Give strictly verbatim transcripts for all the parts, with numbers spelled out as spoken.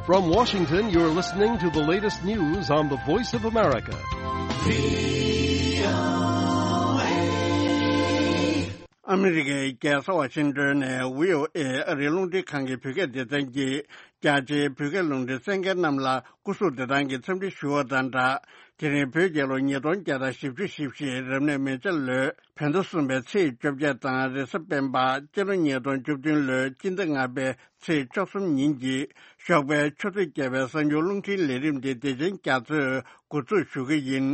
From Washington, you're listening to the latest news on the Voice of America. ཨ་མི་རི་ཀའི་རྒྱལ་ས་ཝ་ཤིང་ཏོན་ནས་བྷི་ཨོ་ཨེ་ཨ་རིའི་རླུང་འཕྲིན་ཁང་གི་བོད་སྐད་སྡེ་ཚན་གྱིས། རྒྱ་ཆེའི་བོད་སྐད་རླུང་འཕྲིན་གསན་མཁན་རྣམས་ལ་སྐུ་གཟུགས་བདེ་ཐང་གི་འཚམས་འདྲི་ཞུ་བ་དང་སྦྲགས། དེ་རིང་བོད་རྒྱལ་ལོ་ཉིས་སྟོང་བརྒྱ་དང་བཞི་བཅུ་ཞེ་བཞི། རབ་གནས་མེ་བྱ་ལོའི་བོད་ཟླ་གསུམ་པའི་ཚེས་བཅོ་བརྒྱད་དང་། རེས་གཟའ་སྤེན་པ། སྤྱི་ལོ་ཉིས་སྟོང་བཅུ་བདུན་ལོའི་སྤྱི་ཟླ་ལྔ་པའི་ཚེས་བཅུ་གསུམ་ཉིན་གྱི་ཞོགས་པའི་ཆུ་ཚོད་བརྒྱད་པའི་གསར་འགྱུར་རླུང་འཕྲིན་ལས་རིམ་འདི་བདེ་ཆེན་རྒྱ་མཚོས་འགོ་འཛུགས་ཞུ་གི་ཡིན།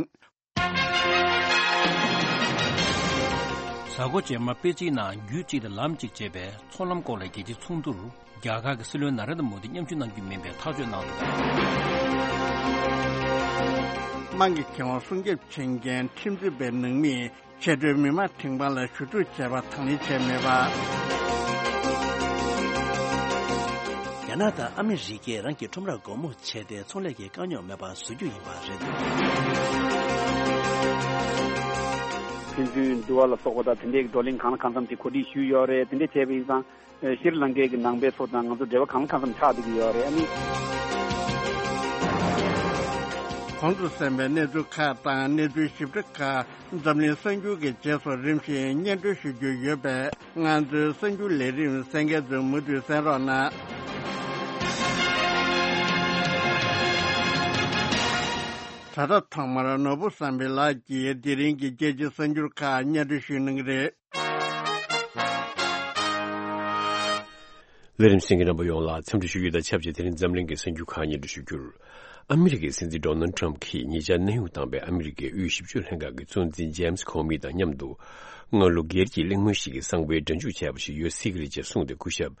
གཟའ་འཁོར་རྗེས་མ་པེ་ཅིན་ནང་རྒྱུད་གཅིག་དང་ལམ་གཅིག་ཅེས་པའི་ཚོང་ལམ་སྐོར་ལ་རྒྱལ་སྤྱིའི་ཚོགས་འདུར་རྒྱ་གར་གྱི་སྲིད་བློན་ན་རེན་དྲ་མོ་དི་མཉམ་ཞུགས་གནང་རྒྱུ་མིན་པའི་ཐག་གཅོད་གནང་འདུག་དམངས་ཀྱི་ཁེ་དབང་སྲུང་སྐྱོབ་བྱེད་མཁན་ཁྲིམས་རྩོད་པའི་ནང་མིས་ཆེས་མཐོའི་མི་དམངས་ཁྲིམས་ཁང་ལ་ཞུ་གཏུག་བྱས་པ་དང་ལེན་བྱས་མེད་པ། རྒྱ་ནག་དང་ཨ་མི་རི་ཀས་རང་གི་ཁྲོམ་རར་སྒོ་མོ་ཕྱེ་སྟེ་ཚོང་ལས་ཀྱི་དཀའ་རྙོག་མེད་པ་བཟོ་རྒྱུ་ཡིན་པ་རེད་འདུག་ཕན་ཚུན་འདུལ་བ་ལ་སོགས་པ་དང་དེ་འདྲའི་བགྲོ་གླེང་གང་ལ་གང་འཚམ་དེ་གོ་སྒྲིག་ཞུས་ཡོད་རེད། དེ་འདྲ་བྱས་པ་ཡིན་ཙང་ཤྲི་ལང་ཀའི་གི་ནང་པའི་ཚོ་དང་ང་ཚོ་འབྲེལ་བ་གང་ལ་གང་འཚམ་ཆགས་བསྡད་ཀྱི་ཡོད་རེད། ཨ་ནི། གོང་དུ་གསན་པའི་གནས་ཚུལ་ཁག་དང་གནས་ཚུལ་ཞིབ་ཕྲ་ཁག་འཛམ་གླིང་གསར་འགྱུར་གྱི་རྗེས་སུ་རིམ་བཞིན་སྙན་སྒྲོན་ཞུ་རྒྱུ་ཡོད་པས། ང་ཚོའི་གསར་འགྱུར་ལས་རིམ་གསན་མཁན་ཚོས་མུ་མཐུད་གསན་རོགས་གནང་། ད་ལྟ་ཐོག་མར་ནོར་བུ་བསམ་འཕེལ་ལགས་ཀྱིས་དེ་རིང་གི་རྒྱལ་སྤྱིའི་གསར་འགྱུར་ཁག་སྙན་སྒྲོན་ཞུ་གནང་གི་རེད། ལས་རིམ་གསན་མཁན་རྣམ་པ་ཡོངས་ལ་འཚམས་འདྲི་ཞུ་རྒྱུ་དང་ཆབས་ཅིག་དེ་རིང་འཛམ་གླིང་གི་གསར་འགྱུར་ཁག་སྙན་སྒྲོན་ཞུ་རྒྱུར། ཨ་མི་རི་ཀའི་སྲིད་འཛིན་ཌོ་ནལ་ཊམ་གྱིས་ཉེ་ཆར་གནས་དབྱུང་བཏང་པའི་ཨ་མི་རི་ཀའི་དབུས་ཞིབ་དཔྱོད་ལྷན་ཁང་གི་གཙོ་འཛིན་ཇེམ་སི་ཁོ་མི་དང་མཉམ་དུ། སྔ་ལོ་སྒེར་གྱི་གླེང་མོལ་ཞིག་གི་གསང་བའི་སྒྲ་འཇུག་བྱས་པ་ཞིག་ཡོད་སྲིད་ཀྱི་རེད་ཅེས་གསུངས་ཏེ། སྐུ་ཞབས་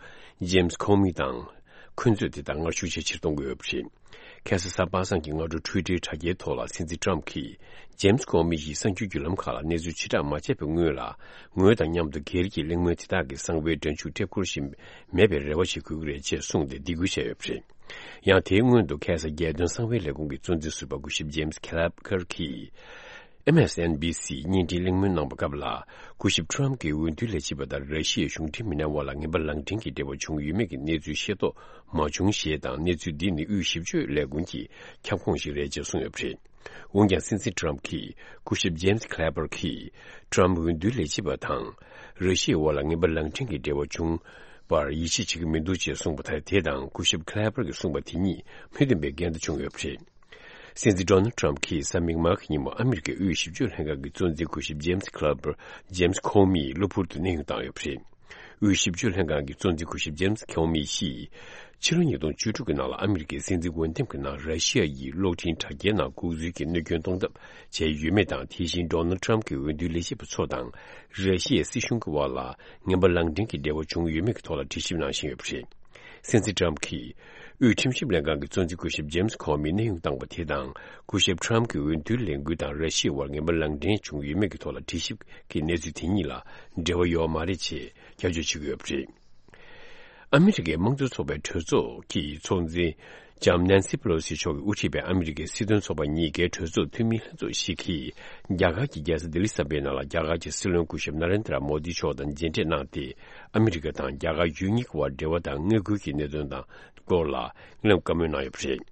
ཇེམ་སི་ཁོ་མི་དང་། འཁོན་རྩོད་དེ་དག་སྔར་ཤུགས་ཆེ་ཕྱིར་གཏོང་གི་ཡོད་པ་རེད། ཁ་སང་གཟའ་པ་སངས་ཀྱི་སྔ་དྲོ་ཊུའི་ཊར་དྲ་རྒྱའི་ཐོག་ལ་སྲིད་འཛིན་ཊམ་གྱིས་ཇེམ་སི་ཀོ་མི་ཡིས་གསར་འགྱུར་བརྒྱུད་ལམ་ཁག་ལ་གནས་ཚུལ་ཕྱིར་བསྒྲགས་མ་བྱས་པའི་སྔོན་ལ། ངོས་དང་མཉམ་དུ་སྒེར་གྱི་གླེང་མོལ་དེ་དག་གི་གསང་བའི་སྒྲ་འཇུག་ཊེབ་སྐོར་ཞིག་མེད་པའི་རེ་བ་བྱེད་དགོས་ཀྱི་རེད་ཅེས་གསུངས་ཏེ་སྡིགས་སྐུལ་བྱས་ཡོད་པ་རེད། ཡང་དེའི་སྔོན་དུ་ཁ་སང་རྒྱལ་དོན་གསང་བའི་ལས་ཁུངས་ཀྱི་གཙོ་འཛིན་ཟུར་པ་སྐུ་ཞབས་ཇེམ་སི་ཁེ་ལབ་ཀར་གྱིས། ཨེམ་ཨེས་ཨེན་བི་སི་བརྙན་འཕྲིན་གླེང་མོལ་གནང་པའི་སྐབས་ལ། སྐུ་ཞབས་ཊམ་གྱི་འོས་བསྡུའི་ལས་བྱེད་པ་དང་ར་ཤི་ཡའི་གཞུང་འབྲེལ་མི་སྣའི་དབར་ལ་ངན་པ་ལངས་འདྲེན་གྱི་འབྲེལ་བ་བྱུང་ཡོད་མེད་ཀྱི་གནས་ཚུལ་ཤེས་རྟོགས་མ་བྱུང་ཞེས་དང་། གནས་ཚུལ་འདི་ནི་དབུས་ཞིབ་དཔྱོད་ལས་ཁུངས་ཀྱི་ཁྱབ་ཁོངས་ཤིག་རེད་ཅེས་གསུངས་ཡོད་པ་རེད། འོན་ཀྱང་སྲིད་འཛིན་ཊམ་གྱིས་སྐུ་ཞབས་ཇེམ་སི་ཁེ་ལབ་ཀར་གྱིས་ཊམ་འོས་བསྡུའི་ལས་བྱེད་པ་དང་ར་ཤི་ཡའི་དབར་ལ་ངན་པ་ལངས་འདྲེན་གྱི་འབྲེལ་བ་བྱུང་བར་ཡིད་ཆེས་བྱེད་ཀྱི་མི་འདུག་ཅེས་གསུངས་པ་དང་། དེ་དང་སྐུ་ཞབས་ཁེ་ལབ་ཀར་གྱིས་གསུངས་པ་དེ་གཉིས་མི་མཐུན་པའི་འགལ་ཟླ་བྱུང་ཡོད་པ་རེད། སྲིད་འཛིན་ཌོ་ནལ་ཊམ་གྱིས་གཟའ་མིག་དམར་གྱི་ཉིན་མོ་ཨ་མི་རི་ཀའི་དབུས་ཞིབ་དཔྱོད་ལྷན་ཁང་གི་གཙོ་འཛིན་སྐུ་ཞབས་ཇེམ་སི་ཁེ་ལབ་ཀར། ཇེམ་སི་ཁོ་མི་ཡིས་གློ་བུར་དུ་གནས་དབྱུང་བཏང་ཡོད་པ་རེད། དབུས་ཞིབ་དཔྱོད་ལྷན་ཁང་གི་གཙོ་འཛིན་སྐུ་ཞབས་ཇེམ་སི་ཁོ་མི་ཡིས། ཕྱི་ལོ་ཉིས་སྟོང་བཅུ་དྲུག་གི་ནང་ལ་ཨ་མི་རི་ཀའི་སྲིད་འཛིན་འོས་འདེམས་ཀྱི་ནང་ར་ཤི་ཡ་ཡིས་གློག་འཕྲིན་དྲ་རྒྱའི་ནང་ལྐོག་འཛུལ་གྱིས་གནོད་སྐྱོན་གཏོང་ཐབས་བྱས་ཡོད་མེད་དང་། དེ་བཞིན་ཌོ་ནལ་ཊམ་གྱི་འོས་བསྡུའི་ལས་བྱེད་པ་ཚོ་དང་ར་ཤི་ཡའི་སྲིད་གཞུང་གི་དབར་ལ་ངན་པ་ལངས་འདྲེན་གྱི་འབྲེལ་བ་བྱུང་ཡོད་མེད་ཀྱི་ཐོག་ལ་དྲི་ཞིབ་གནང་བཞིན་ཡོད་པ་རེད། སྲིད་འཛིན་ཊམ་གྱིས་དབུས་ཁྲིམས་ཞིབ་ལྷན་ཁང་གི་གཙོ་འཛིན་སྐུ་ཞབས་ཇེམ་སི་ཁོ་མི་གནས་དབྱུང་བཏང་པ་དེ་དང་། སྐུ་ཞབས་ཊམ་གྱི་འོས་བསྡུའི་ལས་འགུལ་དང་ར་ཤི་ཡའི་དབར་ངན་པ་ལངས་འདྲེན་བྱུང་ཡོད་མེད་ཀྱི་ཐོག་ལ་དྲི་ཞིབ་ཀྱི་གནས་ཚུལ་དེ་གཉིས་ལ་འབྲེལ་བ་ཡོད་མ་རེད་ཅེས་སྐྱོན་བརྗོད་བྱེད་ཀྱི་ཡོད་པ་རེད། ཨ་མི་རི་ཀའི་དམངས་གཙོ་ཚོགས་པའི་གྲོས་ཚོགས་ཀྱི་ཚོགས་འཛིན་ལྕམ་ནན་སི་པེ་ལོ་སི་མཆོག་གིས་དབུ་ཁྲིད་པའི་ཨ་མི་རི་ཀའི་སྲིད་དོན་ཚོགས་པ་གཉིས་ཀའི་གྲོས་ཚོགས་འཐུས་མི་ལྷན་ཚོགས་ཤིག་གིས་རྒྱ་གར་གྱི་རྒྱལ་ས་ལྡི་ལི་གསར་པའི་ནང་ལ་རྒྱ་གར་གྱི་སྲིད་བློན་སྐུ་ཞབས་ན་རེན་དྲ་མོ་དི་མཆོག་དང་མཇལ་འཕྲད་གནང་སྟེ། ཨ་མི་རི་ཀ་དང་རྒྱ་གར་ཡུལ་གཉིས་ཀྱི་དབར་འབྲེལ་བ་དང་མངའ་ཁུལ་གྱི་གནད་དོན་དང་སྐོར་ལ་སྙན་ལམ་བཀའ་མོལ་གནང་ཡོད་པ་རེད།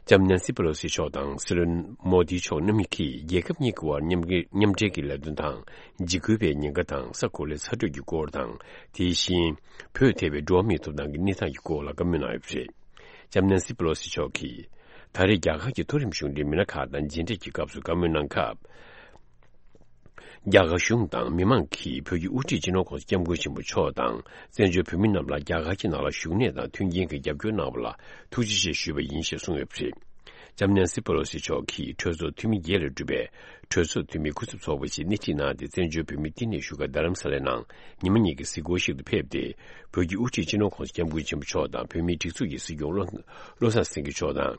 ལྕམ་ནན་སི་པེ་ལོ་སི་མཆོག་དང་སྲིད་བློན་མོ་དི་མཆོག་རྣམ་གཉིས་ཀྱིས་རྒྱལ་ཁབ་གཉིས་ཀྱི་དབར་མཉམ་འབྲེལ་མཉམ་འབྲེལ་གྱི་ལས་དོན་དང་། འཇིགས་སྐུལ་བའི་ཉེན་ཁ་དང་ས་གོ་ལའི་ཚ་དྲོད་ཀྱི་སྐོར་དང་། དེ་བཞིན་བོད་ཐེ་བའི་འགྲོ་བ་མིའི་ཐོབ་ཐང་གི་གནས་སྟངས་ཀྱི་སྐོར་ལ་བཀའ་མོལ་གནང་ཡོད་པ་རེད། ལྕམ་ནན་སི་པེ་ལོ་སི་མཆོག་གིས་ད་རེས་རྒྱ་གར་གྱི་མཐོ་རིམ་གཞུང་འབྲེལ་མི་སྣ་ཁག་དང་མཇལ་འཕྲད་ཀྱི་སྐབས་སུ་བཀའ་མོལ་གནང་སྐབས། རྒྱ་གར་གཞུང་དང་མི་མང་གིས་བོད་ཀྱི་དབུ་ཁྲིད་སྤྱི་ནོར་༸གོང་ས་༸སྐྱབས་མགོན་ཆེན་པོ་མཆོག་དང་བཙན་བྱོལ་བོད་མི་རྣམས་ལ་རྒྱ་གར་གྱི་ནང་ལ་བཞུགས་གནས་དང་མཐུན་རྐྱེན་གྱི་རྒྱབ་སྐྱོར་གནང་བ་ལ་ཐུགས་རྗེ་ཆེ་ཞུས་པ་ཡིན་ཞེས་གསུངས་ཡོད་པ་རེད། ལྕམ་ནན་སི་པེ་ལོ་སི་མཆོག་གིས་གྲོས་ཚོགས་འཐུས་མི་བརྒྱད་ལས་གྲུབ་པའི་གྲོས་ཚོགས་འཐུས་མིའི་སྐུ་ཚབ་ཚོགས་པ་ཞིག་སྣེ་ཁྲིད་གནང་སྟེ། བཙན་བྱོལ་བོད་མིའི་བསྟི་གནས་བཞུགས་སྒར་རྡ་རམ་ས་ལའི་ནང་ཉི་མ་གཉིས་ཀྱི་གཟིགས་སྐོར་ཞིག་ཏུ་ཕེབས་ཏེ། བོད་ཀྱི་དབུ་ཁྲིད་སྤྱི་ནོར་༸གོང་ས་༸སྐྱབས་མགོན་ཆེན་པོ་མཆོག་དང་བོད་མིའི་སྒྲིག་འཛུགས་ཀྱི་སྲིད་སྐྱོང་བློ་བློ་བཟང་སེང་གེ་མཆོག་དང་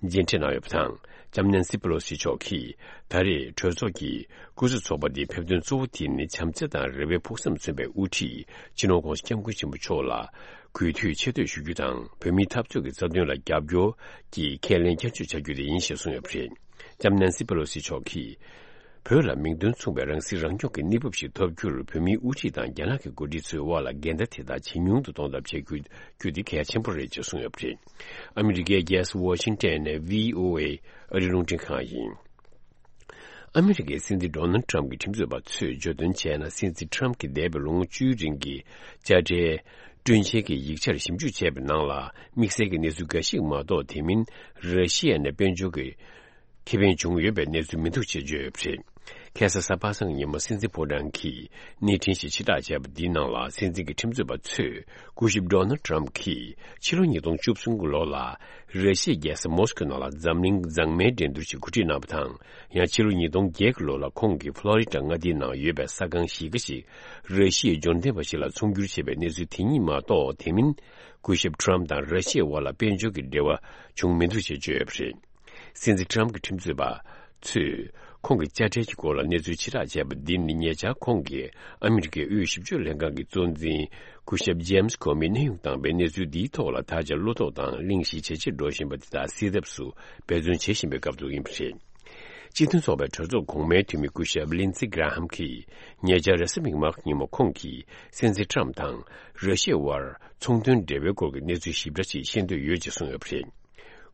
མཇལ་འཕྲད་གནང་ཡོད་པ་དང་། ལྕམ་ནན་སི་པེ་ལོ་སི་མཆོག་གིས་ད་རེས་གྲོས་ཚོགས་ཀྱི་སྐུ་ཚབ་ཚོགས་པ་འདིའི་ཕེབས་དོན་གཙོ་བོ་དེ་ནི་བྱམས་བརྩེ་དང་རེ་བའི་ཕུགས་བསམ་མཚོན་པའི་དབུ་ཁྲིད་སྤྱི་ནོར་༸གོང་ས་༸སྐྱབས་མགོན་ཆེན་པོ་མཆོག་ལ་གུས་འདུད་ཆེ་བསྟོད་ཞུ་རྒྱུ་དང་། བོད་མིའི་འཐབ་རྩོད་ཀྱི་རྩ་དོན་ལ་རྒྱབ་སྐྱོར་གྱི་ཁས་ལེན་བསྐྱར་བཅོས་བྱ་རྒྱུ་དེ་ཡིན་ཞེས་གསུངས་ཡོད་པ་རེད། ལྕམ་ནན་སི་པེ་ལོ་སི་མཆོག་གིས། བོད་ལ་མིང་དོན་མཚུངས་པའི་རང་སྲིད་རང་སྐྱོང་གི་གནས་བབ་ཞིག་ཐོབ་རྒྱུར་བོད་མིའི་དབུ་ཁྲིད་དང་རྒྱ་ནག་གི་འགོ་ཁྲིད་ཚོའི་དབར་ལ་འགལ་ཟླ་དེ་དག་ཇེ་ཉུང་དུ་གཏོང་ཐབས་བྱེད་དགོས་རྒྱུ་དེ་གལ་ཆེན་པོ་རེད་ཅེས་གསུངས་ཡོད་པ་རེད། ཨ་མི་རི་ཀའི་རྒྱལ་ས་ཝ་ཤིང་ཊོན་ནས་བྷི་ཨོ་ཨེ་ཨ་རིའི་རླུང་འཕྲིན་ཁང་ཡིན། ཨ་མི་རི་ཀའི་སྲིད་འཛིན་ཌོ་ནལ་ཊམ་གྱི་ཁྲིམས་རྩོད་པ་ཚོས་བརྗོད་དོན་བྱས་ན། སྲིད་འཛིན་ཊམ་གྱིས་འདས་པའི་ལོ་ངོ་བཅུའི་རིང་གི་དཔྱ་ཁྲལ་སྤྲོད་འཇལ་གྱི་ཡིག་ཆར་ཞིབ་འཇུག་བྱས་པའི་ནང་ལ། དམིགས་བསལ་གྱི་གནས་ཚུལ་འགའ་ཞིག་མ་གཏོགས། དེ་མིན་ར་ཤི་ཡ་ནས་དཔལ་འབྱོར་གྱི་ཁེ་ཕན་བྱུང་ཡོད་པའི་གནས་ཚུལ་མི་འདུག་ཅེས་བརྗོད་ཡོད་པ་རེད། ཁ་སང་གཟའ་པ་སངས་ཉིན་མོ་སྲིད་འཛིན་ཕོ་བྲང་གིས་གནས་འཕྲིན་ཞིག་ཕྱིར་བསྒྲགས་བྱས་པ་འདིའི་ནང་ལ། སྲིད་འཛིན་གྱི་ཁྲིམས་རྩོད་པ་ཚོས་སྐུ་ཞབས་ཌོ་ནལ་ཊམ་གྱིས་ཕྱི་ལོ་ཉིས་སྟོང་བཅུ་གསུམ་གྱི་ལོ་ལ་ར་ཤི་ཡའི་རྒྱལ་ས་མོ་སི་ཀོའི་ནང་ལ་འཛམ་གླིང་མཛངས་མའི་འགྲན་བསྡུར་ཞིག་གོ་སྒྲིག་གནང་བ་དང་། ཡང་ཕྱི་ལོ་ཉིས་སྟོང་བརྒྱད་ཀྱི་ལོ་ལ་ཁོང་གིས་ཕློ་རི་ཌ་མངའ་སྡེའི་ནང་ཡོད་པའི་ས་ཁང་གཞིས་ཀ་ཞིག་ར་ཤི་ཡའི་འབྱོར་ལྡན་པ་ཞིག་ལ་ཚོང་བསྒྱུར་བྱས་པའི་གནས་ཚུལ་དེ་གཉིས་མ་གཏོགས། དེ་མིན་སྐུ་ཞབས་ཊམ་དང་ར་ཤི་ཡའི་དབར་ལ་དཔལ་འབྱོར་གྱི་འབྲེལ་བ་བྱུང་མི་འདུག་ཅེས་བརྗོད་ཡོད་པ་རེད། སྲིད་འཛིན་ཊམ་གྱི་ཁྲིམས་རྩོད་པ་ཚོས་ཁོང་གི་དཔྱ་ཁྲལ་གྱི་སྐོར་ལ་གནས་ཚུལ་ཕྱིར་བསྒྲགས་བྱས་པ་འདི་ནི། ཉེ་ཆར་ཁོང་གིས་ཨ་མི་རི་ཀའི་དབུས་ཞིབ་དཔྱོད་ལྷན་ཁང་གི་གཙོ་འཛིན་སྐུ་ཞབས་ཇེམ་སི་ཀོ་མིས་གནས་དབྱུང་བཏང་བའི་གནས་ཚུལ་འདིའི་ཐོག་ལ་ད་ཆ་བློ་དོགས་དང་གླེང་གཞི་ཇེ་ཆེར་འགྲོ་བཞིན་པ་དེ་དག་སེལ་ཐབས་སུ་འབད་བརྩོན་བྱེད་བཞིན་པའི་སྐབས་སུ་ཡིན་པ་རེད། སྤྱི་མཐུན་ཚོགས་པའི་གྲོས་ཚོགས་གོང་མའི་འཐུས་མི་སྐུ་ཞབས་ལིན་ཙི་གྷ་ར་ཧམ་གྱིས། ཉེ་ཆར་རེས་གཟའ་མིག་དམར་ཉིན་མོ་ཁོང་གིས་སྲིད་འཛིན་ཊམ་དང་ར་ཤི་ཡའི་དབར་ཚོང་དོན་འབྲེལ་བའི་སྐོར་གྱི་གནས་ཚུལ་ཞིབ་ཕྲ་ཅིག་ཤེས་འདོད་ཡོད་ཅེས་གསུངས་ཡོད་པ་རེད།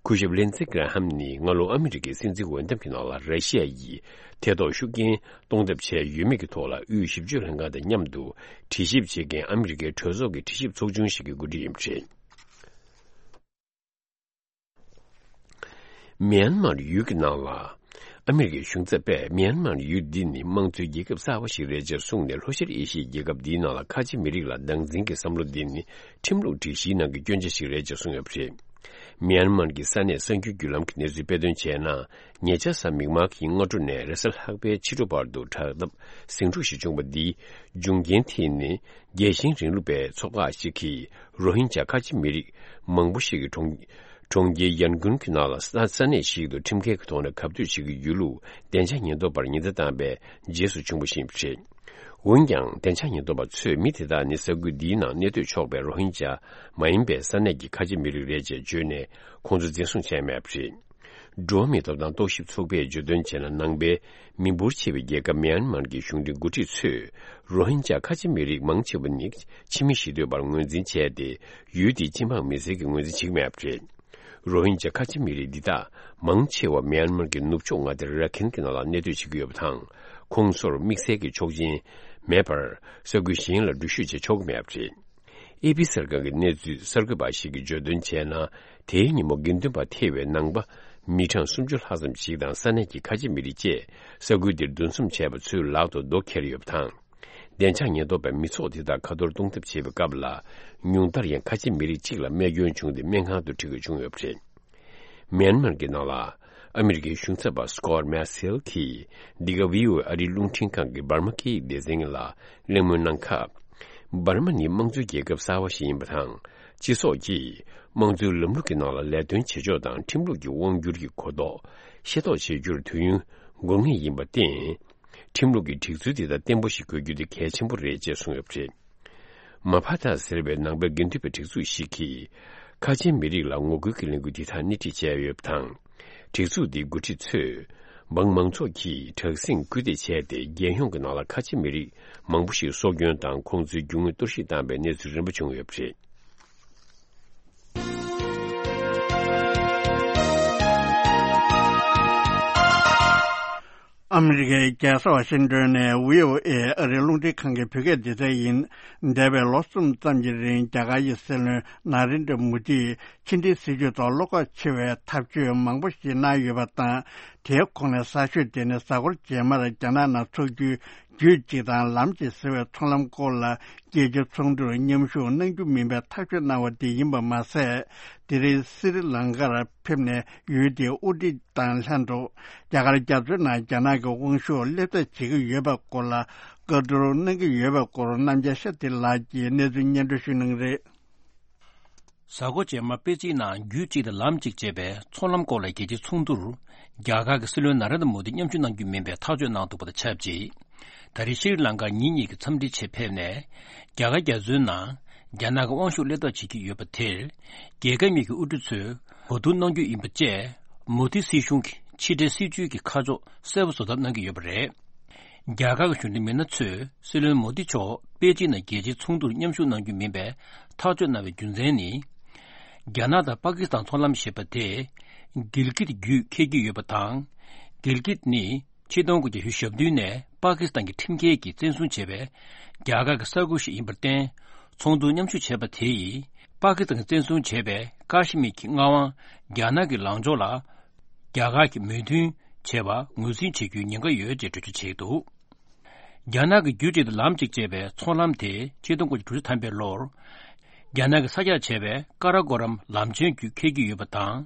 སྐུ་ཞབས་ལིན་ཙི་གྷ་ར་ཧམ་ནི་སྔ་ལོ་ཨ་མི་རི་ཀའི་སྲིད་འཛིན་འོས་འདེམས་ཀྱི་ནང་ལ་ར་ཤི་ཡ་ཡིས་ཐེ་གཏོགས་ཤུགས་རྐྱེན་གཏོང་ཐབས་བྱས་ཡོད་མེད་ཀྱི་ཐོག་ལ། དབུས་ཞིབ་དཔྱོད་ལྷན་ཁང་དང་མཉམ་དུ་དྲི་ཞིབ་བྱེད་མཁན་ཨ་མི་རི་ཀའི་གྲོས་ཚོགས་ཀྱི་དྲི་ཞིབ་ཚོགས་ཆུང་ཞིག་གི་འགོ་ཁྲིད་ཡིན་པ་རེད། མི་ཡན་མར་ཡུལ་གྱི་ནང་ལ། ཨ་མི་རི་ཀའི་གཞུང་ཚབ་པས་མི་ཡན་མར་ཡུལ་འདི་ནི་དམངས་གཙོའི་རྒྱལ་ཁབ་གསར་བ་ཞིག་རེད་ཅེས་གསུངས་ནས། ལྷོ་ཤར་ཨེ་ཤི་ཡའི་རྒྱལ་ཁབ་འདིའི་ནང་ལ་ཁ་ཆེ་མི་རིགས་ལ་སྡང་འཛིན་གྱི་བསམ་བློ་འདི་ནི་ཁྲིམས་ལུགས་སྒྲིག་གཞིའི་ནང་གི་སྐྱོན་ཆ་ཞིག་རེད་ཅེས་གསུངས་ཡོད་པ་རེད། མི་ཡན་མར་གྱི་ས་གནས་གསར་འགྱུར་བརྒྱུད་ལམ་གྱི་གནས་ཚུལ་དཔེ་སྟོན་བྱས་ན། ཉེ་ཆར་གཟའ་མིག་དམར་གྱི་སྔ་དྲོ་ནས་རེས་གཟའ་ལྷག་པའི་ཕྱི་དྲོ་བར་དུ་དྲག་འཐབ་ཟིང་འཁྲུག་ཞིག་བྱུང་བ་འདིའི་འབྱུང་རྐྱེན་དེ་ནི། རྒྱལ་ཞེན་རིང་ལུགས་པའི་ཚོགས་ཁག་ཅིག་གིས་རོ་ཧིན་ཇཱ་ཁ་ཆེ་མི་རིགས་མང་པོ་ཞིག་གི་གྲོང་གྲོང་ཁྱེར་ཡན་གུན་གྱི་ནང་ལ་ས་ས་གནས་ཤིག་ཏུ་ཁྲིམས་འགལ་གྱི་ཐོག་ནས་གབ་སྡོད་བྱེད་ཀྱི་ཡོད་ལུགས་བདེ་འཇགས་ཉེན་རྟོག་པར་ཉེན་བརྡ་བཏང་བའི་རྗེས་སུ་བྱུང་བ་ཞིག་རེད། འོན་ཀྱང་། བདེ་འཇགས་ཉེན་རྟོག་པ་ཚོས་མི་དེ་དག་ནི་ས་ཁུལ་འདིའི་ནང་གནས་སྡོད་ཆོག་པའི་རོ་ཧིན་ཇཱ་མ་ཡིན་པའི་ས་གནས་ཀྱི་ཁ་ཆེ་མི་རིགས་རེད་ཅེས་བརྗོད་ནས། ཁོང་ཚོ་འཛིན་བཟུང་བྱས་མེད་པ་རེད། འགྲོ་བ་མིའི་ཐོབ་ཐང་རྟོག་ཞིབ་ཚོགས་པས་བརྗོད་དོན་བྱས་ན། ནང་པའི་མི་འབོར་ཆེ་བའི་རྒྱལ་ཁབ་མི་ཡན་མར་གྱི་གཞུང་འབྲེལ་འགོ་ཁྲིད་ཚོས་རོ་ཧིན་ཇཱ་ཁ་ཆེ་མི་རིགས་མང་ཆེ་བ་ནི་ཕྱི་མི་ཞེ་འདོད་པར་ངོས་འཛིན་བྱས་ཏེ། ཡུལ་དེའི་སྤྱི་འབངས་མི་སེར་གྱི་ངོས་འཛིན་བྱེད་ཀྱི་མེད་པ་རེད། རོ་ཧིན་ཇཱ་ཁ་ཆེ་མི་རིགས་འདི་དག་མང་ཆེ་བ་མི་ཡན་མར་གྱི་ནུབ་ཕྱོགས་མངའ་སྡེ་ར་ཁིན་གྱི་ནང་ལ་གནས་སྡོད་བྱེད་ཀྱི་ཡོད་པ་དང་། ཁོང་ཚོར་དམིགས་བསལ་གྱི་ཆོག་མཆན་མེད་པར་ས་ཁུལ་གཞན་ལ་འགྲུལ་བཞུད་བྱེད་ཆོག་གི་མེད་པ་རེད། ཨེ་པི་གསར་ཁང་གི་གནས་ཚུལ་གསར་འགོད་པ་ཞིག་གིས་བརྗོད་དོན་བྱས་ན། དེའི་ཉིན་མོ་དགེ་འདུན་པ་ཐེ་བའི་ནང་པ་མི་གྲངས་སུམ་ཅུ་ལྷག་ཙམ་ཞིག་དང་ས་གནས་ཀྱི་ཁ་ཆེ་མི་རིགས་བཅས་ས་ཁུལ་འདིར་འདུ་འཛོམས་བྱས་པ་ཚོའི་ལག་ཏུ་རྡོ་འཁྱེར་ཡོད་པ་དང་། བདེ་འཇགས་ཉེན་རྟོག་པས་མི་ཚོགས་དེ་དག་ཁ་ཐོར་གཏོང་ཐབས་བྱེད་པའི་སྐབས་ལ། ཉུང་མཐར་ཡང་ཁ་ཆེ་མི་རིགས་གཅིག་ལ་རྨས་སྐྱོན་བྱུང་སྟེ་སྨན་ཁང་དུ་ཁྲིད་དགོས་བྱུང་ཡོད་པ་རེད། མི་ཡན་མར་གྱི་ནང་ལ་ཨ་མི་རི་ཀའི་གཞུང་ཚབ་པ་སི་ཀོར་མེ་སེལ་གྱིས་འདི་ག་བྷི་ཨོ་ཨེ་ཨ་རིའི་རླུང་འཕྲིན་ཁང་གི་འབར་མ་སྐད་ཡིག་སྡེ་ཚན་ལ་གླེང་མོལ་གནང་སྐབས། འབར་མ་ནི་དམངས་གཙོའི་རྒྱལ་ཁབ་གསར་བ་ཞིག་ཡིན་པ་དང་། སྤྱི་ཚོགས་ཀྱིས་དམངས་གཙོའི་ལམ་ལུགས་ཀྱི་ནང་ལ་ལས་དོན་བྱེད་ཕྱོགས་དང་ཁྲིམས་ལུགས་ཀྱི་དབང་སྒྱུར་གྱི་གོ་རྟོགས་ཤེས་རྟོགས་བྱེད་རྒྱུར་དུས་ཡུན་འགོར་ངེས་ཡིན་པར་བརྟེན། ཁྲིམས་ལུགས་ཀྱི་སྒྲིག་ཚུལ་དེ་དག་བརྟན་པོ་ཞིག་དགོས་རྒྱུ་དེ་གལ་ཆེན་པོ་རེད་ཅེས་གསུངས་ཡོད་པ་རེད། མ་ཕ་ཐ་ཟེར་བའི་ནང་པའི་དགེ་འདུན་པའི་སྒྲིག་འཛུགས་ཤིག་གིས། ཁ་ཆེའི་མི་རིགས་ལ་ངོ་རྒོལ་གྱི་ལས་འགུལ་འདི་དག་སྣེ་ཁྲིད་བྱས་ཡོད་པ་དང་། སྒྲིག་འཛུགས་འདིའི་འགོ་ཁྲིད་ཚོས། འབངས་མང་ཚོགས་ཀྱིས་དྲག་ཟིང་སྐུལ་འདེད་བྱས་ཏེ། རྒྱལ་ཡོངས་ཀྱི་ནང་ལ་ཁ་ཆེ་མི་རིགས་མང་པོ་ཞིག་སྲོག་སྐྱོན་དང་། ཁོང་ཚོའི་རྒྱུ་དངོས་གཏོར་བཤིག་བཏང་པའི་གནས་ཚུལ་རིམ་པ་བྱུང་ཡོད་པ་རེད། ཨ་མི་རི་ཀའི་རྒྱལ་ས་ཝ་ཤིང་ཏོན་ནས་བྷི་ཨོ་ཨེ་ཨ་རིའི་རླུང་འཕྲིན་ཁང་གི་བོད་སྐད་སྡེ་ཚན་ཡིན། འདས་པའི་ལོ་གསུམ་ཙམ་གྱི་རིང་རྒྱ་གར་གྱི་སྲིད་བློན་ན་རེན་དྲ་མོ་དིས་ཕྱི་འབྲེལ་སྲིད་ཇུས་ཐོག་བློ་ཁོག་ཆེ་བའི་ཐབས་ཇུས་མང་པོ་ཞིག་གནང་ཡོད་པ་དང་། དེའི་ཁོངས་ནས་གསར་ཤོས་དེ་ནི་གཟའ་འཁོར་རྗེས་མར་རྒྱ་ནག་ནང་འཚོགས་རྒྱུའི་རྒྱུད་གཅིག་དང་ལམ་གཅིག་ཟེར་བའི་ཚོང་ལམ་སྐོར་ལ་རྒྱལ་སྤྱིའི་ཚོགས་འདུར་མཉམ་ཞུགས་གནང་རྒྱུ་མིན་པའི་ཐག་གཅོད་གནང་བ་དེ་ཡིན་པ་མ་ཟད། དེ་རིང་སི་རི་ལང་ཀར་ཕེབས་ནས་ཡུལ་དེའི་དབུ་ཁྲིད་དང་ལྷན་དུ་རྒྱ་གར་རྒྱ་མཚོའི་ནང་རྒྱ་ནག་གི་དབང་ཤུགས་སླེབས་ཐབས་བྱེད་ཀྱི་ཡོད་པའི་སྐོར་ལ་བཀའ་བསྡུར་གནང་གི་ཡོད་པའི་སྐོར་རྣམ་རྒྱལ་ཤཱ་ཏི་ལགས་ཀྱིས་གནས་ཚུལ་སྙན་སྒྲོན་ཞུ་གནང་རེད། གཟའ་འཁོར་རྗེས་མ་པེ་ཅིན་ནང་རྒྱུད་གཅིག་དང་ལམ་གཅིག་ཅེས་པའི་ཚོང་ལམ་སྐོར་ལ་རྒྱལ་སྤྱིའི་ཚོགས་འདུར་རྒྱ་གར་གྱི་སྲིད་བློན་ན་རེན་དྲ་མོ་དི་མཉམ་ཞུགས་གནང་རྒྱུ་མིན་པའི་ཐག་གཅོད་གནང་འདུག་པ་དང་ཆབས་ཅིག་ད་རེས་ཤྲི་ལང་ཀར་ཉིན་གཉིས་ཀྱི་འཚམས་འདྲིའི་ཆེད་ཕེབས་ནས། རྒྱ་གར་རྒྱ་མཚོའི་ནང་རྒྱ་ནག་གི་དབང་ཤུགས་སླེབས་ཐབས་བྱེད་ཀྱི་ཡོད་པ་དེར། རྒྱལ་ཁབ་གཉིས་ཀྱི་དབུ་ཁྲིད་ཚོས་གོ་བསྡུར་གནང་རྒྱུ་ཡིན་པ་བཅས། མོ་དི་སྲིད་གཞུང་གི་ ཕྱི་འབྲེལ་སྲིད་ཇུས་ཀྱི་ཁ་ཕྱོགས་གསལ་པོ་བཟོ་ཐབས་གནང་གི་ཡོད་པ་རེད། རྒྱ་གར་གྱི་གཞོན་ནུ་མི་སྣ་ཚོས་སྲིད་བློན་མོ་དི་མཆོག་པེ་ཅིན་ནང་རྒྱལ་སྤྱིའི་ཚོགས་འདུར་མཉམ་ཞུགས་གནང་རྒྱུ་མིན་པའི་ཐག་གཅོད་གནང་བའི་རྒྱུ་མཚན་ནི། རྒྱ་ནག་དང་པ་ཀི་སི་ཐན་ཚོང་ལམ་ཞེས་པ་དེ་གིལ་གིད་བརྒྱུད་འཁེལ་གྱི་ཡོད་པ་དང་། གིལ་གིད་ནི་ཆིག་སྟོང་དགུ་བརྒྱ་བཞི་བཅུ་ཞེ་བདུན་ནས་པ་ཀི་སི་ཐན་གྱི་ཁྲིམས་འགལ་གྱིས་བཙན་བཟུང་བྱས་པའི་རྒྱ་གར་གྱི་ས་ཁུལ་ཞིག་ཡིན་པར་བརྟེན། ཚོགས་འདུར་མཉམ་ཞུགས་བྱས་པ་དེ་ཡིས་པ་ཀི་སི་ཐན་གྱིས་བཙན་བཟུང་བྱས་པའི་ཀ་ཤི་མིར་གྱི་མངའ་དབང་རྒྱ་ནག་གི་ལངས་ཕྱོགས་ལ་རྒྱ་གར་གྱིས་མོས་མཐུན་བྱས་པ་ངོས་འཛིན་བྱེད་རྒྱུའི་ཉེན་ཁ་ཡོད་ཅེས་འགྲེལ་བརྗོད་བྱས་འདུག་རྒྱ་ནག་གི་རྒྱུད་གཅིག་དང་ལམ་གཅིག་ཅེས་པའི་ཚོང་ལམ་དེ་ཆིག་སྟོང་དགུ་བརྒྱ་དྲུག་ཅུ་ཐམ་པའི་ལོར། རྒྱ་ནག་གིས་ས་རྒྱག་བྱས་པའི་ཀ་ར་ཀོ་རམ་ལམ་ཆེན་བརྒྱུད་འཁེལ་གྱི་ཡོད་པ་དང་།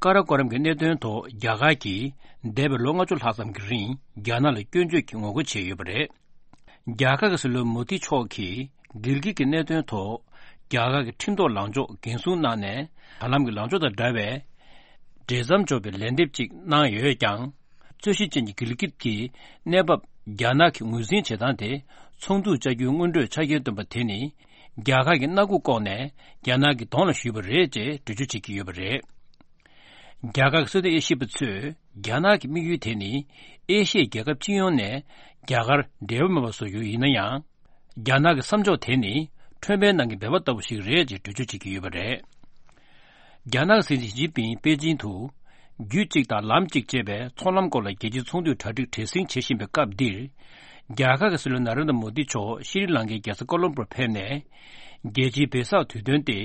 ཀ་ར་ཀོ་རམ་གྱི་གནད་དོན་ཐོག་རྒྱ་གར་གྱིས་འདས་པའི་ལོ་ལྔ་བཅུ་ལྷག་ཙམ་གྱི་རིང་རྒྱ་ནག་ལ་སྐྱོན་བརྗོད་ཀྱི་ངོ་རྒོལ་བྱས་ཡོད་པ་རེད། རྒྱ་གར་གྱི་སྲིད་བློན་མོ་དི་མཆོག་གིས་གིལ་གིད་ཀྱི་གནད་དོན་ཐོག་རྒྱ་གར་གྱི་ཁྲིམས་ཐོག་ལངས་ཕྱོགས་འགན་སྲུང་གནང་ནས། ད་ལམ་གྱི་ལངས་ཕྱོགས་དང་འདྲ་བའི་འབྲེལ་ཟམ་འཇོག་པའི་ལན་འདེབས་ཅིག་གནང་ཡོད་ཀྱང་། རྩོད་གཞི་ཅན་གྱི་གིལ་གིད་ཀྱི་གནས་བབ་རྒྱ་ནག་གིས་ངོས་འཛིན་བྱེད་སྟངས་དེ་ཚོགས་འདུར་བཅར་རྒྱུའི་སྔོན་འགྲོའི་ཆ་རྐྱེན་བཏོན་པ་དེ་ནི། རྒྱ་གར་གྱིས་མནའ་སྒོ་བསྐོར་ནས་རྒྱ་ནག་གི་གདོང་ལ་གཞུས་པ་རེད་ཅེས་འགྲེལ་བརྗོད་བྱེད་ཀྱི་ཡོད་པ་རེད། རྒྱ་གར་གྱི་སྲིད་དོན་དབྱེ་ཞིབ་པ་ཚོས་རྒྱ་ནག་གི་དམིགས་ཡུལ་དེ་ནི་ཨེ་ཤི་ཡའི་རྒྱལ་ཁབ་སྤྱི་ཡོངས་ནས་རྒྱ་གར་འབྲེལ་བ་མེད་པ་བཟོ་རྒྱུ་ཡིན་ན་ཡང་། རྒྱ་ནག་གི་བསམ་ཕྱོགས་དེ་ནི་ཁྲོན་པའི་ནང་གི་སྦལ་པ་ལྟ་བུ་ཞིག་རེད་ཅེས་འགྲེལ་བརྗོད་བྱེད་ཀྱི་ཡོད་པ་རེད། རྒྱ་ནག་གི་སྲིད་འཛིན་ཞི་ཅིན་ཕིང་པེ་ཅིན་དུ་རྒྱུད་གཅིག་དང་ལམ་གཅིག་ཅེས་པའི་ཚོང་ལམ་སྐོར་ལ་རྒྱལ་སྤྱིའི་ཚོགས་འདུའི་གྲ་སྒྲིག་བྲེལ་ཟིང་བྱེད་བཞིན་པའི་སྐབས་འདིར། རྒྱ་གར་གྱི་སྲིད་བློན་ན་རེན་དྲ་མོ་དི་མཆོག་ཤྲི་ལང་ཀའི་རྒྱལ་ས་ཀོ་ལོམ་པོར་ཕེབས་ནས། རྒྱལ་སྤྱིའི་བེ་སག་དུས་སྟོན་ཏེ།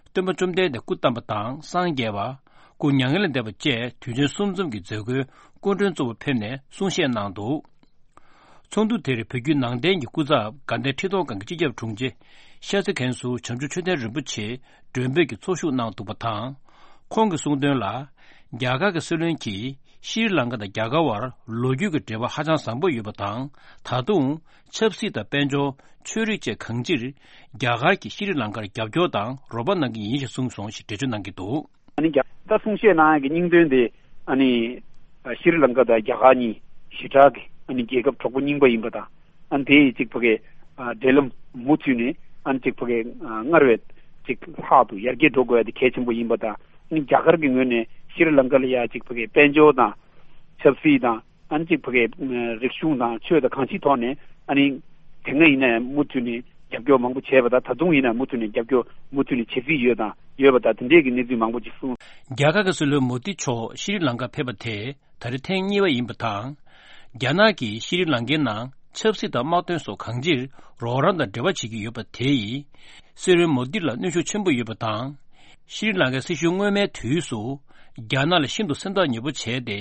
སྟོན་པ་བཅོམ་ལྡན་འདས་སྐུ་བལྟམས་པ་དང་སངས་རྒྱས་པ། སྐུ་མྱ་ངན་ལས་འདས་པ་བཅས་དུས་ཆེན་གསུམ་འཛོམས་ཀྱི་མཛད་སྒོའི་སྐུ་མགྲོན་གཙོ་བོ་ཕེབས་ནས་གསུང་བཤད་གནང་འདུག་ཚོགས་འདུ་དེར་བོད་བརྒྱུད་ནང་བསྟན་གྱི་སྐུ་ཚབ་དགའ་ལྡན་ཁྲི་སྟོང་སྒང་གི་སྤྱི་ཁྱབ་དྲུང་ཆེ་ཤཱསྟྲི་མཁན་ཟུར་བྱང་ཆུབ་ཆོས་ལྡན་རིན་པོ་ཆེ་མགྲོན་འབོད་ཀྱིས་ཚོགས་ཞུགས་གནང་འདུག་པ་དང་། ཁོང་གིས་གསུངས་དོན་ལ། རྒྱ་གར་གྱི་སྲིད་བློན་གྱིས་ཤྲི་ལང་ཀ་དང་རྒྱ་གར་བར་ལོ་རྒྱུས་ཀྱི་འབྲེལ་བ་ཧ་ཅང་བཟང་པོ་ཡོད་པ་དང་། ད་དུང་ཆབ་སྲིད་དང་དཔལ་འབྱོར། ཆོས་རིག་བཅས་གང་ཅིར་རྒྱ་གར་གྱིས་ཤྲི་ལང་ཀར་རྒྱབ་སྐྱོར་དང་རོགས་པ་གནང་གི་ཡིན་ཞེས་གསུངས་སོང་ཞེས་འགྲེལ་བརྗོད་གནང་གི་འདུག་ཨ་ནི་རྒྱ་ད་གསུང་བཤད་གནང་ཡག་གི་སྙིང་དོན་དེ་ཨ་ནི་ཤྲི་ལང་ཀ་དང་རྒྱ་གར་གཉིས་ཞེ་དྲག་གི་ཨ་ནི་རྒྱལ་ཁབ་གྲོགས་པོ་རྙིང་པ་ཡིན་པ་དང་། ཨ་ནི་དེ་ཡི་གཅིག་ཕ་གི་འབྲེལ་ལམ་མུ་མཐུད་ནས་ཨ་ནི་གཅིག་ཕ་གི་སྔར་བས་གཅིག་ལྷག་ཏུ་ཡར་རྒྱས་འགྲོ་དགོས་ཡ་དེ་གལ་ཆེན་པོ་ཡིན་པ་དང་། ཨ་ནི་རྒྱ་གར་གྱི་ངོས་ནས་ཤྲི་ལང་ཀ་ལ་ཡ་གཅིག་ཕ་གི་དཔལ་འབྱོར་དང་ཆབ་སྲིད་དང་། ཨ་ནི་གཅིག་ཕ་གིའི་རིག་གཞུང་དང་ཆོས་དང་གང་ཅིའི་ཐོག་ནས་ཨ་ནི་དེ་སྔ་ཡིན་ན་ཡང་མུ་མཐུད་ནས་རྒྱབ་སྐྱོར་མང་པོ་བྱས་པ་དང་། ད་དུང་ཡིན་ན་མུ་མཐུད་ནས་རྒྱབ་སྐྱོར་མུ་མཐུད་ནས་བྱེད་རྩིས་ཡོད་དང་ཡོད་པ་དང་། དེ་འདྲས་ཀྱི་གནས་ཚུལ་མང་པོ་ཅིག་གསུངས། རྒྱ་གར་གྱི་སྲིད་བློན་མོ་དི་མཆོག་ཤྲི་ལང་ཀ་ཕེབས་པ་དེ་ད་རེས་ཐེངས་གཉིས་པ་ཡིན་པ་དང་། རྒྱ་ནག་གིས་ཤྲི་ལང་ཀའི་ནང་ཆབ་སྲིད་དང་དམག་དོན་སོགས་གང་ཅིར་རོགས་རམ་དང་འབྲེལ་བ་བྱེད་ཀྱི་ཡོད་པ་དེ་ཡིས་སྲིད་བློན་མོ་དི་ལ་གནོན་ཤུགས་ཆེན་པོ་ཡོད་པ་དང་། ཤྲི་ལང་ཀའི་སྲིད་གཞུང་སྔོན་མའི་དུས་སུ་རྒྱ་ནག་ལ་ཤིན་ཏུ་སེམས་ཐག་ཉེ་པོ་བྱས་ཏེ།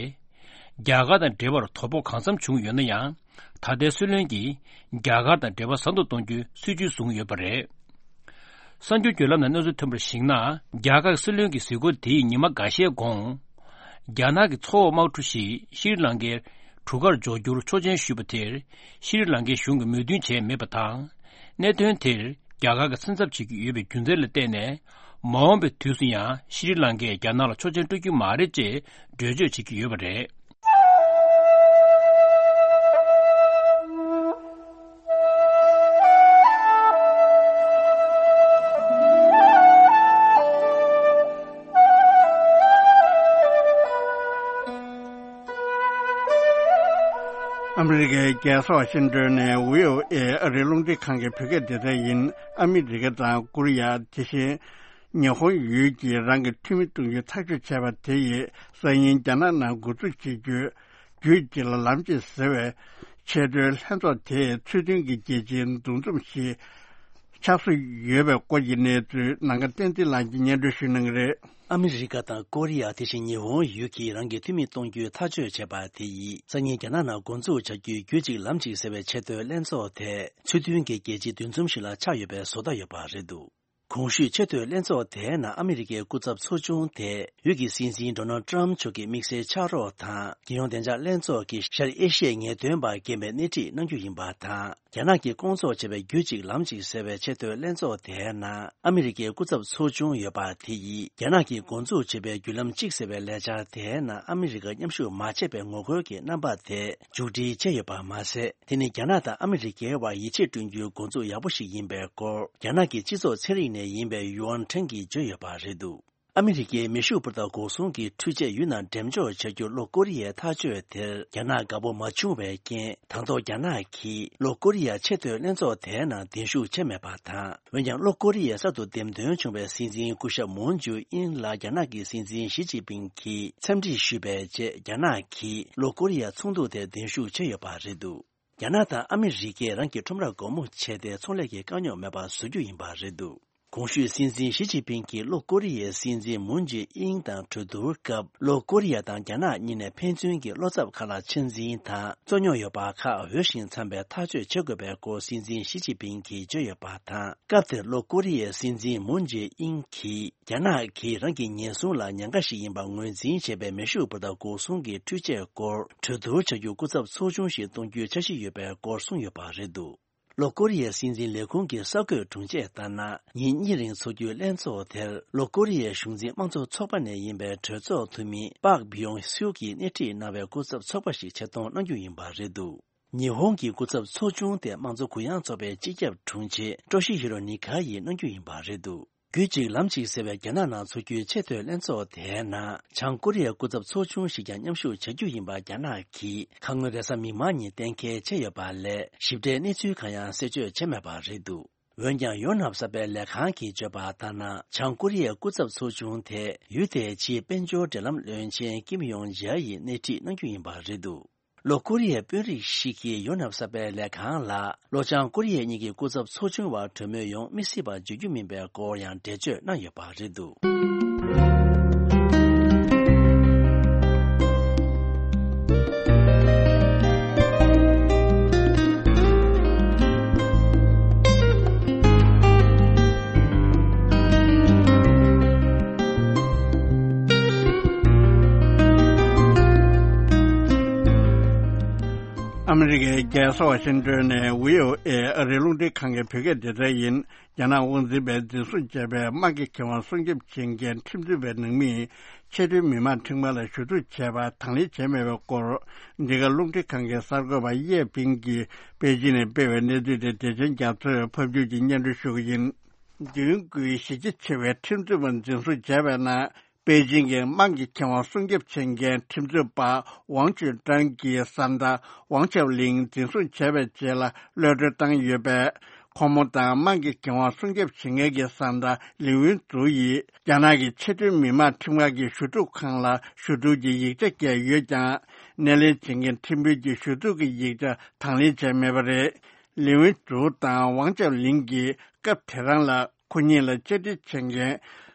རྒྱ་གར་དང་འབྲེལ་བར་དོ་ཕོག་གང་འཚམ་བྱུང་ཡོད་ན་ཡང་། ད་ལྟའི་སྲིད་བློན་གྱིས་རྒྱ་གར་དང་འབྲེལ་བ་ཟབ་ཏུ་གཏོང་རྒྱུའི་སྲིད་ཇུས་བཟུང་ཡོད་པ་རེད། གསར་འགྱུར་བརྒྱུད་ལམ་ནས་གནས་ཚུལ་ཐོན་པར་གཞིགས་ན། རྒྱ་གར་གྱི་སྲིད་བློན་གྱི་གཟིགས་སྐོར་དེའི་ཉི་མ་འགའ་ཤས་གོང་། རྒྱ་ནག་གི་མཚོ་འོག་དམག་གྲུ་ཞིག་ཤྲི་ལང་ཀའི་གྲུ་ཁར་འཇོག་རྒྱུར་ཆོག་མཆན་ཞུས་པ་དེར་ཤྲི་ལང་ཀའི་གཞུང་གིས་མོས་མཐུན་བྱས་མེད་པ་དང་། གནད་དོན་དེར་རྒྱ་གར་གྱིས་སེམས་འཚབ་བྱེད་ཀྱི་ཡོད་པའི་རྒྱུ་མཚན་ལ་བརྟེན་ནས། མ་འོངས་པའི་དུས་སུ་ཡང་ཤྲི་ལང་ཀས་རྒྱ་ནག་ལ་ཆོག་མཆན་སྤྲོད་རྒྱུ་མ་རེད་ཅེས་འགྲེལ་བརྗོད་བྱེད་ཀྱི་ཡོད་པ་རེད། ཨ་མི་རི་ཀའི་རྒྱལ་ས་ཝ་ཤིང་ཏོན་ནས་བྷི་ཨོ་ཨེ་ཨ་རིའི་རླུང་འཕྲིན་ཁང་གི་བོད་སྐད་སྡེ་ཚན་ཡིན། ཨ་མི་རི་ཀ་དང་ཀོ་རི་ཡ། དེ་བཞིན་ཉི་ཧོང་ཡུལ་གྱིས་རང་གི་འཐུས་མི་གཏོང་རྒྱུའི་ཐག་གཅོད་བྱས་པ་དེ་ཡིས་སང་ཉིན་རྒྱ་ནག་ནང་འགོ་འཛུགས་བྱེད་རྒྱུའི་རྒྱུད་གཅིག་ལ་ལམ་གཅིག་ཟེར་བའི་ཆེས་མཐོའི་ལྷན་ཚོགས་དེས་ཚུལ་མཐུན་གྱི་རྒྱལ་སྤྱིའི་འདུ་འཛོམས་ཤིག་ཆགས་བཟོ་ཡོད་པའི་སྐོར་གྱི་གནས་ཚུལ་ནམ་མཁའ་བསྟན་འཛིན་ལགས་ཀྱིས་སྙན་སྒྲོན་ཞུ་གནང་གི་རེད། ཨ་མི་རི་ཀ་དང་ཀོ་རི་ཡ། དེ་བཞིན་ཉི་ཧོང་ཡུལ་གྱིས་རང་གི་འཐུས་མི་གཏོང་རྒྱུའི་ཐག་གཅོད་བྱས་པ་དེ་ཡིས་སང་ཉིན་རྒྱ་ནག་ནང་འགོ་འཛུགས་བྱ་རྒྱུའི་རྒྱུད་གཅིག་ལམ་གཅིག་ཟེར་བའི་ཆེས་མཐོའི་ལྷན་ཚོགས་དེ་ཚུལ་མཐུན་གྱི་རྒྱལ་སྤྱིའི་འདུ་འཛོམས་ཤིག་ལ་ཆགས་ཡོད་པའི་བཟོ་ལྟ་ཡོད་པ་རེད་འདུག་གོང་ཞུས་ཆེས་མཐོའི་ལྷན་ཚོགས་དེའི་ནང་ཨ་མི་རི་ཀའི་སྐུ་ཚབ་ཚོགས་ཆུང་དེ་འོས་ཀྱི་སྲིད་འཛིན་ཌོ་ནལ་ཊམ་མཆོག་གི་དམིགས་བསལ་ཕྱག་རོགས་དང་། རྒྱལ་ཡོངས་བདེ་འཇགས་ལྷན་ཚོགས་ཀྱི་ཤར་ཨེ་ཤི་ཡའི་ངེས་སྟོན་པ་རྒན་པའི་སྣེ་ཁྲིད་གནང་རྒྱུ་ཡིན་པ་དང་། རྒྱ་ནག་གིས་སྐོང་ཚོགས་བྱས་པའི་རྒྱུད་གཅིག་ལམ་གཅིག་ཟེར་བའི་ཆེས་མཐོའི་ལྷན་ཚོགས་དེའི་ནང་ཨ་མི་རི་ཀའི་སྐུ་ཚབ་ཚོགས་ཆུང་ཡོད་པ་དེ་ཡིས་རྒྱ་ནག་གིས་འགོ་འཛུགས་བྱས་པའི་བརྒྱུད་ལམ་གཅིག་ཟེར་བའི་ལས་འཆར་དེའི་ནང་ཨ་མི་རི་ཀ་མཉམ་ཞུགས་མ་བྱས་པའི་ངོ་རྒོལ་གྱི་རྣམ་པ་དེ་མཇུག་སྒྲིལ་བྱས་ཡོད་པ་མ་ཟད། དེ་ནི་རྒྱ་ནག་དང་ཨ་མི་རི་ཀའི་དབར་ཡིད་ཆེས་བསྐྲུན་རྒྱུའི་འགོ་འཛུགས་ཡག་པོ་ཞིག་ཡིན་པའི་སྐོར། རྒྱ་ནག་གི་སྤྱི་ཚོགས་ཚན་རིག་ནས་ཡིན་པའི་ཡུའོན་ཁྲེང་གིས་བརྗོད་ཡོད་པ་རེད་འདུག་ཨ་མི་རི་ཀའི་མེ་ཤུགས་འཕུར་མདའ་འགོག་སྲུང་གི་འཕྲུལ་ཆས་ཡུལ་ནང་འགྲེམས་འཇོག་བྱ་རྒྱུར་ལྷོ་ཀོ་རི་ཡས་ཐག་གཅོད་དེར་རྒྱ་ནག་དགའ་པོ་མ་བྱུང་བའི་རྐྱེན། ད་དུང་རྒྱ་ནག་གིས་ལྷོ་ཀོ་རི་ཡ་ཆེས་མཐོའི་ལྷན་ཚོགས་དེའི་ནང་གདན་ཞུ་བྱས་མེད་པ་དང་། འོན་ཀྱང་ལྷོ་ཀོ་རི་ཡའི་གསར་དུ་འདེམས་ཐོན་བྱུང་བའི་སྲིད་འཛིན་སྐུ་ཞབས་མུན་ཇུ་ཨིན་ལ་རྒྱ་ནག་གི་སྲིད་འཛིན་ཞི་ཅིན་ཕིང་གིས་འཚམས་འདྲི་ཞུས་པའི་རྗེས། རྒྱ་ནག་གིས་ལྷོ་ཀོ་རི་ཡ་ཚོགས་འདུ་དེར་གདན་ཞུ་བྱས་ཡོད་པ་རེད་འདུག་རྒྱ་ནག་དང་ཨ་མི་རི་ཀས་རང་གི་ཁྲོམ་ར་སྒོ་མོ་ཕྱེ་སྟེ་ཚོང་ལས་ཀྱི་དཀའ་རྙོག་མེད་པ་བཟོ་རྒྱུ་ཡིན་པ་རེད་འདུག་གོང་ཞུས་སྲིད་འཛིན་ཞི་ཅིན་ཕིང་གིས་ལྷོ་ཀོ་རི་ཡའི་སྲིད་འཛིན་མུན་ཇེ་ཨིན་དང་གྲོས་བསྡུར་སྐབས། ལྷོ་ཀོ་རི་ཡ་དང་རྒྱ་ནག་གཉིས་ནས་ཕན་ཚུན་གྱི་བློ་འཚབ་ཁ་ལག་ཆེ་འཛིན་དང་རྩོད་རྙོག་ཡོད་པ་ཁག་འོས་ཤིང་འཚམ་པའི་ཐག་གཅོད་བྱེད་དགོས་པའི་སྐོར་སྲིད་འཛིན་ཞི་ཅིན་ཕིང་གིས་བརྗོད་ཡོད་པ་དང་། སྐབས་དེར་ལྷོ་ཀོ་རི་ཡའི་སྲིད་འཛིན་མུན་ཇེ་ཨིན་གྱིས། རྒྱ་ནག་གིས་རང་གི་ཉེན་སྲུང་ལ་ཉེན་ཁ་ཞིག་ཡིན་པ་ངོས་འཛིན་བྱས་པའི་མེ་ཤུགས་འཕུར་མདའ་འགོག་སྲུང་གི་འཕྲུལ་ཆས་སྐོར་གྲོས་བསྡུར་བྱ་རྒྱུ་སྐུ་ཚབ་ཚོགས་ཆུང་ཞིག་གཏོང་རྒྱུའི་འཆར་གཞི་ཡོད་པའི་སྐོར་གསུངས་ཡོད་པ་རེད་འདུག་ལྷོ་ཀོ་རི་ཡའི་སྲིད་འཛིན་ལས་ཁུངས་ཀྱི་གསར་འགོད་དྲུང་ཆེས་ལྟར་ན། ཉིན་གཉིས་རིང་འཚོགས་རྒྱུའི་ལྷན་ཚོགས་དེར་ལྷོ་ཀོ་རི་ཡའི་གཞུང་འཛིན་དམངས་གཙོ་ཚོགས་པ་ནས་ཡིན་པའི་གྲོས་ཚོགས་འཐུས་མི་པཱག་བི་ཡོང་སིའུ་གིས་སྣེ་ཁྲིད་གནང་བའི་སྐུ་ཚབ་ཚོགས་པ་ཞིག་ཆེད་གཏོང་གནང་རྒྱུ་ཡིན་པ་རེད་འདུག་ཉི་ཧོང་གི་སྐུ་ཚབ་ཚོགས་ཆུང་དེ་དམངས་གཙོ་གུ་ཡངས་ཚོགས་པའི་སྤྱི་ཁྱབ་དྲུང་ཆེ་ཀྲོ་ཤི་ཧི་རོ་ནི་ཁ་ཡིས་གནང་རྒྱུ་ཡིན་པ་རེད་འདུག་རྒྱུད་གཅིག་ལམ་གཅིག་ཟེར་བའི་རྒྱ་ནག་ནང་འཚོགས་རྒྱུའི་ཆེས་མཐོའི་ལྷན་ཚོགས་དེའི་ནང་བྱང་ཀོ་རི་ཡའི་སྐུ་ཚབ་ཚོགས་ཆུང་ཞིག་ཀྱང་མཉམ་ཞུགས་བྱ་རྒྱུ་ཡིན་པ་རྒྱ་ནག་གིས་ཁ་སྔོན་རེས་གཟའ་མིག་དམར་ཉིན་གཏན་འཁེལ་བྱས་ཡོད་པ་ལས། ཞིབ་ཕྲའི་གནས་ཚུལ་གང་ཡང་གསལ་བརྗོད་བྱས་མེད་པ་རེད་འདུག་འོན་ཀྱང་ཡོ་ནབ་གསར་པའི་ལས་ཁང་གིས་བརྗོད་པ་ལྟར་ན། བྱང་ཀོ་རི་ཡའི་སྐུ་ཚབ་ཚོགས་ཆུང་དེ་ཡུལ་དེའི་ཕྱིའི་དཔལ་འབྱོར་འབྲེལ་ལམ་བློན་ཆེན་ཀིམ་ཡོང་ཇཱ་ཡིས་སྣེ་ཁྲིད་གནང་རྒྱུ་ཡིན་པ་རེད་འདུག་ལྷོ་ཀོ་རི་ཡའི་དཔོན་རིགས་ཤིག་གིས་ཡོ་ནབ་གསར་པའི་ལས་ཁང་ལ། ལྷོ་བྱང་ཀོ་རི་ཡ་གཉིས་ཀྱི་སྐུ་ཚབ་ཚོགས་ཆུང་བར་གྲོས་མོལ་ཡོང་མི་སྲིད་པ་བརྗོད་རྒྱུ་མིན་པའི་སྐོར་ཡང་འགྲེལ་བརྗོད་གནང་ཡོད་པ་རེད་འདུག་ཨ་མི་རི་ཀའི་རྒྱལ་ས་ཝ་ཤིང་ཏོན་ནས་བྷི་ཨོ་ཨེ་ཨ་རིའི་རླུང་འཕྲིན་ཁང་གི་བོད་སྐད་སྡེ་ཚན་ཡིན། རྒྱ་ནག་དབང་འཛིན་པས་འཛིན་བཟུང་བྱས་པའི་དམངས་ཀྱི་ཁེ་དབང་སྲུང་སྐྱོབ་བྱེད་མཁན་ཁྲིམས་རྩོད་པའི་ནང་མིས་ཕྱི་དོན་མི་དམངས་ཁྲིམས་ཁང་ལ་ཞུ་གཏུག་བྱས་པ་དང་ལེན་བྱས་མེད་པའི་སྐོར། འདི་ག་རླུང་འཕྲིན་ཁང་གི་གསར་འགོད་པ་ཡེ་ཕིང་གིས་པེ་ཅིན་ནས་སྤེལ་བའི་གནས་ཚུལ་དེ་བདེ་ཆེན་རྒྱ་མཚོས་ཕབ་སྒྱུར་གྱིས་སྙན་སྒྲོན་ཞུ་གི་ཡིན། མདུན་སྐུའི་གཞི་རྒྱ་ཆེ་བའི་ཁྲིམས་རྩོད་པ་འཛིན་བཟུང་བྱས་པའི་ནང་། པེ་ཅིང་གི་དམངས་ཀྱི་ཁེ་དབང་སྲུང་སྐྱོབ་བྱེད་མཁན་ཁྲིམས་རྩོད་པ་ཝང་ཅུན་ཀྲང་གི་བཟའ་ཟླ་ཝང་ཅའོ་ལིང་འཛིན་བཟུང་བྱས་པའི་རྗེས་ལ་གློད་གྲོལ་བཏང་ཡོད་པས། ཁོང་མོ་དང་དམངས་ཀྱི་ཁེ་དབང་སྲུང་སྐྱོབ་བྱེད་མཁན་གྱི་བཟའ་ཟླ་ལི་ཝུན་ཙུའུ་ཡིས་རྒྱ་ནག་གི་ཕྱི་དོན་མི་དམངས་ཁྲིམས་ཁང་གི་ཞུ་གཏུག་ཁང་ལ་ཞུ་གཏུག་གི་ཡིག་ཆ་བསྐྱལ་ཡོད་ཀྱང་། སྣེ་ལེན་བྱེད་མཁན་ཁྲིམས་དཔོན་གྱིས་ཞུ་གཏུག་གི་ཡིག་ཆ་དང་ལེན་བྱས་མེད་པ་རེད། ལི་ཝུན་ཙུའུ་དང་ཝང་ཅའོ་ལིང་གིས་སྐབས་དེ་རང་ལ་ཁོ་གཉིས་ལ་བཅར་འདྲི་བྱེད་མཁན་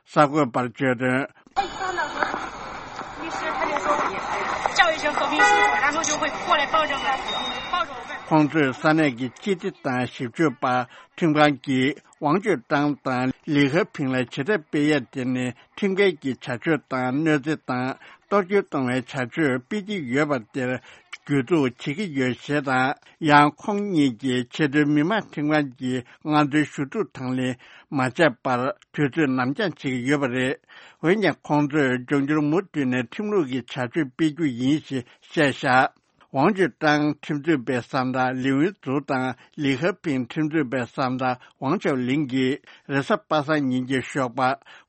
གསར་འགོད་པར་བརྗོད་དོན། 律师他就说，叫一声革命叔叔，然后就会过来抱着我，抱着我问。 ཁོང་ཚོས་ས་གནས་ཀྱི་སྤྱི་བདེ་དང་ཞིབ་དཔྱོད་པ་ཁྲིམས་ཁང་གིས་ཝང་ཅུན་ཀྲང་དང་ལི་ཧ་ཕིང་ལ་ཇུས་གཏོགས་སྤེལ་ཡས་དེ་ནི་ཁྲིམས་འགལ་གྱི་བྱ་སྤྱོད་དང་གནོད་འཚེ་དང་གཏོར་སྐྱོན་གཏོང་བའི་བྱ་སྤྱོད་སྤེལ་གྱི་ཡོད་པ་དེར་གྱོད་འཛུགས་བྱེད་ཀྱི་ཡོད་ཞེས་དང་། ཡང་ཁོང་གཉིས་ཀྱིས་ཕྱི་དོན་མི་དམངས་ཁྲིམས་ཁང་གི་སྔ་འཛིན་ཞུ་གཏུག་དང་ལེན་མ་བྱས་པར་དུས་ཚོད་ནར་འགྱངས་བྱེད་ཀྱི་ཡོད་པ་རེད། འོན་ཀྱང་ཁོང་ཚོས་འབྱུང་འགྱུར་མུ་མཐུད་ནས་ཁྲིམས་ལུགས་ཀྱི་བྱ་སྤྱོད་སྤེལ་རྒྱུ་ཡིན་ཞེས་བཤད་བཞག་ཝང་ཅུན་ཀྲང་ཁྲིམས་རྩོད་པའི་བཟའ་ཟླ་ལི་ཝུན་ཙུའུ་དང་ལི་ཧ་ཕིང་ཁྲིམས་རྩོད་པའི་བཟའ་ཟླ་ཝང་ཅའོ་ལིང་གིས་རེས་གཟའ་པ་སངས་ཉིན་གྱི་ཞོགས་པ་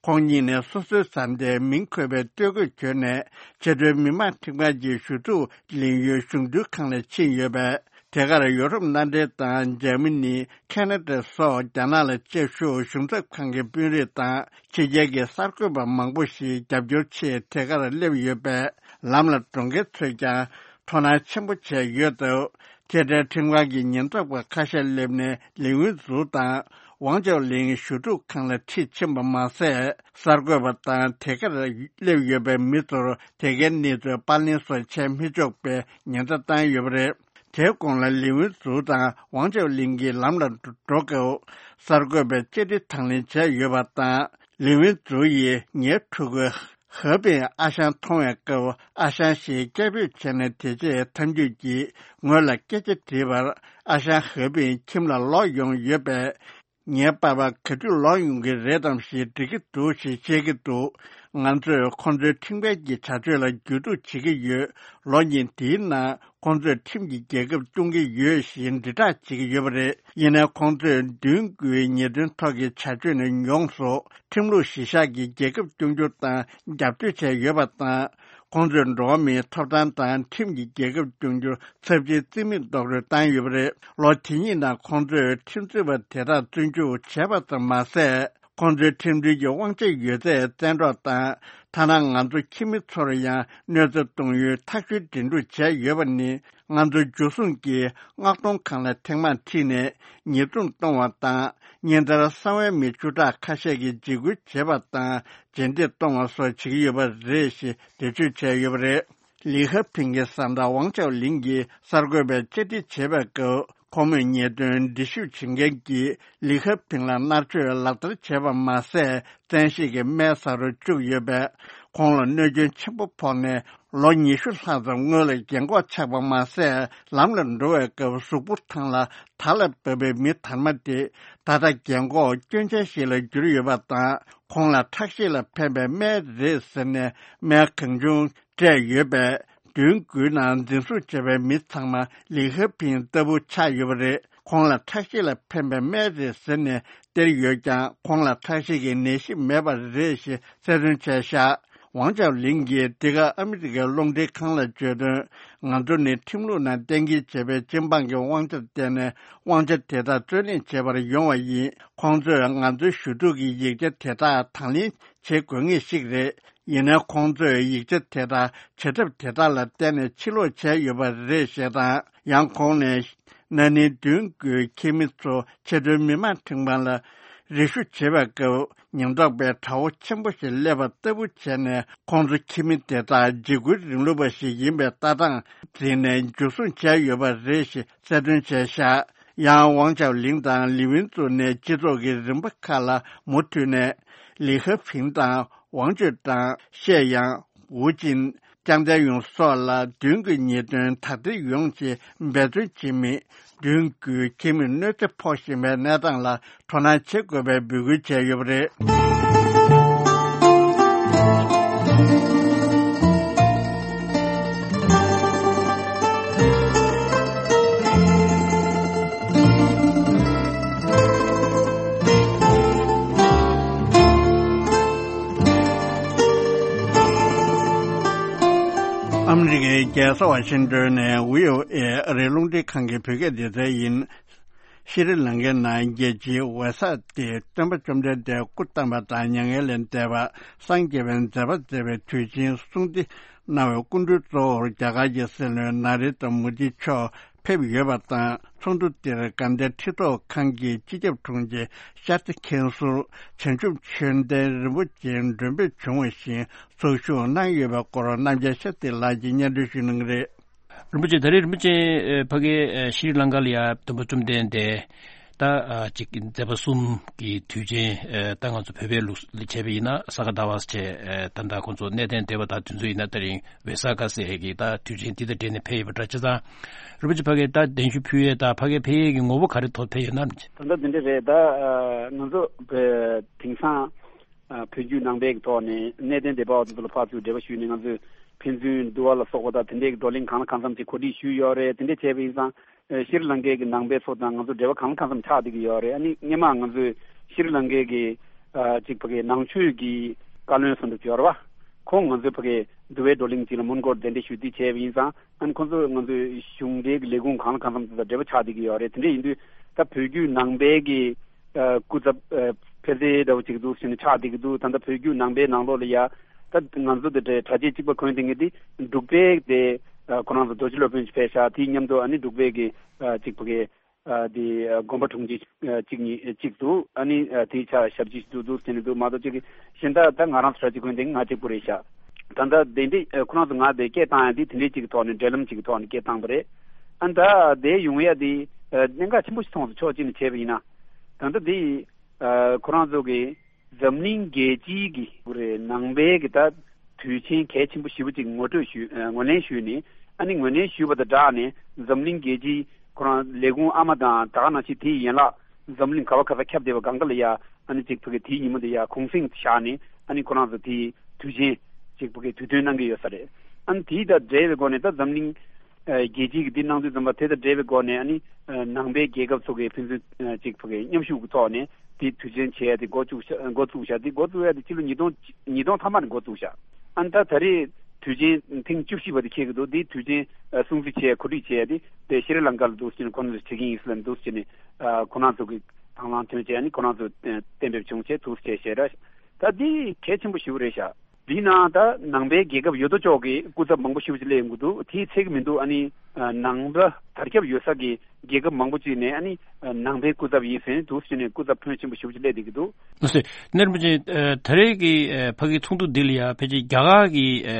ཁོང་གཉིས་ནས་སོ་སོའི་བཟའ་ཟླའི་མིང་འཁོད་པའི་སྟོད་གོས་གྱོན་ནས་ཕྱི་དོན་མི་དམངས་ཁྲིམས་ཁང་གི་ཞུ་གཏུག་ལེན་ཡུལ་གཞུང་འཛིན་ཁང་ལ་ཕྱིན་ཡོད་པས། དེ་གར་ཡོ་རོབ་མནའ་འབྲེལ་དང་འཇར་མ་ནི། ཁེ་ན་ཌ་སོགས་རྒྱ་ནག་ལ་བཅའ་བཞུགས་གཞུང་ཚབ་ཁང་གི་དཔོན་རིགས་དང་ཕྱི་རྒྱལ་གྱི་གསར་འགོད་པ་མང་པོ་ཞིག་རྒྱབ་སྐྱོར་ཆེད་དེ་གར་སླེབས་ཡོད་པས། ལམ་ལ་འགྲོ་མཁན་ཚོས་ཀྱང་དོ་སྣང་ཆེན་པོ་བྱས་ཡོད་འདུག་ཁེ་ཏྲའི་ཁྲིམས་ཁང་གི་ཉེན་རྟོག་པ་ཁ་ཤས་སླེབས་ནས་ལི་ཝུན་ཙུའུ་དང་ཝང་ཅའོ་ལིང་ཞུ་གཏུག་ཁང་ལ་ཁྲིད་ཕྱིན་པ་མ་ཟད། གསར་འགོད་པ་དང་དེ་གར་སླེབས་ཡོད་པའི་མི་ཚོར་དེ་གའི་གནས་ཚུལ་པར་ལེན་སོགས་བྱས་མི་ཆོག་པའི་ཉེན་བརྡ་བཏང་ཡོད་པ་རེད། དེའི་གོང་ལ་ལི་ཝུན་ཙུའུ་དང་ཝང་ཅའོ་ལིང་གིས་ལམ་ལ་འགྲོ་སྐབས་གསར་འགོད་པས་བཅར་འདྲི་དང་ལེན་བྱས་ཡོད་པ་དང་། ལི་ཝུན་ཙུའུ་ཡིས་ངའི་ཕྲུ་གུ་ཧེ་པིན་ཨ་ཞང་མཐོང་བའི་སྐབས་ཨ་ཞང་ཞེས་སྐད་འབོད་བྱས་ནས། དེ་རྗེས་ཐབས་ཇུས་ཀྱིས་ངོས་ལ་སྐད་ཆ་དྲིས་པར་ཨ་ཞང་ཧེ་པིན་ཁྱིམ་ལ་ལོག་ཡོང་ཡོད་པས། ངའི་པ་ཕ་ག་དུས་ལོག་ཡོང་གི་རེད་དམ་ཞེས་འདྲི་གི་འདུག་ཞེས་བཤད་ཀྱི་འདུག་ང་ཚོས་ཁོང་ཚོའི་ཁྲིམས་འགལ་གྱི་བྱ་སྤྱོད་ལ་རྒྱུས་གཏུག་བྱེད་ཀྱི་ཡོད། ལོ་གཉིས་འདིའི་ནང་ཁོང་ཚོས་ཁྲིམས་ཀྱིས་རྒྱལ་ཁབ་སྐྱོང་གི་ཡོད་ཞེས་དྲིལ་བསྒྲགས་བྱེད་ཀྱི་ཡོད་པ་རེད། ཡིན་ནའི་ཁོང་ཚོས་མདུན་སྐུའི་ཉེས་དོན་ཐོག་གི་བྱ་སྤྱོད་ནི་ཡོངས་སུ་ཁྲིམས་ལུགས་གཞི་བཞག་གིས་རྒྱལ་ཁབ་སྐྱོང་རྒྱུ་དང་རྒྱབ་སྐྱོར་བྱས་ཡོད་པ་དང་། ཁོང་ཚོས་འགྲོ་བ་མིའི་ཐོབ་ཐང་དང་ཁྲིམས་ཀྱིས་རྒྱལ་ཁབ་སྐྱོང་རྒྱུར་ཚབས་ཆེའི་རྩིས་མེད་རྡོག་རོལ་བཏང་ཡོད་པ་རེད། ལོ་དེ་གཉིས་ནང་ཁོང་ཚོས་ཁྲིམས་རྩོད་པ་དེ་དག་བཙོན་འཇུག་བྱས་པ་ཙམ་མ་ཟད། ཁོང་ཚོའི་ཁྲིམས་མཐུན་གྱི་དབང་ཆ་ཡོད་ཚད་བཙན་འཕྲོག་དང་། ཐ་ན་ང་ཚོ་ཁྱིམ་མི་ཚོར་ཡང་གནོད་འཚེ་གཏོང་ཡུལ་ཐག་གཅོད་འགྲན་བསྡུར་བྱས་ཡོད་པ་ནི། ང་ཚོ་འཇུ་བཟུང་གིས་མངགས་གཏོང་ཁང་ལ་ཐེངས་མང་ཁྲིད་ནས་ཉེས་རྡུང་གཏོང་བ་དང་། ཉིན་ལྟར་གསང་བའི་མི་བཅུ་ཕྲག་ཁ་ཤས་ཀྱིས་འཇིགས་སྐུལ་བྱེད་པ་དང་། རྗེས་འདེད་གཏོང་བ་སོགས་བྱེད་ཀྱི་ཡོད་པ་རེད་ཞེས་འགྲེལ་བརྗོད་བྱས་ཡོད་པ་རེད། ལི་ཧ་ཕིང་གི་བཟའ་ཟླ་ཝང་ཅའོ་ལིང་གིས་གསར་འགོད་པར་བཅར་འདྲི་བྱེད་པའི་སྐབས། ཁོ་མོས་ཉེས་དོན་འདྲི་ཞིབ་བྱེད་མཁན་གྱིས་ལི་ཧ་ཕིང་ལ་མནར་གཅོད་ལག་བསྟར་བྱས་པ་མ་ཟད། བཙན་ཤེད་ཀྱིས་སྨན་ཟ་རུ་བཅུག་ཡོད་པས། ཁོང་ལ་གནོད་སྐྱོན་ཆེན་པོ་ཕོག་ནས། ལོ་ཉི་ཤུ་ལྷག་ཙམ་སྔོན་ལ་རྒན་འཁོགས་ཆགས་པ་མ་ཟད། ལམ་ལ་འགྲོ་བའི་སྐབས་གཟུགས་པོ་ཐང་ལ་དར་ལ་བབས་པའི་མི་དར་མ་དེ། ད་ལྟ་རྒན་འཁོགས་སྐྱོན་ཅན་ཞིག་ལ་གྱུར་ཡོད་པ་དང་། ཁོང་ལ་ཁྲག་ཤེད་ལ་ཕན་པའི་སྨན་རེད་ཟེར་ནས་སྨན་གང་བྱུང་སྤྲད་ཡོད་པས། མདུན་སྐུའི་ནང་འཛིན་བཟུང་བྱས་པའི་མི་ཚང་མ་ལི་ཧ་ཕིང་ལྟ་བུ་ཆགས་ཡོད་པ་རེད། ཁོང་ལ་ཁྲག་ཤེད་ལ་ཕན་པའི་སྨན་རེད་ཟེར་ནས་སྟེར་ཡོད་ཀྱང་། ཁོང་ལ་ཁྲག་ཤེད་ཀྱི་ནད་གཞི་མེད་པ་རེད་ཞེས་གསལ་སྟོན་བྱས་བཞག་ཝང་ཅའོ་ལིང་གིས་འདི་ག་ཨ་མི་རི་ཀའི་རླུང་འཕྲིན་ཁང་ལ་བརྗོད་དོན། ང་ཚོ་ནི་ཁྲིམས་ལུགས་ནང་གཏན་འཁེལ་བྱས་པའི་སྤྱི་འབངས་ཀྱི་དབང་ཆར་བརྟེན་ནས། དབང་ཆ་དེ་དག་རྩོད་ལེན་བྱེད་པར་ཡོང་བ་ཡིན། ཁོང་ཚོས་ང་ཚོའི་ཞུ་གཏུག་གི་ཡིག་ཆ་དེ་དག་དང་ལེན་བྱེད་དགོས་ངེས་ཤིག་རེད། ཡིན་ནའི་ཁོང་ཚོས་ཡིག་ཆ་དེ་དག་བྱེད་ཐབས་དེ་དག་ལ་བརྟེན་ནས་ཕྱིར་སློག་བྱས་ཡོད་པ་རེད་ཞེས་དང་། ཡང་ཁོང་ནས། ན་ནིང་མདུན་སྐུའི་ཁྱིམ་མི་ཚོ་ཆེས་མཐོའི་མི་མང་ཁྲིམས་ཁང་ལ་རེ་ཞུ་བྱེད་པའི་སྐབས། ཉེན་རྟོག་པས་དགྲ་བོ་ཆེན་པོ་ཞིག་སླེབས་པ་ལྟ་བུ་བྱས་ནས། ཁོང་ཚོ་ཁྱིམ་མི་དེ་དག་འཇིགས་སྐུལ་རིང་ལུགས་པ་ཞིག་ཡིན་པའི་ལྟ་སྟངས་འཛིན་ནས་འཇུ་བཟུང་བྱས་ཡོད་པ་རེད་ཞེས་གསལ་སྟོན་བྱས་བཞག་ཡང་ཝང་ཅའོ་ལིང་དང་ལི་ཝིན་ཙུའུ་ནས་སྤྱི་ཚོགས་ཀྱི་རིམ་པ་ཁག་ལ་མུ་མཐུད་ནས། ལི་ཧ་ཕིང་དང་ཝང་ཅུས་ཀྲང་། ཤེ་ཡང་། ཝུ་ཅིན། ཅང་ཏན་ཡུང་སོགས་ལ་མདུན་གྱི་ཉེས་དོན་དག་ཐེར་ཡོང་ཆེད་འབད་བརྩོན་བྱེད་མི། མདུན་སྐུའི་ཁྱིམ་མིར་གནོད་འཚེ་ཕོག་བཞིན་པའི་གནས་སྟངས་ལ་དོ་སྣང་བྱེད་དགོས་པའི་འབོད་སྐུལ་བྱས་ཡོད་པ་རེད། ཨ་མི་རི་ཀའི་རྒྱལ་ས་ཝ་ཤིང་ཏོན་ནས་བྷི་ཨོ་ཨེ་ཨ་རིའི་རླུང་འཕྲིན་ཁང་གི་བོད་སྐད་སྡེ་ཚན་ཡིན། ཤྲི་ལང་ཀའི་ནང་རྒྱལ་སྤྱིའི་ཝེ་སག་སྟེ་སྟོན་པ་བཅོམ་ལྡན་འདས་སྐུ་བལྟམས་པ་དང་མྱ་ངན་ལས་འདས་པ། སངས་རྒྱས་པའི་མཛད་པ་མཛད་པའི་དུས་ཆེན་སྲུང་བརྩི་གནང་བའི་སྐུ་མགྲོན་གཙོ་བོར་རྒྱ་གར་གྱི་སྲིད་བློན་ན་རེན་དྲ་མོ་དི་མཆོག་ཕེབས་ཡོད་པ་དང་། ཚོགས་འདུ་འདིར་དགའ་ལྡན་ཁྲི་ཐོག་ཁང་གི་སྤྱི་ཁྱབ་དྲུང་ཆེ་ཤཱ་སྟག་མཁན་ཟུར་བྱང་ཆུབ་ཆོས་ལྡན་རིན་པོ་ཆེ་མགྲོན་འབོད་བྱུང་བ་བཞིན་ཚོགས་ཞུགས་གནང་ཡོད་པའི་སྐོར་རྣམ་རྒྱལ་ཤཱ་སྟག་ལགས་ཀྱིས་སྙན་སྒྲོན་ཞུ་གནང་གི་རེད། རིན་པོ་ཆེ། ད་རེས་རིན་པོ་ཆེ་ཨ་ཕ་གི་ཨ་ཤྲི་ལང་ཀ་ལ་ཡ་སྟོན་པ་བཅོམ་ལྡན་འདས་ད་ཨ་ཅིག་མཛད་པ་གསུམ་གྱི་དུས་ཆེན་ཨ་ད་ང་ཚོ་བོད་པའི་ལུགས་ལ་བྱས་པ་ཡིན་ན་ས་ག་ཟླ་བ་ཟེར་བྱས་ཨ་ད་ད་ཁོང་ཚོ་གནས་བརྟན་སྡེ་པ་དང་དེ་ཚོ་ཡིན་ན་ད་རིང་ཝེ་ས་ཀ་ཟེར་གི་ད་དུས་ཆེན་འདི་དང་འབྲེལ་ནས་ཕེབས་ཡོད་པ་འདྲ། བྱས་ཙང་རིན་པོ་ཆེ་ཕ་གི་ད་གདན་ཞུ་ཕུལ་ཡས་ད་ཕ་གི་ཕེབས་ཡས་ཀྱི་ངོ་བོ་ག་རེ་ཐོག་ཕེབས་ཡོད་ན། ད་ལྟ་འདི་འདྲ་རེད། ད་ཨ་ང་ཚོ་བོད་དེང་སང་ཨ་བོད་བརྒྱུད་ནང་པའི་གི་ཐོག་ནས་གནས་བརྟན་སྡེ་པ་བ་ཚོ་ཚོ་ལ་ཕར་ཚུར་འབྲེལ་བ་ཞུས་ནས་ང་ཚོས་ཕན་ཚུན་འདུལ་བ་ལ་སོགས་པ་དང་དེ་འདྲའི་གི་བགྲོ་གླེང་གང་ལ་གང་འཚམ་ཅིག་གོ་སྒྲིག་ཞུས་ཡོད་རེད། དེ་འདྲ་བྱས་པ་ཡིན་ཙང་ཨ་ཤྲི་ལང་ཀའི་གི་ནང་པའི་ཚོ་དང་ང་ཚོ་འབྲེལ་བ་གང་ལ་གང་འཚམ་ཆགས་བསྡད་ཀྱི་ཡོད་རེད། ཨ་ནི་སྔོན་མ་ང་ཚོས་ཤྲི་ལང་ཀའི་གི་ཨ་ཅིག་ཕ་གི་ནང་ཆོས་ཀྱི་བཀའ་བློན་ཟེར་འདྲ་ཅིག་ཡོད་རེད་བ། ཁོང་ང་ཚོའི་ཕ་གི་འདུལ་བའི་བགྲོ་གླེང་ཅིག་ལ་མོན་གྷོར་གདན་འདྲེན་ཞུས་ཏེ་བྱས་པ་ཡིན་ཙང་། ཨ་ནི་ཁོང་ཚོས་ང་ཚོའི་གཞུང་འབྲེལ་གྱི་ལས་ཁུངས་གང་ལ་གང་འཚམ་དེ་དང་འབྲེལ་བ་ཆགས་བསྡད་ཀྱི་ཡོད་རེད། དེ་འདྲ་ཡིན་དུས་ད་བོད་བརྒྱུད་ནང་པའི་གི་ཨ་སྐུ་ཚབ་ཨ་ཕན་ཚུན་འདྲ་བོ་ཅིག་འདུག་ཟེར་ནས་ཆགས་བསྡད་ཀྱི་འདུག་ད་ལྟ་བོད་བརྒྱུད་ནང་པའི་ནང་ལོགས་ལ་ཡ་ད་ང་ཚོ་དེ་འདྲའི་གྲྭ་ཆས་གཅིག་པ་གོན་བསྡད་མཁན་དེ་འབྲུག་པའི་དེ་ཨ་ཁོ་རང་ཚོ་རྡོ་རྗེ་སློབ་དཔོན་ཞིག་ཕེབས་ཤག་དེའི་མཉམ་དུ་ཨ་ནི་འབྲུག་པའི་གི་ཨ་གཅིག་པ་གི་ཨ་དེ་ཨ་དགོན་པ་དྲུང་ཆེ་ཨ་གཅིག་གཉིས་ཨ་གཅིག་འདུག་ཨ་ནི་ཨ་དེའི་ཆ་ཞབས་ཕྱི་ཞིག་འདུག་འདུག་ཟེར་ནས་འདུག་མ་གཏོགས་གཅིག་གི་གཞན་དག་ད་ང་རང་ཚོ་གྲྭ་ཆས་གོན་བསྡད་མཁན་ང་གཅིག་པུ་རེད་ཤག་ད་ལྟ་དེ་འདྲའི་ཨ་ཁོ་རང་ཚོ་ང་དེ་སྐད་བཏང་ཡ་དེ་དེ་འདྲའི་གཅིག་གི་ཐོག་ནས་འབྲེལ་ལམ་གཅིག་གི་ཐོག་ནས་སྐད་བཏང་པ་རེད། ཨ་ད་དེ་ཡོང་ཡ་དེ་ཨ་གནད་འགག་ཆེན་པོ་ཞིག་མཐོང་སོང་། ཕྱོགས་གཅིག་ནས་བྱས་པ་ཡིན་ན་ད་ལྟ་དེ་ཨ་ཁོ་རང་ཚོ་གི་འཛམ་གླིང་རྒྱལ་སྤྱིའི་གི་རེད། ནང་པའི་གི་ད་དུས་ཆེན་གལ་ཆེན་པོ་ཞེ་པོ་ཅིག་ངོ་སྤྲོད་ཞུས་ཨ་ངོས་ལེན་ཞུས་ནས། ཨ་ནི་ངོས་ལེན་ཞུས་པ་དང་སྦྲགས་ནས་འཛམ་གླིང་རྒྱལ་སྤྱིའི་ཁོ་རང་ལས་ཁུངས་ཨ་མ་དང་ད་ག་ནང་བཞིན་དེའི་ཡན་ལག་ འཛམ་གླིང་ག་བ་ག་ས་ཁྱབ་བསྡད་པ་གང་ག་ལ་ཡ་ཨ་ནི་ཅིག་ཕ་གི་དེའི་ཉིན་མོ་དེ་ཡ་གུང་སེང་བཞག་ནས་ཨ་ནི་ཁོ་རང་ཚོ་དེའི་དུས་ཆེན་ཅིག་ཕ་གི་དུས་སྟོན་གནང་གི་ཡོད་ས་རེད། ཨ་ནི་དེའི་དང་འབྲེལ་བའི་སྒོ་ནས་ད་འཛམ་གླིང་ཨ་རྒྱལ་སྤྱིའི་གི་འདི་གནང་དུས་ཙམ་པ་དེ་དང་འབྲེལ་བའི་སྒོ་ནས་ཨ་ནི་ཨ་ནང་པའི་རྒྱལ་ཁབ་ཚོ་གི་ཕན་ཚུན་ཨ་ཅིག་ཕ་གི་མཉམ་ཞུགས་ཀྱི་ཐོག་ནས་དེ་དུས་ཆེན་བྱས་ཏེ་འགོ་བཙུགས་ཤ་འགོ་བཙུགས་ཤག་དེ་འགོ་བཙུགས་ཡ་དེ་ཕྱི་ལོ་ཉིས་སྟོང་ཉིས་སྟོང་ཐ་མ་ནས་འགོ་བཙུགས་ཤག་ཨ་ནི་ད་ད་རེས་དུས་ཆེན་ཐེངས་བཅུ་བཞི་པ་དེ་འཁེལ་གྱི་འདུག་དེའི་དུས་ཆེན་ཨ་སྲུང་བརྩི་བྱས་གོ་སྒྲིག་བྱས་ཏེ་དེ་ཤྲི་ལང་ཀ་ལ་འདུག་ཟེར་ནས་ཁོང་ཚོས་བྱེད་ཀྱི་ཡིན་ཟེར་ལབ་འདུག་ཟེར་ནས་ཨ་ཁོང་རང་ཚོ་གི་དང་བླངས་ཐོན་བྱས་ཨ་ནི་ཁོང་རང་ཚོ་གཏན་འབེབས་བྱུང་བྱས་འདུག་ཟེར་བྱས་ར། ད་འདི་གལ་ཆེན་པོ་ཞེ་པོ་རེད་ཤག་འདི་ནང་ད་ནང་པའི་རྒྱལ་ཁབ་ཡོད་དོ་ཅོག་གི་སྐུ་ཚབ་མང་པོ་ཞེ་པོ་ཅིག་སླེབས་ཡོང་གི་འདུག་དེའི་ཚད་ཀྱི་མི་འདུག་ཨ་ནི་ཨ་ནང་པ་དར་ཁྱབ་ཡོད་ས་གི་རྒྱལ་ཁབ་མང་པོ་ཅིག་ནས་ཨ་ནི་ཨ་ནང་པའི་སྐུ་ཚབ་ཡིན་ཟེར་ནས་འདུག་ཟེར་ནས་སྐུ་ཚབ་ཕོན་ཆེན་པོ་ཞེ་པོ་ཅིག་སླེབས་བསྡད་ཀྱི་འདུག་ལགས་སོ། ནེ་རིན་པོ་ཆེ། ཨ་ད་རེས་ཀྱི་ཨ་ཕ་གི་ཚོགས་འདུ་འདི་ལ་ཡ་ཕལ་ཆེར་རྒྱ་གར་གྱི་ཨ་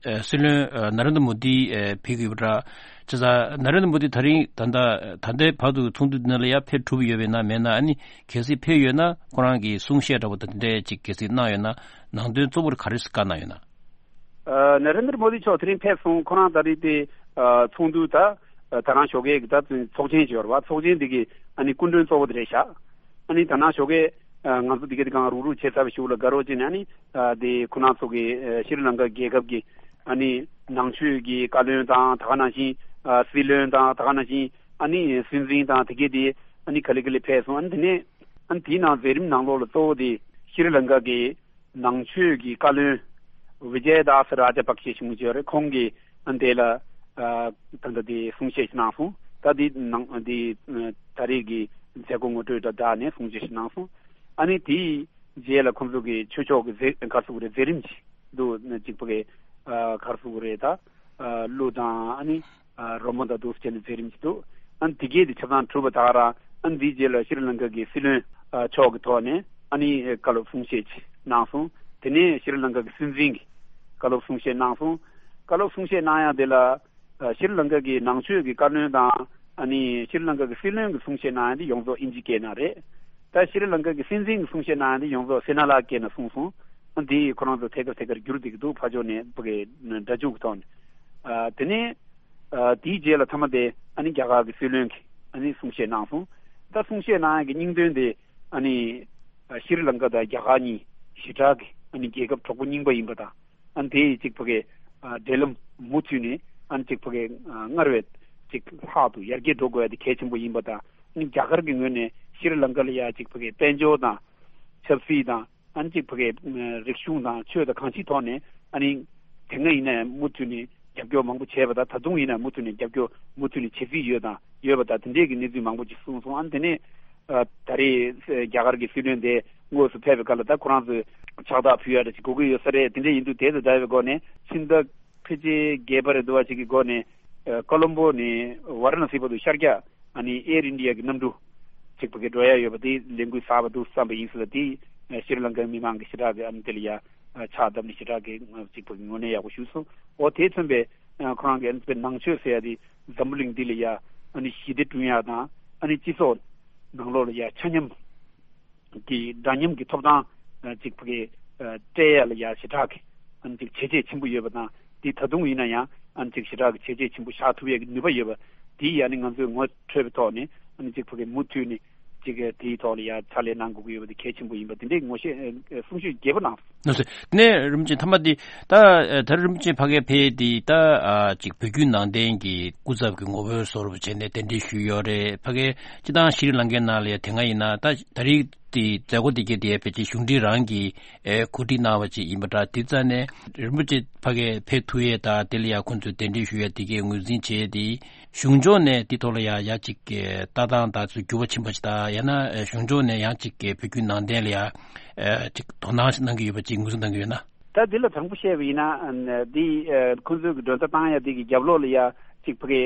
ཨ་སྲིད་བློན་ཨ་ནཱ་རེན་དྲ་མོ་དི་ཨ་ཕེབས་ཀྱི་ཡོད་པ་འདྲ། བྱས་ཙང་ནཱ་རེན་དྲ་མོ་དི་ད་རིང་ད་ལྟ་ད་ལྟའི་བར་དུ་ཚོགས་འདུ་འདི་ནང་ལ་ཡ་ཕེབས་གྲུབ་ཡོད་པས་ན་མེད་ན། ཨ་ནི་གལ་སྲིད་ཕེབས་ཡོད་ན་ཁོ་རང་གི་གསུང་བཤད་འདྲ་པོ་དང་དེ་འདྲས་ཅིག་གལ་སྲིད་གནང་ཡོད་ན་ནང་དོན་གཙོ་བོར་ག་རེ་བཀའ་གནང་ཡོད་ན། ཨ་ནཱ་རེན་དྲ་མོ་དི་མཆོག་དེ་རིང་ཕེབས་སོང་། ཁོ་རང་ད་རེས་དེ་ཨ་ཚོགས་འདུ་ད་ཨ་ད་རང་ཞོགས་ཀས་ཀྱི་ད་ཚོགས་ཆེན་ཞིག་ཡོད་རེད་བ། ཚོགས་ཆེན་དེ་གི་ཨ་ནི་སྐུ་མགྲོན་གཙོ་བོ་དེ་རེད་ཤག་ཨ་ནི་ད་ནང་ཞོགས་ཀས་ཨ་ང་ཚོ་དེ་ག་དེ་གང་རུག་རུག་བྱས་ཚར་བའི་གཞུག་ལ་དགའ་རོགས་བྱས་ནས་ཨ་ནི་ཨ་དེ་ཁོ་རང་ཚོ་གི་ཨ་ཤྲི་ལང་ཀ་རྒྱལ་ཁབ་ཀྱི་ཨ་ནི་ནང་ཆོས་ཀྱི་བཀའ་བློན་དང་ད་ག་ནང་བཞིན་ཨ་སྲིད་བློན་དང་ད་ག་ནང་བཞིན་ཨ་ནི་སྲིད་འཛིན་དང་དེ་གས་དེ་ཨ་ནི་ག་ལེ་ག་ལེ་ཕེབས་སོང་། ཨ་ནི་དེ་ནས་ཨ་ནི་དེའི་ནང་མཛད་རིམ་ནང་ལོགས་ལ་གཙོ་བོ་དེ་ཤྲི་ལང་ཀ་གི་ནང་ཆོས་ཀྱི་བཀའ་བློན་བི་ཇེ་དཱ་སི་རཱ་ཇ་པག་ཤེ་གཞུང་ཆེན་རེད། ཁོང་གིས་ཨ་ནི་དེ་ལ་ཨ་ད་ལྟ་དེ་གསུང་བཤད་ཞིག་གནང་སོང་། ད་དེ་ནང་དེ་ཨ་ད་རེས་ཀྱི་མཛད་སྒོ་ངོ་སྤྲོད་དང་སྦྲགས་ནས་གསུང་བཤད་ཞིག་གནང་སོང་། ཨ་ནི་དེའི་རྗེས་ལ་ཁོང་ཚོ་གི་ཆོས་ཕྱོགས་ཀྱི་མཛད་ག་རེ་ཟེར་དགོས་རེད། མཛད་རིམ་ཞིག་འདུག་གཅིག་པ་གི་ཨ་ག་རེ་ཟེར་དགོས་རེད། ད་ཨ་གླུ་དང་ཨ་ནི་ཨ་རོལ་མོ་དང་འདུག་སེ་བྱས་ནས་མཛད་རིམ་ཞིག་འདུག་ཨ་ནི་དེ་གས་དེ་ཆ་ཚང་གྲུབ་པ་ད་ག་རང་། ཨ་ནི་དེའི་རྗེས་ལ་ཤྲི་ལང་ཀ་གི་སྲིད་བློན་ཨ་མཆོག་གི་ཐོག་ནས་ཨ་ནི་བཀའ་སློབ་གསུང་བཤད་ཅིག་གནང་སོང་། དེ་ནས་ཤྲི་ལང་ཀ་གི་སྲིད་འཛིན་གྱིས་བཀའ་སློབ་གསུང་བཤད་གནང་སོང་། བཀའ་སློབ་གསུང་བཤད་གནང་ཡག་དེ་ལ་ཨ་ཤྲི་ལང་ཀ་གི་ནང་ཆོས་ཀྱི་བཀའ་བློན་དང་ཨ་ནི་ཤྲི་ལང་ཀ་གི་སྲིད་བློན་གྱི་གསུང་བཤད་གནང་ཡག་དེ་ཡོངས་རྫོགས་ཨིན་ཇི་སྐད་ནང་རེད། ད་ཤྲི་ལང་ཀ་གི་སྲིད་འཛིན་གྱི་གསུང་བཤད་གནང་ཡག་དེ་ཡོངས་རྫོགས་སི་ན་ལ་སྐད་ནང་གསུངས་སོང་། ཨ་འདི་ཁོ་རང་ཚོ་ཐད་ཀར་ཐད་ཀར་བསྒྱུར་བསྡད་ཀྱི་འདུག་ཕར་ཕྱོགས་ནས་ཕ་གི་སྒྲ་འཇུག་གི་ཐོག་ནས། ཨ་དེ་ནས་ཨ་དེའི་རྗེས་ལ་མཐའ་མ་དེ་ཨ་ནི་རྒྱ་གར་གྱི་སྲིད་བློན་གྱིས་ཨ་ནི་གསུང་བཤད་གནང་སོང་། ད་གསུང་བཤད་གནང་ཡག་གི་སྙིང་དོན་དེ་ཨ་ནི་ཨ་ཤྲི་ལང་ཀ་དང་རྒྱ་གར་གཉིས་ཞེ་དྲག་གི་ཨ་ནི་རྒྱལ་ཁབ་གྲོགས་པོ་རྙིང་པ་ཡིན་པ་དང་། ཨ་ནི་དེ་ཡི་གཅིག་ཕ་གི་ཨ་འབྲེལ་ལམ་མུ་མཐུད་ནས་ཨ་ནི་གཅིག་ཕ་གི་ཨ་སྔར་བས་གཅིག་ལྷག་ཏུ་ཡར་རྒྱས་འགྲོ་དགོས་ཡག་དེ་གལ་ཆེན་པོ་ཡིན་པ་དང་། ཨ་ནི་རྒྱ་གར་གྱི་ངོས་ནས་ཤྲི་ལང་ཀ་ལ་ཡ་གཅིག་ཕ་གི་དཔལ་འབྱོར་དང་ཆབ་སྲིད་དང་། ཨ་ནི་གཅིག་ཕ་གི་རིག་གཞུང་དང་ཆོས་དང་གང་ཅིའི་ཐོག་ནས་ཨ་ནི་དེ་སྔ་ཡིན་ན་ཡང་མུ་མཐུད་ནས་རྒྱབ་སྐྱོར་མང་པོ་བྱས་པ་དང་། ད་དུང་ཡིན་ན་མུ་མཐུད་ནས་རྒྱབ་སྐྱོར་མུ་མཐུད་ནས་བྱེད་རྩིས་ཡོད་དང་ཡོད་པ་དང་། དེ་འདྲས་ཀྱི་གནས་ཚུལ་མང་པོ་ཅིག་གསུངས་སོང་། ཨ་ནི་དེ་ནས་ཨ་ད་རེས་རྒྱ་གར་གྱི་སྲིད་བློན་དེ་དངོས་སུ་ཕེབས་པའི་སྐབས་ལ་ད་ཁོ་རང་ཚོས་ཕྱག་རྟགས་ཕུལ་ཡག་འདྲ་ཅིག་དགོས་ཀྱི་ཡོད་ས་རེད། དེ་འདྲས་ཡིན་དུས་དེ་དང་འདྲ་བའི་སྒོ་ནས་ཕྱི་ཟླ་ཕལ་ཆེར་བརྒྱད་པ་རེད་འདུག་བ་ཅིག་གི་སྒོ་ནས་ཨ་ཀོ་ལོམ་པོ་ནས་ཝཱ་ར་ཎ་སི་བར་དུ་ཤར་རྒྱག་ཨ་ནི་ཨེར་ཨིན་ཌི་ཡ་གི་གནམ་གྲུ་གཅིག་པ་གི་འགྲོ་ཡ་ཡོད་པ་དེ་ལས་འགུལ་གསར་པ་འདུག་བསམ་པ་ཡིན་ཟེར་ལ། དེ་ཤྲི་ལང་ཀའི་མི་མང་གི་ཞེ་དྲག་གི་ཨ་ནི་དེ་ལ་ཡ་ཕྱག་བརྡབས་ནས་ཞེ་དྲག་གི་གཅིག་པ་གི་ངོས་ནས་ཡག་པོ་ཞུས་སོང་། འོ་དེ་མཚོན་པའི་ཁོ་རང་གི་ཨ་ནི་ནང་ཆོས་ཟེར་ཡ་དེ་འཛམ་བུ་གླིང་འདི་ལ་ཡ་ཨ་ནི་ཞི་བདེ་བསྐྲུན་ཡ་དང་། ཨ་ནི་སྤྱི་ཚོགས་ནང་ལོགས་ལ་ཡ་ཆ་མཉམ་གི་འདྲ་མཉམ་གྱི་ཐོབ་ཐང་ཨ་གཅིག་ཕ་གི་ཨ་སྤྲད་ཡ་ལ་ཡ་ཞེ་དྲག་གི་ཨ་ནི་གཅིག་བྱས་རྗེས་ཆེན་པོ་ཡོད་པ་དང་། དེ་ད་དུང་ཡིན་ན་ཡང་ཨ་ནི་གཅིག་ཞེ་དྲག་གི་བྱས་རྗེས་ཆེན་པོ་བཞག་ཐུབ་ཡ་གི་ནུས་པ་ཡོད་པ་དེ་ཡ་ནི་ང་ཚོས་ངོ་འཕྲོད་པའི་ཐོག་ནས་ཨ་ནི་གཅིག་ཕ་གི་མུ་མཐུད་ནས་གཅིག་དེའི་ཐོག་ལ་ཡ་ཕྱག་ལས་གནང་དགོས་ཀྱི་ཡོད་པ་དེ་གལ་ཆེན་པོ་ཡིན་པ་དེ་འདྲའི་ངོ་ཤེས་ཨ་གསུང་ཆོས་རྒྱས་པོ་གནང་སོང་། ལགས་སོ། དེ་ནས་རིན་པོ་ཆེ་མཐའ་མ་དེ་ད་ད་རིན་པོ་ཆེ་ཕ་གིར་ཕེབས་དེ་ད་ཨ་གཅིག་བོད་བརྒྱུད་ནང་བསྟན་གྱི་སྐུ་ཚབ་ཀྱི་ངོ་བོའི་བཟོ་འདྲ་བྱས་ནས་གདན་འདྲེན་ཞུས་ཡོད་རེད། ཕ་གིར་སྤྱིར་བཏང་ཤྲི་ལང་ཀའི་ནང་ལ་ཡ་དེ་སྔ་ཡིན་ན་ད་ད་རེས་དེ་མཛད་སྒོ་དེ་གའི་དེ་ཕལ་ཆེར་གཞུང་འབྲེལ་རང་གིས་ཨེ་གོ་སྒྲིག་གནང་བ་ཅིག་ཡིན་པ་འདྲ། དེ་རྩ་ནས་རིན་པོ་ཆེ་ཕ་གིར་ཕེབས་ཐུབ་ཡས་དང་དེ་ལ་ཡ་ཁོང་ཚོས་གདན་འདྲེན་ཞུ་ཡས་དེ་གའི་ངོས་འཛིན་བྱས་དེ་གཞུང་ཕྱོགས་ནས་དེ་ཐོག་ལ་ཡ་ཡ་གཅིག་གི་ལྟ་སྟངས་དང་ཚུལ་འགྱུར་བ་ཕྱིན་པ་ཞིག་དང་། ཡང་ན་གཞུང་ཕྱོགས་ནས་ཡང་གཅིག་གི་བོད་བརྒྱུད་ནང་བསྟན་ལ་ཡ་ཨེ་གཅིག་དོ་སྣང་ཞིག་གནང་གི་ཡོད་པ་ཅིག་ངོས་འཛིན་གནང་གི་ཡོད་ན། ད་འདི་ལ་དྲང་པོ་བཤད་པ་ཡིན་ན་འདི་ཁོང་ཚོའི་གི་མགྲོན་བརྡ་བཏང་ཡ་འདི་གི་རྒྱབ་ལོགས་ལ་ཡ་གཅིག་ཕ་གི་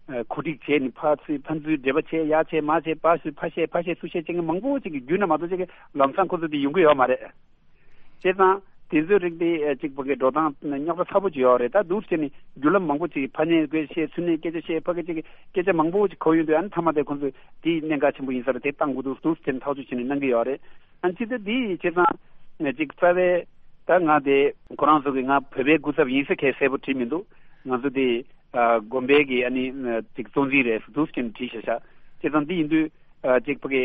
གོ་སྒྲིག་བྱས་ནས་ཕར་ཚུར་ཕར་ཚུར་འབྲེལ་བ་བྱས། ཡར་བྱས་མར་བྱས་ཕར་ཞུ་ཕར་བཤད་ཕར་བཤད་ཚུར་བཤད་བྱེད་མཁན་མང་པོ་ཅིག་གི་བརྒྱུད་ན་མ་གཏོགས་ཅིག་གི་ལམ་སང་ཁོ་ཚོ་དེ་ཡོང་གི་ཡོད་མ་རེད། བྱས་ཙང་དེ་ཚོའི་རིགས་དེ་གཅིག་ཕ་གི་འགྲོ་སྟངས་རྙོག་དྲ་ཚ་པོ་ཅིག་ཡོད་རེད། ད་འདུག་བྱས་ནས་བརྒྱུད་ལམ་མང་པོ་ཅིག་ཕར་ནས་སྐད་ཆ་བཤད་ཚུར་ནས་སྐད་ཆ་བཤད་ཕ་གི་ཅིག་གི་སྐད་ཆ་མང་པོ་ཅིག་གོ་ཡོང་དུས་ཨ་ནི་མཐའ་མ་དེ་ཁོ་ཚོས་དེ་གནད་འགག་ཆེན་པོ་ཡིན་ས་རེད། དེ་བཏང་དགོས་འདུག་འདུག་བྱས་ནས་ཐག་གཅོད་བྱས་ནས་གནང་གི་ཡོད་རེད། ཨ་ནི་ཅི་སྟེ་འདི་ཡི་བྱས་ཙང་ཅིག་རྩ་བའི་ད་ང་དེ་ཁོ་རང་ཚོ་གི་ང་བོད་པའི་སྐུ་ཚབ་ཡིན་ཟེར་གང་གསལ་པོ་བྲིས་མི་འདུག་ང་ཚོ་དེ་ཨ་དགོན་པའི་གི་ཨ་ནི་ཅིག་གཙོ་འཛིན་རེད་ཟེར་འདུག་ཟེར་བྲིས་བཞག་བཞག་བྱས་ཙང་འདི་ཡིན་དུས་ ཨ་ཅིག་ཕ་གི་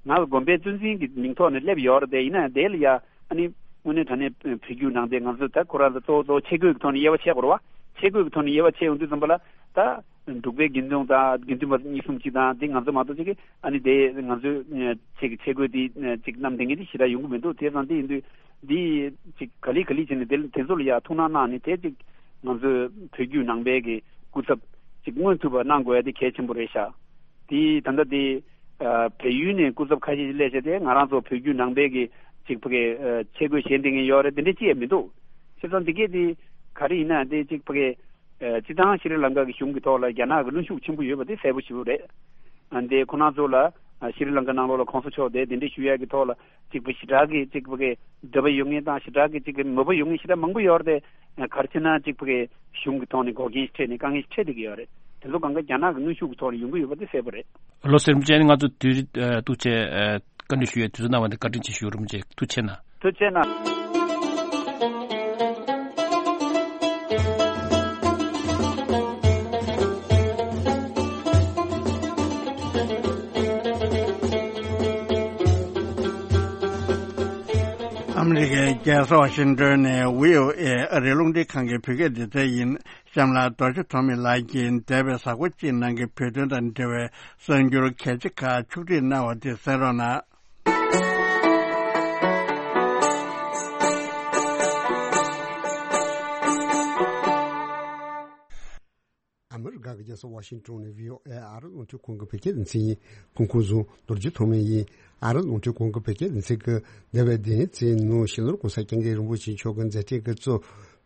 ང་ལ་དགོན་པའི་གཙོ་འཛིན་གྱི་མིང་ཐོག་ནས་སླེབས་ཡོད་རེད་དེ། ཡིན་ན་དེ་ལ་ཡ་ཨ་ནི་དངོས་གནས་དྲང་གནས་བོད་བརྒྱུད་ནང་བསྟན་ང་ཚོ་ད་ཁོ་རང་ཚོ་གཙོ་བོ་གཙོ་བོ་ཆས་གོས་ཀྱི་ཐོག་ནས་དབྱེ་བ་ཕྱེ་དགོས་རེད་བ། ཆས་གོས་ཀྱི་ཐོག་ནས་དབྱེ་བ་ཕྱེ་ཡོང་དུས་ཙམ་པ་ལ་ད་འབྲུག་པའི་དགེ་འདུན་དང་དགེ་འདུན་པ་གཉིས་གསུམ་གཅིག་དང་དེ་ང་ཚོ་མ་གཏོགས་ཅིག་གི་ཨ་ནི་དེ་ང་ཚོའི་ཆས་ཀྱི་ཆས་གོས་དེ་ཅིག་བསྣམས་བསྡད་མཁན་དེ་ཞེ་དྲག་ཡོང་གི་མི་འདུག་དེ་ཙང་དེ་ཡིན་དུས་འདི་ཅིག་ག་ལེ་ག་ལེ་བྱས་ནས་དེ་དེ་ཚོ་ལ་ཡ་ཐུགས་སྣང་གནང་ནས་དེ་ཅིག་ང་ཚོའི་བོད་བརྒྱུད་ནང་པའི་གི་སྐུ་ཚབ་ཅིག་མངོན་ཐུབ་པ་གནང་དགོས་ཡ་དེ་གལ་ཆེན་པོ་རེད་ཤག་དེ་ད་ལྟ་དེ་ཨ་བལ་ཡུལ་ནས་སྐུ་ཚབ་ཁ་ཤས་ཤིག་སླེབས་བྱས་ཏེ་ང་རང་ཚོ་བོད་བརྒྱུད་ནང་པའི་གི་ཅིག་ཕ་གི་ཨ་ཆས་གོས་བཞེས་བསྡད་མཁན་ཡོད་རེད། དེ་འདྲ་ཅི་ཡང་མི་འདུག་བྱས་ཙང་དེ་གས་དེ་ག་རེ་ཡིན་ན་དེ་ཅིག་ཕ་གི་ཨ་སྤྱི་བཏང་ཤྲི་ལང་ཀ་གི་གཞུང་གི་ཐོག་ལ་རྒྱ་ནག་གི་གནོན་ཤུགས་ཆེན་པོ་ཡོད་པ་དེ་གསལ་པོ་ཞེ་པོ་རེད། ཨ་འདི་ཁོ་རང་ཚོ་ལ་ཨ་ཤྲི་ལང་ཀ་ནང་ལོགས་ལ་གོང་ས་མཆོག་དེ་གདན་འདྲེན་ཞུ་ཡག་གི་ཐོག་ལ་ཅིག་པ་ཞེ་དྲག་གི་ཅིག་པ་གི་འདོད་པ་ཡོད་མཁན་དང་ཞེ་དྲག་གི་ཅིག་གི་མོས་པ་ཡོད་མཁན་ཞེ་དྲག་མང་པོ་ཡོད་རེད་དེ། ག་རེ་བྱས་ན་ཅིག་པ་གི་གཞུང་གི་ཐོག་ནས་འགོག་རྐྱེན་ཞིག་འཕྲད་ནས་དཀའ་ངལ་ཞིག་འཕྲད་བསྡད་ཀྱི་ཡོད་རེད། དེ་ཚོ་གང་ག་རྒྱ་ནག་གི་གནོན་ཤུགས་ཀྱི་ཐོག་ནས་ཡོང་གི་ཡོད་པ་དེ་གསལ་པོ་རེད། ལགས་སོ། རིན་པོ་ཆེ་ང་ཚོ་དུས་ཨ་ཐུགས་རྗེ་ཆེ་ཨ་བཀའ་འདྲི་ཞུ་ཡའི་དུས་ཚོད་གནང་བ་འདི་བཀའ་དྲིན་ཆེ་ཞུ། རིན་པོ་ཆེ་ཐུགས་རྗེ་གནང་། ཐུགས་རྗེ་གནང་། ཨ་མི་རི་ཀའི་རྒྱལ་ས་ཝ་ཤིང་ཏོན་ནས་བྷི་ཨོ་ཨེ་ཨ་རིའི་རླུང་འཕྲིན་ཁང་གི་བོད་སྐད་སྡེ་ཚན་ཡིན། གཤམ་ལ་རྡོ་རྗེ་ཐོགས་མེད་ལགས་ཀྱིས་འདས་པའི་གཟའ་འཁོར་གཅིག་ནང་གི་བོད་དོན་དང་འབྲེལ་བའི་གསར་འགྱུར་གལ་ཆེ་ཁག་ཕྱོགས་སྒྲིག་གནང་བ་དེ་གསན་རོགས་གནང་། ཨ་མི་རི་ཀ་གི་རྒྱལ་ས་ཝ་ཤིང་ཏོན་ནས་བྷི་ཨོ་ཨེ་ཨ་རི་རླུང་འཕྲིན་ཁང་གི་བོད་སྐད་སྡེ་ཚན་ཡིན། ཕུང་ཁུངས་བཟུང་རྡོ་རྗེ་ཐོགས་མེད་ཡིན། ཨ་རི་རླུང་འཕྲིན་ཁང་གི་བོད་སྐད་སྡེ་ཚན་གྱིས་འདས་པའི་བདུན་ཚེའི་ནང་ཕྱི་ནང་གོང་ས་སྐྱབས་མགོན་རིན་པོ་ཆེ་མཆོག་གི་མཛད་འཕྲིན་གྱི་གཙོ་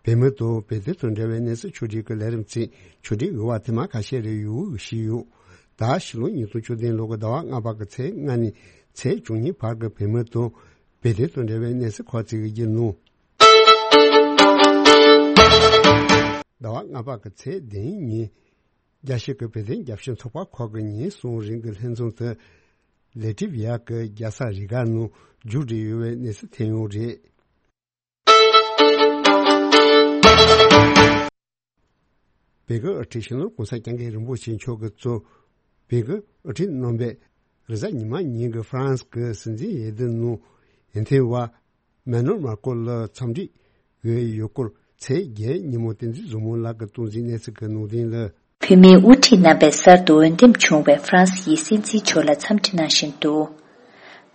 བོད་མི་དང་བོད་དོན་དང་འབྲེལ་བའི་གནས་ཚུལ་ཕྱོགས་སྒྲིག་གི་ལས་རིམ་ཚིག་ཕྱོགས་སྒྲིག་གི་བར་ཐེངས་མ་ཁ་ཤས་རེ་ཡོང་གི་ཞུས་ཡོད། ད་ཕྱི་ལོ་ཉིས་སྟོང་བཅུ་བདུན་ལོ་གི་ཟླ་བ་ལྔ་པ་གི་ཚེས་ལྔ་ནས་ཚེས་བཅུ་གཉིས་བར་གྱི་བོད་མི་དང་བོད་དོན་དང་འབྲེལ་བའི་གནས་ཚུལ་ཁག་ཅིག་གི་ནང་། ཟླ་བ་ལྔ་པ་གི་ཚེས་བདུན་ཉིན། རྒྱལ་སྤྱི་གི་བོད་དོན་རྒྱབ་སྐྱོར་ཚོགས་པ་ཁག་གི་ཉིན་གསུམ་རིང་གི་ལྷན་འཛོམས་དེ་ལེ་ཏི་བྷི་ཡ་གི་རྒྱལ་ས་རི་ག་ནང་མཇུག་སྒྲིལ་ཡོད་པའི་གནས་ཚུལ་ཐོན་ཡོད་རེད། བོད་ཀྱི་དབུ་ཁྲིད་སྤྱི་ནོར་གོང་ས་སྐྱབས་མགོན་རིན་པོ་ཆེ་མཆོག་གི་གཙོས་བོད་ཀྱི་དབུ་ཁྲིད་རྣམ་པས་རེས་གཟའ་ཉི་མ་ཉིན་གྱི་ཧྥ་རན་སི་གི་སྲིད་འཛིན་འོས་བསྡུ་ནང་འོས་འཐེན་པ་མེ་ནུ་མར་ཀོ་ལ་འཚམས་འདྲིའི་འོས་ཡོད་སྐོར་ཚེས་བརྒྱད་ཉིན་མོ་བསྟན་འཛིན་བཟང་མོ་ལགས་ཀྱིས་གཏོང་འཛིན་གནས་ཚུལ་གྱི་ནང་དོན་ལ། བོད་མིའི་དབུ་ཁྲིད་རྣམ་པས་གསར་དུ་འོས་འདེམས་བྱུང་བའི་ཧྥ་རན་སི་ཡི་སྲིད་འཛིན་མཆོག་ལ་འཚམས་འདྲི་གནང་བཞིན་འདུག་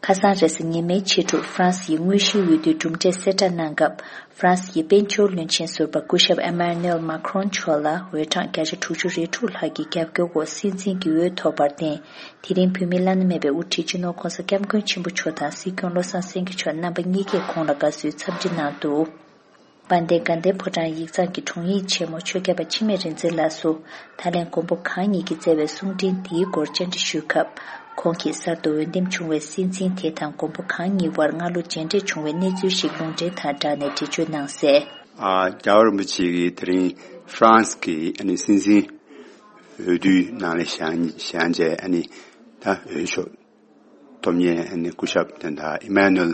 ཁ་སང་རེས་གཟའ་ཉི་མའི་ཕྱི་དྲོར་ཧྥ་རན་སི་ཡི་དངོས་གཞིའི་འོས་བསྡུའི་གྲུབ་འབྲས་གསལ་བསྒྲགས་གནང་སྐབས། ཧྥ་རན་སི་ཡི་དཔལ་འབྱོར་བློན་ཆེན་ཟུར་པ་སྐུ་ཞབས་ཨེ་མ་ནུ་ཨེལ་མཱ་ཁི་རོན་མཆོག་ལ་འོས་གྲངས་བརྒྱ་ཆ་དྲུག་ཅུ་རེ་དྲུག་ལྷག་གི་རྒྱབ་སྐྱོར་འོག་སྲིད་འཛིན་གྱི་འོས་ཐོབ་པར་བརྟེན། དེ་རིང་བོད་མིའི་བླ་ན་མེད་པའི་དབུ་ཁྲིད་སྤྱི་ནོར་གོང་ས་སྐྱབས་མགོན་ཆེན་པོ་མཆོག་དང་སྲིད་སྐྱོང་བློ་བཟང་སེང་གེ་མཆོག་རྣམ་པ་གཉིས་ཀས་ཁོང་ལ་དགའ་བསུའི་འཚམས་འདྲི་གནང་འདུག་དཔལ་ལྡན་དགའ་ལྡན་ཕོ་བྲང་ཡིག་ཚང་གི་དྲུང་ཡིག་ཆེན་མོ་ཆོས་སྐྱབས་པ་འཆི་མེད་རིག་འཛིན་ལགས་སུ་ད་ལན་མགོན་པོ་གང་ཉིད་ཀྱིས་བསྩལ་བའི་གསུང་འཕྲིན་འདིའི་སྐོར་བཅར་འདྲི་ཞུས་སྐབས། ཁོང་གིས་གསར་དུ་འོས་འདེམས་བྱུང་བའི་སྲིད་འཛིན་དེ་དང་མགོན་པོ་གང་ཉིད་དབར་སྔ་ལོ་མཇལ་འཕྲད་བྱུང་བའི་གནས་ཚུལ་ཞིག་ལུང་འདྲེན་དང་སྦྲགས་ནས་འགྲེལ་བརྗོད་གནང་གསལ། ཨ་རྒྱལ་བ་རིན་པོ་ཆེ་གིས་དེ་རིང་ཧྥ་རན་སི་གི་ཨ་ནི་སྲིད་འཛིན་འོས་བསྡུའི་ནང་ལ་བཞེངས་བཞེངས་རྗེས་ཨ་ནི་ད་འོས་ཤོག་ཐོབ་མཁན་ཨ་ནི་སྐུ་ཞབས་དོན་དག་ཨི་མ་ནུ་ཨེལ་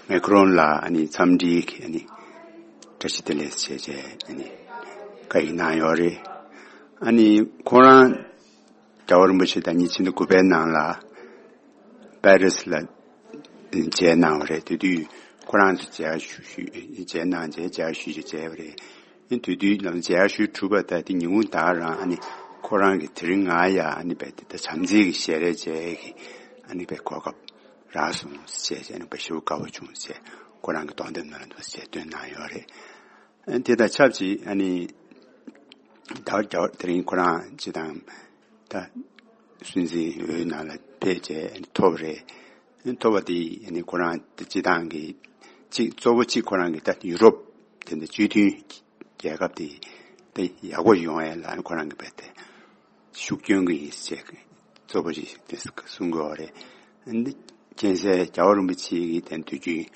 མེ་ཁི་རོན་ལ་ཨ་ནི་འཚམས་འདྲིའི་ཨ་ནི་བཀྲ་ཤིས་བདེ་ལེགས་བྱས་རྗེས་ཨ་ནི་བཀའ་ཡིག་གནང་ཡོད་རེད། ཨ་ནི་ཁོ་རང་རྒྱལ་བ་རིན་པོ་ཆེ་དང་ཉིས་སྟོང་དགུ་པའི་ནང་ལ་པེ་རི་སི་ལ་མཇལ་གནང་བ་རེད། དེ་དུས་ཁོ་རང་ཚོ་མཇལ་ཞུ་ཞུ་མཇལ་གནང་རྗེས་མཇལ་ཞུ་ཞུ་མཇལ་བ་རེད། ཨ་ནི་དེ་དུས་ལམ་མཇལ་ཞུ་གྲུབ་པ་ད་དེ་ཉིན་གུང་ད་རང་ཨ་ནི་ཁོ་རང་གིས་དེ་རིང་ང་ཡ་ཨ་ནི་བས་དེ་ད་བྱམས་བརྩེ་གི་ཞལ་རས་མཇལ་གི་ཨ་ནི་བས་གོ་སྐབས་རག་སོང་ཟེར་བྱས་ཨ་ནི་བས་ཞེ་པོ་དགའ་པོ་བྱུང་ཟེར་ཁོ་རང་གི་གདོང་དེབ་ནང་ལ་འདུག་ཟེར་བཏོན་གནང་ཡོད་རེད། ཨ་ནི་དེ་དང་ཆབས་ཅིག་ཨ་ནི་ད་རྒྱ་དེ་རིང་ཁོ་རང་སྤྱི་བཏང་ད་སྲིད་འཛིན་འོས་ནང་ལ་ཕེབས་བྱས་ཨ་ནི་ཐོབ་རེད། ཨ་ནི་ཐོབ་པ་དེ་ཨ་ནི་ཁོ་རང་སྤྱི་བཏང་གི་གཅིག་གཙོ་བོ་གཅིག་ཁོ་རང་གི་ད་ཡུ་རོབ་དེ་འདྲ་སྤྱི་མཐུན་རྒྱལ་ཁབ་དེ་དེ་ཡག་པོ་ཡོང་ཡ་ལ་ཨ་ནི་ཁོ་རང་གི་བས་དེ་ཤུགས་སྐྱོན་གྱི་ཡིན་ཟེར་གཙོ་བོ་ཞིག་དེ་གསུང་དགོས་པ་རེད། ཨ་ནི་མཁྱེན་གསལ་རྒྱལ་བ་རིན་པོ་ཆེ་གིས་དེ་དུས་རྒྱུན་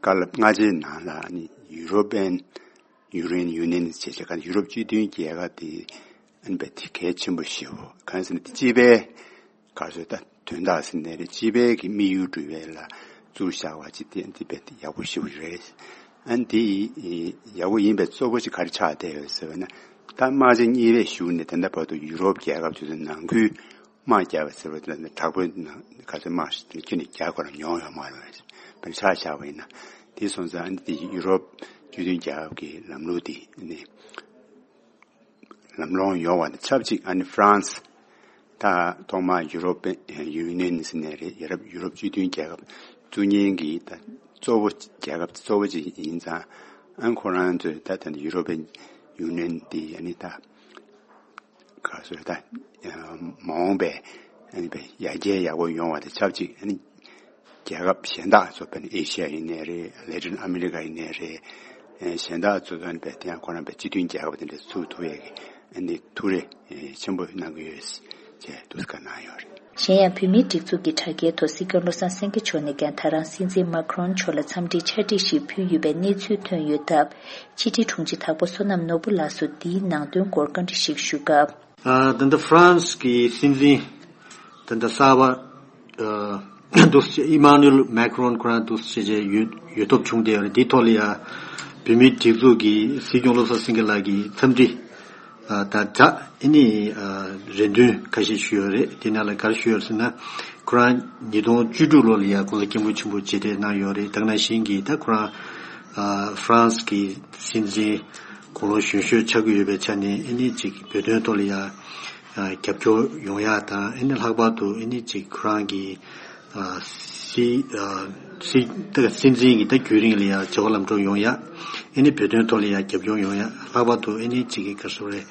བཀའ་སློབ་སྔ་རྗེས་ནང་ལ་ཨ་ནི་ཡུ་རོ་པན་ཡུ་རེན་ཡུ་ནི་ཡན་ཟེར་བྱས་ཀ་ཡུ་རོབ་སྤྱི་མཐུན་རྒྱལ་ཁབ་དེ་ཨ་ནི་བས་དེ་གལ་ཆེན་པོ་ཞེ་པོ་གང་ཟེར་ན་དེ་སྤྱི་པའི་ག་ཚོད་ད་དོན་དག་ཟེར་ནའི་རེད། སྤྱི་པའི་གི་དམིགས་ཡུལ་སྒྲུབ་པའི་ལ་བཙུགས་བཞག་པ་ཅིག་དེ་འདི་བས་དེ་ཡག་པོ་ཞེ་པོ་རེད། ཨ་ནི་དེ་ཡག་པོ་ཡིན་པའི་གཙོ་བོ་ཅིག་ག་རེ་ཆགས་བསྡད་ཡོད་ཟེར་བ་ན་ད་དམག་ཆེན་གཉིས་པའི་གཞུག་ནས་ད་ལྟ་བར་དུ་ཡུ་རོབ་རྒྱལ་ཁབ་ཚོ་ནང་ཁུལ་ དམག་རྒྱག་པ་ཟེར་བ་དེ་ལ་དྲག་པོའི་ནང་ག་ཚོད་དམག་ཁྱོན་ནས་རྒྱག་དགོས་ར་མྱོང་ཡོད་མ་རེད། དཔེར་ཆ་བཞག་པ་ཡིན་ན། དེ་སོང་ཙང་ཨ་ནི་དེ་ཡུ་རོབ་སྤྱི་མཐུན་རྒྱལ་ཁབ་ཀྱི་ལམ་ལུགས་དེ་ནི་ལམ་ལྷོང་ཡོང་བ་དང་ཆབས་ཅིག་ཨ་ནི་ཧྥ་རན་སི། ད་ཐོག་མར་ཡུ་རོབ་ཡུ་ནི་ཡན་ཟེར་ནས་རེད། ཡུ་རོབ་ཡུ་རོབ་སྤྱི་མཐུན་རྒྱལ་ཁབ་བཙུགས་མཁན་གྱི་ད་གཙོ་བོ་རྒྱལ་ཁབ་གཙོ་བོ་ཅིག་ཡིན་ཙང་། ཨ་ཁོ་རང་ཚོས་ད་ད་ནི་ཡུ་རོབ་ཡུ་ནི་ཡན་དེ་ཨ་ནི་ད། ག་སོ་ད། མ་འོངས་པའི་ཨ་ནི་པའི་ཡར་རྒྱས་ཡག་པོ་ཡོང་བ་དང་ཆབས་ཅིག་ཨ་ནི་རྒྱལ་ཁབ་གཞན་དག་ཚོ་དཔེར་ན་ཨེ་ཤི་ཡ་ཡིན་ནའི་རེད། ལེ་ཏིན་ཨ་མི་རི་ཀ་ཡིན་ནའི་རེད། གཞན་དག་ཚོ་ཨ་ནི་པའི་དེ་ཡང་ཁོ་རང་པའི་སྤྱི་མཐུན་རྒྱལ་ཁབ་དེ་འདྲ་ཚུགས་ཐུབ་ཡས་ཀྱི་ཨ་ནི་ཐུགས་རེ་ཆེན་པོ་གནང་གི་ཡོད་ཅེས་འདུག་སེ་བཀའ་གནང་ཡོད་རེད། གཞན་ཡང་བོད་མིའི་སྒྲིག་འཛུགས་ཀྱི་དྲ་རྒྱའི་ཐོག་སྲིད་སྐྱོང་བློ་བཟང་སེང་གེ་མཆོག་ནས་ཀྱང་ད་རང་སྲིད་འཛིན་མཱ་ཀྲོན་མཆོག་ལ་འཚམས་འདྲིའི་ཕྱག་བྲིས་ཤིག་ཕུལ་ཡོད་པའི་གནས་ཚུལ་ཐོན་ཡོད་སྟབས། ཕྱི་དྲིལ་དྲུང་ཆེ་དྭགས་པོ་བསོད་ནམས་ནོར་བུ་ལགས་སུ་འདིའི་ནང་དོན་སྐོར་བཀའ་འདྲི་ཞིག་ཞུ་སྐབས། ཨ། ད་ལྟ་ཧྥ་རན་སི་གི་སྲིད་འཛིན་ད་ལྟ་གསར་པ་ཨ་འདུག་སེ་ཨི་མཱ་ནུ་ཨེལ་མཱ་ཀྲོན་ཁོ་རང་འདུག་སེ་བྱས་ཡོད་ཡོད་སྟོབས་བྱུང་བསྡད་ཡོད་རེད། འདིའི་ཐོག་ལ་ཡ་བོད་མིའི་སྒྲིག་འཛུགས་ཀྱི་སྲིད་སྐྱོང་བློ་བཟང་སེང་གེ་ལགས་ཀྱིས་འཚམས་འདྲི་ཨ་དང་སྦྲགས་ཨ་ནི་ཨ་རེ་འདུན་ཁ་ཤས་ཞུས་ཡོད་རེད། དེ་ནང་ལ་ག་རེ་ཞུས་ཡོད་ཟེར་ན། ཁོ་རང་ཉིས་སྟོང་བཅུ་དྲུག་ལོ་ལ་ཡ་༸གོང་ས་༸སྐྱབས་མགོན་ཆེན་པོ་མཇལ་འཕྲད་གནང་ཡོད་རེད། ད་ག་ནང་བཞིན་གྱི་ད་ཁོ་རང་ཨ་ཧྥ་རན་སི་གི་སྲིད་འཛིན་དགུང་ལོ་གཞོན་ཤོས་ཆགས་ཀྱི་ཡོད་པའི་ཆ་ནས་ཨ་ནི་ཅིག་བོད་དོན་ཐོག་ལ་ཡ་ཨ་རྒྱབ་སྐྱོར་ཡོང་ཡག་དང་། ཨ་ནི་ལྷག་པར་དུ་ཨ་ནི་ཅིག་ཁོ་རང་གི་ཨ་སྲིད་ཨ་སྲིད་ད་སྲིད་འཛིན་གྱི་ད་རྒྱུན་རིང་ལ་ཡ་བྱ་བ་ལམ་འགྲོ་ཡོང་ཡག་ཨ་ནི་བོད་དོན་ཐོག་ལ་ཡ་རྒྱབ་སྐྱོར་ཡོང་ཡག་ལྷག་པར་དུ་ཨ་ནི་ཅིག་གི་ག་རེ་ཟེར་དགོས་རེད།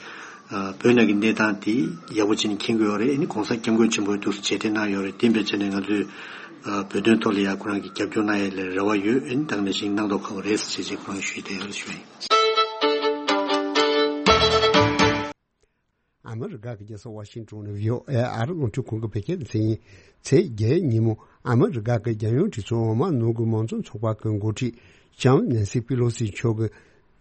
ཨ་བོད་ནང་གི་གནས་སྟངས་དེ་ཡག་པོ་བྱས་ནས་མཁྱེན་གྱི་ཡོད་རེད། ཨ་ནི་༸གོང་ས་༸སྐྱབས་མགོན་ཆེན་པོས་འདུག་སེ་མཇལ་འཕྲད་གནང་ཡོད་རེད། དེ་འབད་བྱས་ནས་ང་ཚོས་ཨ་བོད་དོན་ཐོག་ལ་ཡ་ཁོ་རང་གི་རྒྱབ་སྐྱོར་གནང་ཡས་ལ་རེ་བ་ཡོད། ཨ་ནི་ད་ག་ནང་བཞིན་གནང་མདོག་ཁ་པོ་རེད་ཟེར་བྱས་ཁོ་རང་ཞུས་བསྡད་ཡོད་ཞུ་ཡིན། ཨ་མི་རི་ཀ་གི་རྒྱལ་ས་ཝ་ཤིང་ཏོན་ནས་བྷི་ཨོ་ཨེ་ཨ་རི་རླུང་འཕྲིན་ཁང་གི་བོད་སྐད་སྡེ་ཚན་ཡིན། ཚེས་བརྒྱད་ཉིན་མོ་ཨ་མི་རི་ཀ་གི་རྒྱལ་ཡོངས་གྲོས་ཚོགས་འོག་མ་ནང་ཁུལ་མང་གཙོ་ཚོགས་པ་གི་འགོ་ཁྲིད་ལྕམ་ནན་སི་པི་ལོ་སི་མཆོག་གིས་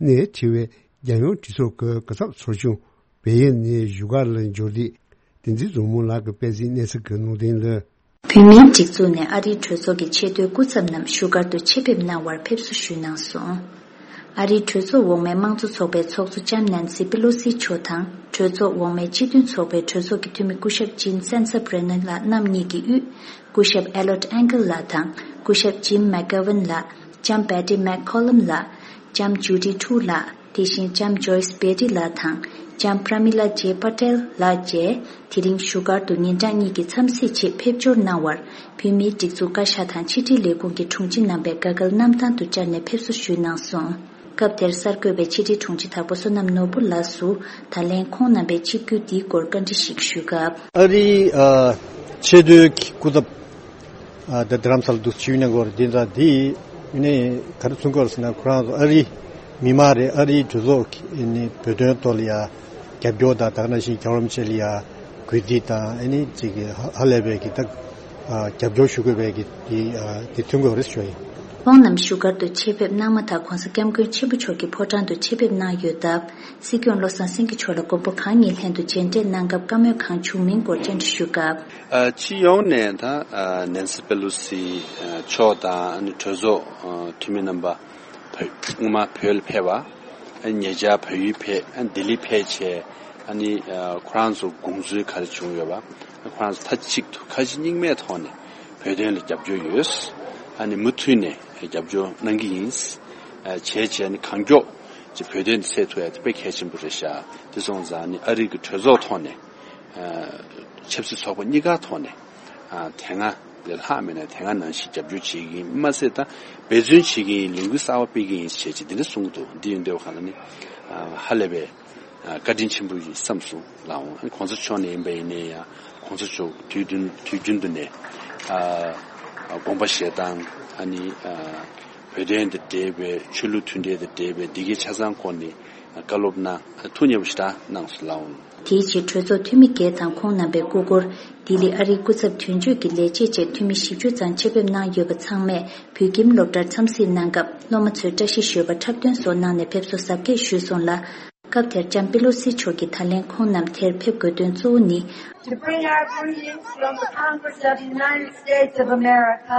ནས་ཁྲིད་པའི་རྒྱལ་ཡོངས་གྲོས་ཚོགས་ཀྱི་གོ་ཚབ་ཚོགས་ཆུང་བལ་ཡུལ་ནས་བཞུགས་སྒར་ལ་འབྱོར་དུས། བསྟན་འཛིན་བཟང་མོ་ལགས་ཀྱིས་སྤེལ་གཟིགས་གནས་ཚུལ་གྱི་ནང་དོན་ལ། བོད་མིའི་སྒྲིག་འཛུགས་ནས་ཨ་རིའི་གྲོས་ཚོགས་ཀྱི་ཆེས་མཐོའི་སྐུ་ཚབ་རྣམས་བཞུགས་སྒར་དུ་ཆེད་ཕེབས་གནང་བར་ཕེབས་བསུ་ཞུས་གནང་སོང་། ཨ་རིའི་གྲོས་ཚོགས་འོག་མའི་དམངས་གཙོ་ཚོགས་པའི་ཚོགས་གཙོ་ལྕམ་ནན་སི་པེ་ལོ་སི་མཆོག་དང་། གྲོས་ཚོགས་འོག་མའི་སྤྱི་མཐུན་ཚོགས་པའི་གྲོས་ཚོགས་ཀྱི་འཐུས་མི་སྐུ་ཞབས་ཇིན་སན་སབ་རེ་ནན་ལགས་རྣམ་གཉིས་ཀྱི་དབུས། སྐུ་ཞབས་ཨེ་ལོད་ཨན་ཀལ་ལགས་དང་། སྐུ་ཞབས་ཇིམ་མེག་གྷ་ཝན་ལགས། ལྕམ་བེ་ཏི་མེག་ཁོ་ལམ་ལགས། ལྕམ་ཇུ་ཌི་ཁྲུ་ལགས། དེ་བཞིན་ལྕམ་ཇོ་ཡིས་བེ་ཏི་ལགས་དང་། ལྕམ་པྲ་མི་ལ་ཇེ་པ་ཏེལ་ལགས་བཅས། དེ་རིང་བཞུགས་སྒར་དུ་ཉིན་གྲངས་གཉིས་ཀྱི་འཚམས་གཟིགས་ཆེད་ཕེབས་འབྱོར་གནང་བར། བོད་མིའི་སྒྲིག་འཛུགས་བཀའ་ཤག་དང་ཕྱི་དྲིལ་ལས་ཁུངས་ཀྱི་དྲུང་ཆེ་རྣམ་པས་དགའ་སྐལ་གནམ་ཐང་དུ་བཅར་ནས་ཕེབས་བསུ་ཞུས་གནང་སོང་། སྐབས་དེར་གསར་འགོད་པས་ཕྱི་དྲིལ་དྲུང་ཆེ་དྭགས་པོ་བསོད་ནམས་ནོར་བུ་ལགས་སུ། ད་ལན་ཁོང་རྣམ་པའི་ཆིབས་བསྒྱུར་འདིའི་སྐོར་བཀའ་འདྲི་ཞིག་ཞུས་སྐབས། ཨ་རིའི་ཨ་ཆེས་མཐོའི་སྐུ་ཚབ་ཨ་ད་རྡ་རམ་ས་ལ་འདུག་ཞུས་ནས་འགོར་འདི་འདྲ་འདི་ནས་ག་རེ་གསུང་གི་ཡོད་ཟེར་ན། ཁོ་རང་ཚོ་ཨ་རིའི་མི་མང་རེད། ཨ་རིའི་གྲོས་ཚོགས་ཀྱི་ནི་བོད་དོན་ཐོག་ལ་ཡ་རྒྱབ་སྐྱོར་དང་། ད་ག་ནང་བཞིན་རྒྱལ་བ་རིན་པོ་ཆེ་ལ་ཡ་གུས་བརྩི་དང་། ཨ་ནི་ཅིག་གི་ཧ་ཧ་ལས་པའི་གི་ད་ཨ་རྒྱབ་སྐྱོར་ཞུ་དགོས་པའི་གི་དེ་ཨ་དེ་མཚོན་གྱི་ཡོད་རེད་ཞུ་ཡིན། ཁོང་རྣམས་བཞུགས་སྒར་དུ་ཆེད་ཕེབས་གནང་མ་ཐག་༸གོང་ས་༸སྐྱབས་མགོན་ཆེན་པོ་མཆོག་གི་ཕོ་བྲང་དུ་ཆེད་ཕེབས་གནང་ཡོད་སྟབས། སྲིད་སྐྱོང་བློ་བཟང་སེང་གེ་མཆོག་ལ་མགོན་པོ་གང་ཉིད་ལྷན་དུ་མཇལ་འཕྲད་གནང་སྐབས་བཀའ་མོལ་གང་བྱུང་མིན་སྐོར་བཅར་འདྲི་ཞུ་སྐབས། ཨ་སྤྱི་ཡོངས་ནས་ད་ཨ་ནན་སི་པེ་ལོ་སི་ཨ་མཆོག་དང་ཨ་ནི་གྲོས་ཚོགས་ཨ་འཐུས་མི་རྣམ་པ་བོད་སྔོན་མ་བོད་ལ་ཕེབས་པ། ཨ་ཉེ་ཆར་བལ་ཡུལ་ཕེབས། ཨ་ལྡི་ལི་ཕེབས་བྱས། ཨ་ནི་ཨ་ཁོ་རང་ཚོ་དགོངས་ཚུལ་ག་རེ་བྱུང་ཡོད་པ། ཨ་ཁོ་རང་ཚོ་མཐའ་གཅིག་ཏུ་ཁ་ཞེ་གཉིས་མེད་ཐོག་ནས་བོད་དོན་ལ་རྒྱབ་སྐྱོར་ཡོད། ཨ་ནི་མུ་མཐུད་ནས་རྒྱབ་སྐྱོར་གནང་གི་ཡིན། ཨ་བྱས་བྱས་ནས་གང་མགྱོགས་ཀྱི་བོད་དོན་འདི་སེལ་ཐུབ་ཡ་དེ་དཔེ་གལ་ཆེན་པོ་རེད་ཤག་དེ་སོང་ཙང་ནི་ཨ་རི་གི་གྲོས་ཚོགས་ཐོག་ནས་ཨ་ཆབ་སྲིད་ཚོགས་པ་གཉིས་ཀ་ཐོག་ནས་ཨ་དེ་སྔ་ལས་ལྷག་མེད་ན་དེ་སྔ་ནང་བཞིན་རྒྱབ་སྐྱོར་བྱེད་ཀྱི་ཡིན། མ་ཟད་ད་འབད་བརྩོན་བྱེད་ཀྱི་ཡིན། ལས་འགུལ་གསར་པ་སྤེལ་གྱི་ཡིན་ཞེས་བྱས་འདི་འདྲ་གསུང་གི་འདུག་འདི་ཡིན་དུས་ག་ལ་ནི་ཨ་ཧ་ལས་པའི་ཨ་བཀའ་དྲིན་ཆེན་པོ་ཡིན་བསམ་སོང་ལགས་འོང་། ཨ་ནི་གོང་ས་མཆོག་ནས་ཡིན་པ་ཡིན་ནའི་ཡང་། གོང་ས་མཆོག་དུས་རྒྱུན་དུས་རྒྱུན་དུ་ནས་ཨ་ཨ་དགོངས་པ་བཞེས་སྟངས། ཨ་ནི་ཨ་བོད་དོན་དང་འབྲེལ་བའི། ཆོས་ལུགས་མཐུན་འབྲེལ་དང་འབྲེལ་བའི་འདི་གའི་ཆ་ཚང་སྐོར་ནས་བཀའ་སློབ་གནང་། ཐུགས་མཉེས་པོ་ཞེ་དྲག་གནང་སོང་ལགས་འོང་། དེའི་རྗེས་གྲོས་ཚོགས་འཐུས་མི་བརྒྱད་དང་ཁོང་རྣམ་པའི་སྐུ་འཁོར་ལྡི་ལི་ཨ་རིའི་སྐུ་ཚབ་དོན་གཅོད་ཀྱི་ལས་བྱེད་བཅས་འཐུས་མི་བཞི་བཅུ་ཙམ་ཆེད་ཕེབས་གནང་ཡོད་པ་ཚང་མས་བོད་ཁྱིམ་སློབ་གྲྭར་འཚམས་གཟིགས་གནང་སྐབས། སློབ་མ་ཚོས་བཀྲ་ཤིས་ཞོལ་པ་འཁྲབ་སྟོན་སོགས་གནང་ནས་ཕེབས་བསུ་གཟབ་རྒྱས་ཞུས་སོང་ལ། སྐབས་དེར་ལྕམ་པེ་ལོ་སི་མཆོག་གིས་ད་ལན་ཁོང་རྣམས་དེར་ཕེབས་དགོས་དོན་གཙོ་བོ་ནི། To bring our greetings from the Congress of the United States of America.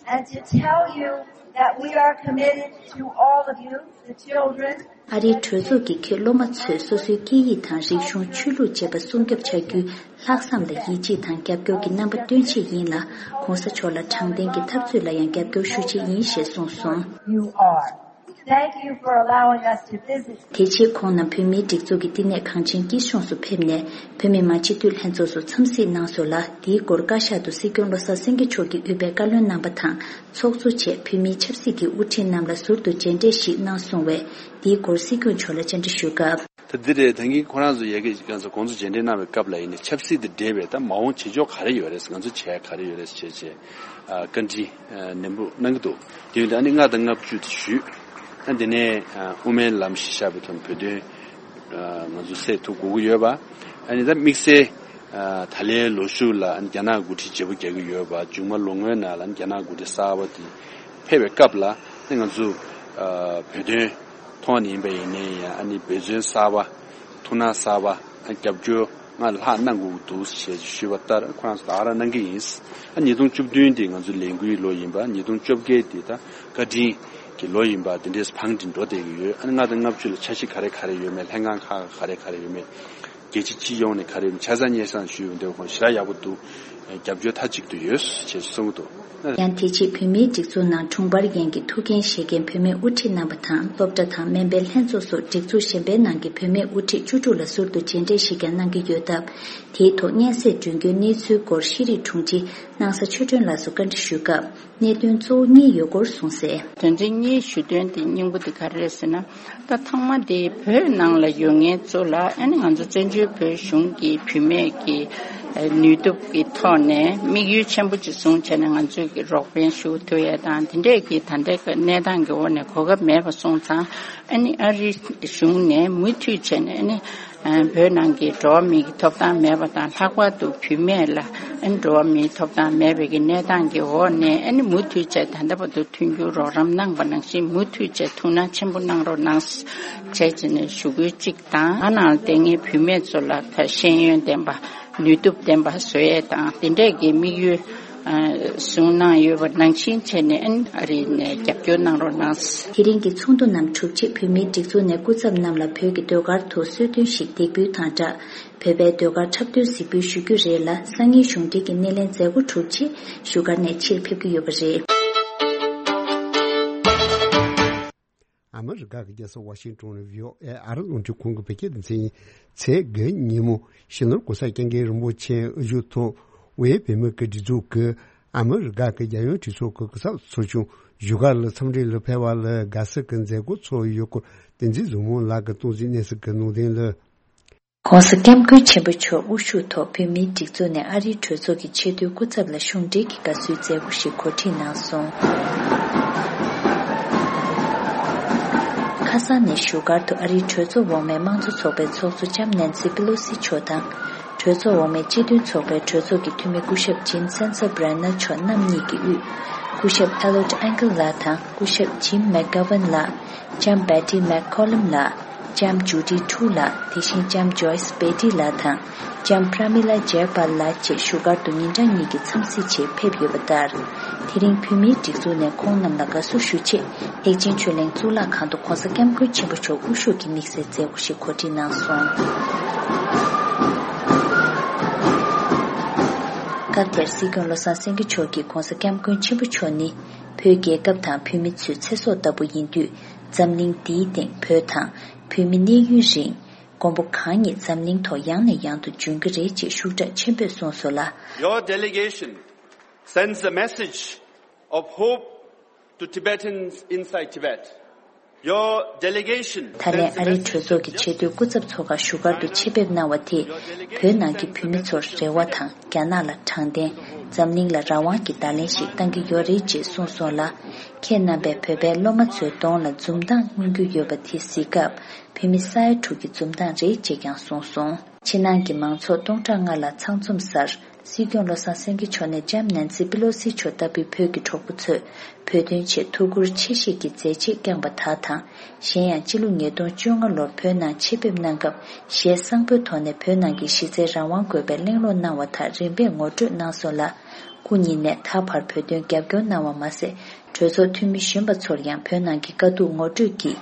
and to tell you that we are committed to all of you, the children. ཨ་རིའི་གྲོས་ཚོགས་ཀྱིས་ཁྱེད་སློབ་མ་ཚོས་སོ་སོའི་སྐད་ཡིག་དང་རིག་གཞུང་། ཆོས་ལུགས་བཅས་པ་སྲུང་སྐྱོབ་བྱ་རྒྱུའི་ལྷག་བསམ་དང་ཡིད་ཆེས་དང་རྒྱབ་སྐྱོར་གྱི་རྣམ་པ་སྟོན་ཆེད་ཡིན་ལ། ྋགོང་ས་མཆོག་ལ་དྲང་བདེན་གྱི་འཐབ་རྩོད་ལ་ཡང་རྒྱབ་སྐྱོར་ཞུ་ཆེད་ཡིན་ཞེས་གསུངས་སོང་། You are. Thank you for allowing us to visit. དེ་རྗེས་ཁོང་རྣམས་བོད་མིའི་སྒྲིག་འཛུགས་ཀྱི་བསྟི་གནས་གངས་ཅན་སྐྱིད་གཤོངས་སུ་ཕེབས་ནས། བོད་མི་མང་སྤྱི་འཐུས་ལྷན་ཚོགས་སུ་འཚམས་གཟིགས་གནང་སོང་ལ། དེའི་སྐོར་བཀའ་ཤག་ཏུ་སྲིད་སྐྱོང་བློ་བཟང་སེང་གེ་མཆོག་གིས་དབུས་པའི་བཀའ་བློན་རྣམ་པ་དང་། ཚོགས་གཙོ་བཅས་བོད་མིའི་ཆབ་སྲིད་ཀྱི་དབུ་ཁྲིད་རྣམས་ལ་ཟུར་དུ་མཇལ་འཕྲད་ཞིག་གནང་སོང་བས། དེའི་སྐོར་སྲིད་སྐྱོང་མཆོག་ལ་བཅར་འདྲི་ཞུས་སྐབས། ད་འདི་རེད། ད་གིན་ཁོ་རང་ཚོ་ཡ་གི་ང་ཚོ་དགོང་དྲོ་མཇལ་འཕྲད་གནང་བའི་སྐབས་ལ་ཡིན་ནའི་ཆབ་སྲིད་དང་འབྲེལ་བའི་ད་མ་འོངས་བྱེད་ཕྱོགས་ག་རེ་ཡོད་རེད། ང་ཚོ་བྱེད་ཡ་ག་རེ་ཡོད་རེད་ཅེས་བྱས། ཨ། བཀའ་འདྲི་ཨ་ནན་པོ་གནང་གི་འདུག་དེ་ཡིན་དུས་ཨ་ནི་ལྔ་དང་ལྔ་བཅུ་དེ་ཞུས། ཨ། དེ་ནས་ཨ་དབུ་མའི་ལམ་གཞི་བཞག་པའི་ཐོག་ནས་བོད་དོན་ཨ་ང་ཚོ་སེལ་ཐུབ་དགོས་ཀྱི་ཡོད་པ། ཨ་ནི་ད་དམིགས་བསལ་ཨ་ད་ལན་ལོ་གཞུག་ལ་ཨ་ནི་རྒྱ་ནག་འགོ་ཁྲིད་བརྗེ་པོ་རྒྱག་གི་ཡོད་པ། མཇུག་མ་ལོ་སྔོན་ནང་ལ་ཨ་ནི་རྒྱ་ནག་འགོ་ཁྲིད་གསར་པ་དེ་ཕེབས་པའི་སྐབས་ལ་ཨ་ནི་ང་ཚོ་ཨ་བོད་དོན་ཐོག་ནས་ཡིན་པ་ཡིན་ནའི་ཡང་ཨ་ནི་འབད་བརྩོན་གསར་པ། ཐུགས་སྣང་གསར་པ། ཨ་རྒྱབ་སྐྱོར་སྔར་ལྷག་གནང་དགོས་ཀྱི་འདུག་ཞེས་ཞུས་པ་ལྟར་ཁོ་རང་ཚོ་ད་ག་རང་གནང་གི་ཡིན། ཨ་ཉིས་སྟོང་བཅུ་བདུན་དེ་ང་ཚོ་ལས་འགུལ་ལོ་ཡིན་པ། ཉིས་སྟོང་བཅོ་བརྒྱད་དེ་ད་བཀའ་དྲིན་གྱི་ལོ་ཡིན་པ། དེ་འདྲས་བང་སྒྲིག་འགྲོ་བསྡད་ཀྱི་ཡོད། ཨ་ནི་ལྔ་དང་ལྔ་བཅུ་ལ་འཆར་གཞི་ག་རེ་ག་རེ་ཡོད་མེད། ལྷན་ཁང་ཁག་ག་རེ་ག་རེ་ཡོད་མེད། རྒྱལ་སྤྱི་སྤྱི་ཡོངས་ནས་ག་རེ་ཡོད་མེད། ཆ་ཚང་སྙན་སེང་ཞུས་ཡོང་དུས་ཁོང་ཞེ་དྲག་ཡག་པོ་འདུག་རྒྱབ་སྐྱོར་མཐའ་གཅིག་ཏུ་ཡོད་ཅེས་གསུངས་འདུག་ཡང་དེ་རྗེས་བོད་མིའི་སྒྲིག་འཛུགས་ནང་དྲུང་འཕར་ཡན་གྱི་ཐུགས་འགན་བཞེས་མཁན་བུད་མེད་དབུ་ཁྲིད་རྣམ་པ་དང་། སློབ་གྲྭ་དང་སྨན་པའི་ལྷན་ཚོགས་སོགས་སྒྲིག་འཛུགས་གཞན་པའི་ནང་གི་བུད་མེད་དབུ་ཁྲིད་བཅུ་དྲུག་ལ་ཟུར་དུ་མཇལ་འཕྲད་ཞིག་ཀྱང་གནང་གི་ཡོད་སྟབས། དེའི་ཐོག་སྙན་སེང་སྒྲོན་སྐྱོར་གནས་ཚུལ་སྐོར་ཤེས་རིག་དྲུང་ཆེ་སྣང་ས་ཆོས་སྒྲོན་ལགས་སུ་བཀའ་འདྲི་ཞུས་སྐབས། གནད་དོན་གཙོ་བོ་གཉིས་ཡོད་སྐོར་གསུངས་གསལ། དོན་ཚན་གཉིས་ཞུ་དོན་དེ་སྙིང་པོ་དེ་ག་རེ་རེད་ཟེར་ན། ད་ཚང་མ་དེ་བོད་ནང་ལ་ཡོད་མཁན་ཚོ་ལ་ཨ་ནི་ང་ཚོ་བཙན་བྱོལ་བོད་གཞུང་གི་བུད་མེད་ཀྱི་ནུས་སྟོབས་ཀྱི་ཐོག་ནས་དམིགས་ཡུལ་ཆེན་པོ་ཅིག་བཟུང་བྱས་ནས་ང་ཚོས་ཀྱི་རོགས་ཕན་ཞུ་ཐུབ་ཡས་དང་། དེ་འདྲས་ཀྱི་ད་ལྟའི་གནས་སྟངས་ཀྱི་འོག་ནས་གོ་སྐབས་མེད་པ་སོང་ཙང་། ཨ་ནི་ཨ་རིའི་གཞུང་ནས་མུ་མཐུད་བྱས་ནས་ཨ་ནི་བོད་ནང་གི་འགྲོ་བ་མིའི་ཐོབ་ཐང་མེད་པ་དང་། ལྷག་པར་དུ་བུད་མེད་ལ་ཨ་ནི་འགྲོ་བ་མིའི་ཐོབ་ཐང་མེད་པའི་གི་གནས་སྟངས་ཀྱི་འོག་ནས་ཨ་ནི་མུ་མཐུད་བྱས་ད་ལྟ་བར་དུ་མཐུན་འགྱུར་རོགས་རམ་གནང་པ་ནང་བཞིན་མུ་མཐུད་བྱས་ཐུགས་སྣང་ཆེན་པོ་གནང་རོགས་གནང་ཟེར་བྱས་བྱས་ནས་ཞུ་སྐུལ་གཅིག་དང་། ཨ་ནང་བསྡད་མཁན་བུད་མེད་ཚོ་ལ་ད་ཤེས་ཡོན་ལྡན་པ་ནུས་སྟོབས་ལྡན་པ་བཟོ་ཡས་དང་། དེ་འདྲས་ཀྱི་དམིགས་ཡུལ་ཨ་བཟུང་གནང་ཡོད་པ་ནང་བཞིན་བྱས་ནས་ཨ་རི་ནས་རྒྱབ་སྐྱོར་གནང་རོགས་གནང་། དེ་རིང་གི་ཚོགས་འདུ་རྣམས་གྲུབ་རྗེས་བོད་མིའི་སྒྲིག་འཛུགས་ནས་སྐུ་ཚབ་རྣམས་ལ་བོད་ཀྱི་ཟློས་གར་ཐོག་གསོལ་སྟོན་ཞིག་འདེགས་འབུལ་དང་སྦྲགས། བོད་པའི་ཟློས་གར་འཁྲབ་སྟོན་གཟིགས་འབུལ་ཞུ་རྒྱུ་རེད་ལ། སང་ཉིན་གཞུང་འབྲེལ་གྱི་སྣེ་ལེན་མཛད་སྒོ་གྲུབ་རྗེས་བཞུགས་སྒར་ནས་ཕྱིར་ཕེབས་ཀྱི་ཡོད་པ་རེད། ཨ་མི་རི་ཀ་གི་རྒྱལ་ས་ཝ་ཤིང་ཏོན་ནས་བྷི་ཨོ་ཨེ་ཨ་རི་རླུང་འཕྲིན་ཁང་གི་བོད་སྐད་སྡེ་ཚན་ཡིན། ཚེས་དགུ་ཉིན་མོ་སྤྱི་ནོར་༧གོང་ས་༧སྐྱབས་མགོན་རིན་པོ་ཆེའི་ཨ་ཞུགས་ཐོག་དབུས་བོད་མི་སྒེར་སྒྲིག་འཛུགས་ཀྱིས་ཨ་མི་རི་ཀ་གི་རྒྱལ་ཡོངས་གྲོས་ཚོགས་ཀྱི་སྐུ་ཚབ་ཚོགས་ཆུང་བཞུགས་སྒར་ལ་འཚམས་འདྲིར་ཕེབས་པ་ལ་དགའ་བསུ་གི་མཛད་སྒོ་ཚོགས་ཡོད་སྐོར་བསྟན་འཛིན་བཟང་མོ་ལགས་ཀྱིས་གཏོང་ཟིན་གནས་ཚུལ་གྱི་ནང་དོན་ལ། ྋགོང་ས་ྋསྐྱབས་མགོན་ཆེན་པོ་མཆོག་དབུ་བཞུགས་ཐོག་བོད་མིའི་སྒྲིག་འཛུགས་ནས་ཨ་རིའི་གྲོས་ཚོགས་ཀྱི་ཆེས་མཐོའི་སྐུ་ཚབ་ལ་གཞུང་འབྲེལ་གྱི་དགའ་བསུའི་མཛད་སྒོ་ཞིག་གོ་སྒྲིག་གནང་སོང་། ཁ་སང་ནས་བཞུགས་སྒར་དུ་ཨ་རིའི་གྲོས་ཚོགས་འོག་མའི་དམངས་གཙོ་ཚོགས་པའི་ཚོགས་གཙོ་ལྕམ་ནན་སི་པི་ལོ་སི་མཆོག་དང་། གྲོས་ཚོགས་འོག་མའི་སྤྱི་མཐུན་ཚོགས་པའི་གྲོས་ཚོགས་ཀྱི་འཐུས་མི་སྐུ་ཞབས་ཇིམ་སེན་སར་བྷ་རན་ནར་མཆོག་རྣམ་གཉིས་ཀྱི་དབུས། སྐུ་ཞབས་ཨེ་ལོཌ་ཨན་ཀལ་ལགས་དང་སྐུ་ཞབས་ཇིམ་མེག་གྷ་ཝན་ལགས། ལྕམ་བེ་ཏི་མེག་ཁོ་ལམ་ལགས། ལྕམ་ཇུ་ཌི་ཁྲུ་ལགས། དེ་བཞིན་ལྕམ་ཇོ་ཡིས་བེ་ཏི་ལགས་དང་། ལྕམ་པྲ་མི་ལ་ཇེ་པཱལ་ལགས་བཅས་བཞུགས་སྒར་དུ་ཉིན་གྲངས་གཉིས་ཀྱི་འཚམས་གཟིགས་ཆེད་ཕེབས་ཡོད་པ་ལྟར། དེ་རིང་བོད་མིའི་སྒྲིག་འཛུགས་ནས་ཁོང་རྣམས་ལ་དགའ་བསུ་ཞུ་ཆེད་ཐེག་ཆེན་ཆོས་གླིང་གཙུག་ལག་ཁང་དུ་ྋགོང་ས་ྋསྐྱབས་མགོན་ཆེན་པོ་མཆོག་དབུ་བཞུགས་ཀྱི་དམིགས་བསལ་མཛད་སྒོ་ཞིག་གོ་སྒྲིག་གནང་སོང་། སྐབས་དེར་སྲིད་སྐྱོང་བློ་བཟང་སེང་གེ་མཆོག་གིས་ྋགོང་ས་ྋསྐྱབས་མགོན་ཆེན་པོ་མཆོག་ནི་བོད་རྒྱལ་ཁབ་དང་བོད་མི་ཚོའི་ཚེ་སྲོག་ལྟ་བུ་ཡིན་དུས། འཛམ་གླིང་འདིའི་སྟེང་བོད་དང་བོད་མི་གནས་ཡུན་རིང་། མགོན་པོ་གང་ཉིད་འཛམ་གླིང་ཐོག་ཡང་ནས་ཡང་དུ་འབྱོན་གྱི་རེད་ཅེས་ཤུགས་དྲག་ཆེན་པོས་གསུངས་སོང་ལ། Your delegation sends a message of hope to Tibetans inside Tibet. Your delegation ད་ལན་ཨ་རིའི་གྲོས་ཚོགས་ཀྱི་ཆེས་མཐོའི་སྐུ་ཚབ་ཚོགས་ཁག་བཞུགས་སྒར་དུ་ཆེད་ཕེབས་གནང་བ་དེས་བོད་ནང་གི་བོད་མི་ཚོར་རེ་བ་དང་། རྒྱ་ནག་ལ་དྲང་བདེན། འཛམ་གླིང་ལ་རང་དབང་གི་བརྡ་ལན་ཞིག་བཏང་གི་ཡོད་རེད་ཅེས་གསུངས་སོང་ལ། ཁྱེད་རྣམ་པས་བོད་པའི་སློབ་མ་ཚོའི་གདོང་ལ་འཛུམ་མདངས་མངོན་གྱི་ཡོད་པ་དེ་གཟིགས་སྐབས། བོད་མི་ས་ཡ་དྲུག་གི་འཛུམ་མདངས་རེད་ཅེས་ཀྱང་གསུངས་སོང་། ཕྱི་ནང་གི་མང་ཚོགས་སྟོང་ཕྲག་ལྔ་ལ་ཚང་འཛོམས་སར། སྲིད་སྐྱོང་བློ་བཟང་སེང་གེ་མཆོག་ནས་ལྕམ་ནན་སི་པི་ལོ་སི་མཆོག་ལྟ་བུའི་བོད་ཀྱི་གྲོགས་པོ་ཚོས་བོད་དོན་ཆེད་ཐུགས་ཁུར་ཆེ་བཞེས་ཀྱི་མཛད་རྗེས་བསྐྱངས་པ་དག་དང་། གཞན་ཡང་། སྤྱི་ལོ་ཉིས་སྟོང་བཅོ་ལྔ་ལོར་བོད་ནང་ཆེད་ཕེབས་གནང་སྐབས། ཞལ་བཟང་པོའི་ཐོག་ནས་བོད་ནང་གི་གཞི་རྩའི་རང་དབང་དགོས་པའི་གླེང་སློང་གནང་བ་དག་རིམ་པས་ངོ་སྤྲོད་གནང་སོང་ལ། སྐུ་ཉིད་ནས་ད་བར་བོད་དོན་རྒྱབ་སྐྱོར་གནང་བ་མ་ཟད། གྲོས་ཚོགས་འཐུས་མི་གཞོན་པ་ཚོར་ཡང་བོད་ནང་གི་དཀའ་སྡུག་ངོ་སྤྲོད་ཀྱིས།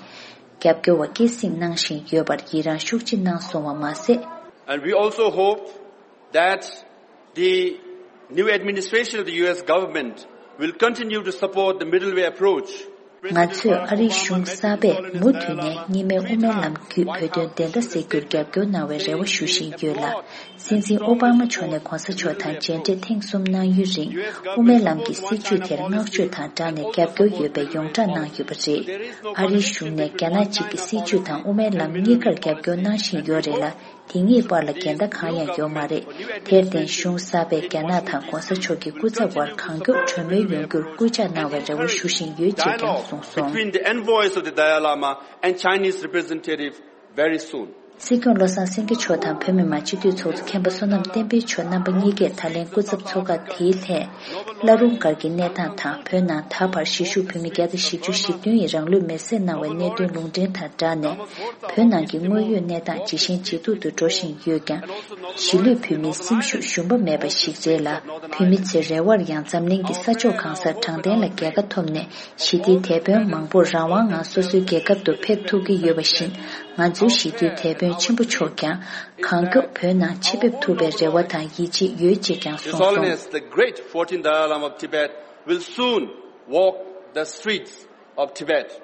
རྒྱབ་སྐྱོར་བ་སྐྱེད་སྲིང་གནང་བཞིན་ཡོད་པར་ཡི་རངས་ཤུགས་ཆེ་གནང་སོང་བ་མ་ཟད། And we also hope that the new administration of the U S government will continue to support the middle way approach. ང་ཚོས་ཨ་རིའི་གཞུང་གསར་པས་མུ་མཐུད་ནས་གཉིས་སྨན་དབུ་མའི་ལམ་བརྒྱུད་བོད་དོན་བདེན་མཐའ་གསལ་རྒྱུར་རྒྱབ་སྐྱོར་གནང་བའི་རེ་བ་ཞུ་བཞིན་ཡོད་ལ། སྲིད་འཛིན་ཨོ་པ་མ་མཆོག་ནས་གོང་ས་མཆོག་དང་མཇལ་འཕྲད་ཐེངས་གསུམ་གནང་ཡུན་རིང་། དབུ་མའི་ལམ་གྱི་སྲིད་བྱུས་དེར་བསྔགས་བརྗོད་དང་སྦྲགས་ནས་རྒྱབ་སྐྱོར་ཡོད་པའི་ཡོངས་བསྒྲགས་གནང་ཡོད་པ་རེད། ཨ་རིའི་གཞུང་ནས་རྒྱ་ནག་གཅིག་གི་སྲིད་བྱུས་དང་དབུ་མའི་ལམ་གཉིས་ཀར་རྒྱབ་སྐྱོར་གནང་བཞིན་ཡོད་རེད་ལ། དེ་གཉིས་བར་ལ་འགལ་ཟླ་གང་ཡང་ཡོད་མ་རེད། དེར་བརྟེན་གཞུང་གསར་པས་རྒྱ་ནག་དང་གོང་ས་མཆོག་གི་སྐུ་ཚབ་དབར་གང་མགྱོགས་གྲོས་མོལ་ཡོང་རྒྱུར་སྐུལ་ལྕག་གནང་བའི་རེ་བ་ཞུ་བཞིན་ཡོད་ཅེས་ཀྱང་གསུངས་སོང་། Between the envoys of the Dalai Lama and Chinese representative very soon. སྲིད་སྐྱོང་བློ་བཟང་སེང་གེ་མཆོག་དང་བོད་མི་མང་སྤྱི་འཐུས་ཚོགས་གཙོ་མཁན་པོ་བསོད་ནམས་བསྟན་འཕེལ་མཆོག་རྣམ་པ་གཉིས་ཀས་ད་ལན་སྐུ་ཚབ་ཚོགས་ཁག་དེའི་ལྷན། བླ་རུང་སྒར་གྱི་གནས་སྟངས་དང་བོད་ནང་ད་བར་གཞིས་བཞུགས་བོད་མི་བརྒྱ་དང་བཞི་བཅུ་ཞེ་བདུན་ཡིས་རང་ལུས་མེར་སྲེག་གནང་བའི་གནད་དོན་ལུང་འདྲེན་དང་སྦྲགས་ནས། བོད་ནང་གི་དངོས་ཡོད་གནས་སྟངས་ཇི་བཞིན་ཇེ་སྡུག་ཏུ་འགྲོ་བཞིན་ཡོད་ཀྱང་། གཞིས་ལུས་བོད་མིའི་སེམས་ཤུགས་ཞུམ་པ་མེད་པ་ཞིག་རེད་ལ། བོད་མི་ཚོའི་རེ་བར་ཡང་འཛམ་གླིང་གི་ས་ཕྱོགས་གང་སར་དྲང་བདེན་ལ་རྒྱལ་ཁ་ཐོབ་ནས། ཞི་བདེའི་དེད་དཔོན་མང་པོར་རང་དབང་ངང་སོ་སོའི་རྒྱལ་ཁབ་ཏུ་ཕེབས་ཐུབ་ཀྱི་ཡོད་པ་བཞིན། ང་ཚོའི་ཞི་བདེའི་དེད་དཔོན་ཆེན་པོ་མཆོག་ཀྱང་། གང་མགྱོགས་བོད་ནང་ཕྱིར་ཕེབས་ཐུབ་པའི་རེ་བ་དང་ཡིད་ཆེས་ཡོད་ཅེས་ཀྱང་གསུངས་སོང་། As long as the great fourteenth Dalai Lama of Tibet will soon walk the streets of Tibet.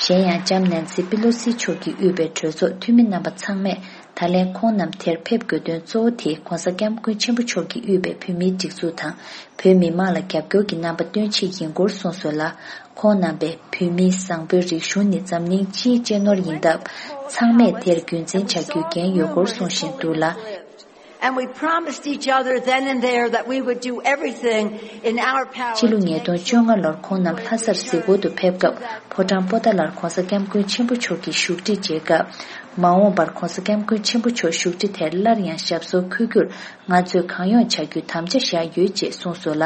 གཞན་ཡང་ལྕམ་ནན་སི་པི་ལོ་སི་མཆོག་གིས་དབུས་པའི་གྲོས་ཚོགས་འཐུས་མི་རྣམ་པ་ཚང་མས་ད་ལན་ཁོང་རྣམས་དེར་ཕེབས་དགོས་དོན་གཙོ་བོ་དེ་༧གོང་ས་༧སྐྱབས་མགོན་ཆེན་པོ་མཆོག་གིས་དབུས་པའི་བོད་མིའི་སྒྲིག་འཛུགས་དང་བོད་མི་མང་ལ་རྒྱབ་སྐྱོར་གྱི་རྣམ་པ་སྟོན་ཆེད་ཡིན་སྐོར་གསུངས་སོང་ལ། ཁོང་རྣམ་པས་བོད་མིའི་བཟང་པོའི་རིག་གཞུང་ནི་འཛམ་གླིང་སྤྱིའི་གཅེས་ནོར་ཡིན་སྟབས། ཚང་མས་དེར་རྒྱུན་འཛིན་བྱ་རྒྱུའི་འགན་ཡོད་སྐོར་གསུང་བཞིན་འདུག་ལ། And we promised each other then and there that we would do everything in our power སྤྱི་ལོ་ཉིས་སྟོང་བཅོ་ལྔ་ལོར་ཁོང་རྣམས་ལྷ་སར་གཟིགས་སྐོར་དུ་ཕེབས་སྐབས། ཕོ་བྲང་པོ་ཏཱ་ལར་༧གོང་ས་༧སྐྱབས་མགོན་ཆེན་པོ་མཆོག་གི་བཞུགས་ཁྲི་མཇལ་སྐབས། མ་འོངས་པར་༧གོང་ས་༧སྐྱབས་མགོན་ཆེན་པོ་མཆོག་བཞུགས་ཁྲི་དེར་སླར་ཡང་ཞབས་སོར་འཁོད་རྒྱུར་ང་ཚོས་གང་ཡོང་བྱ་རྒྱུའི་དམ་བཅའ་བཞག་ཡོད་ཅེས་གསུངས་སོང་ལ།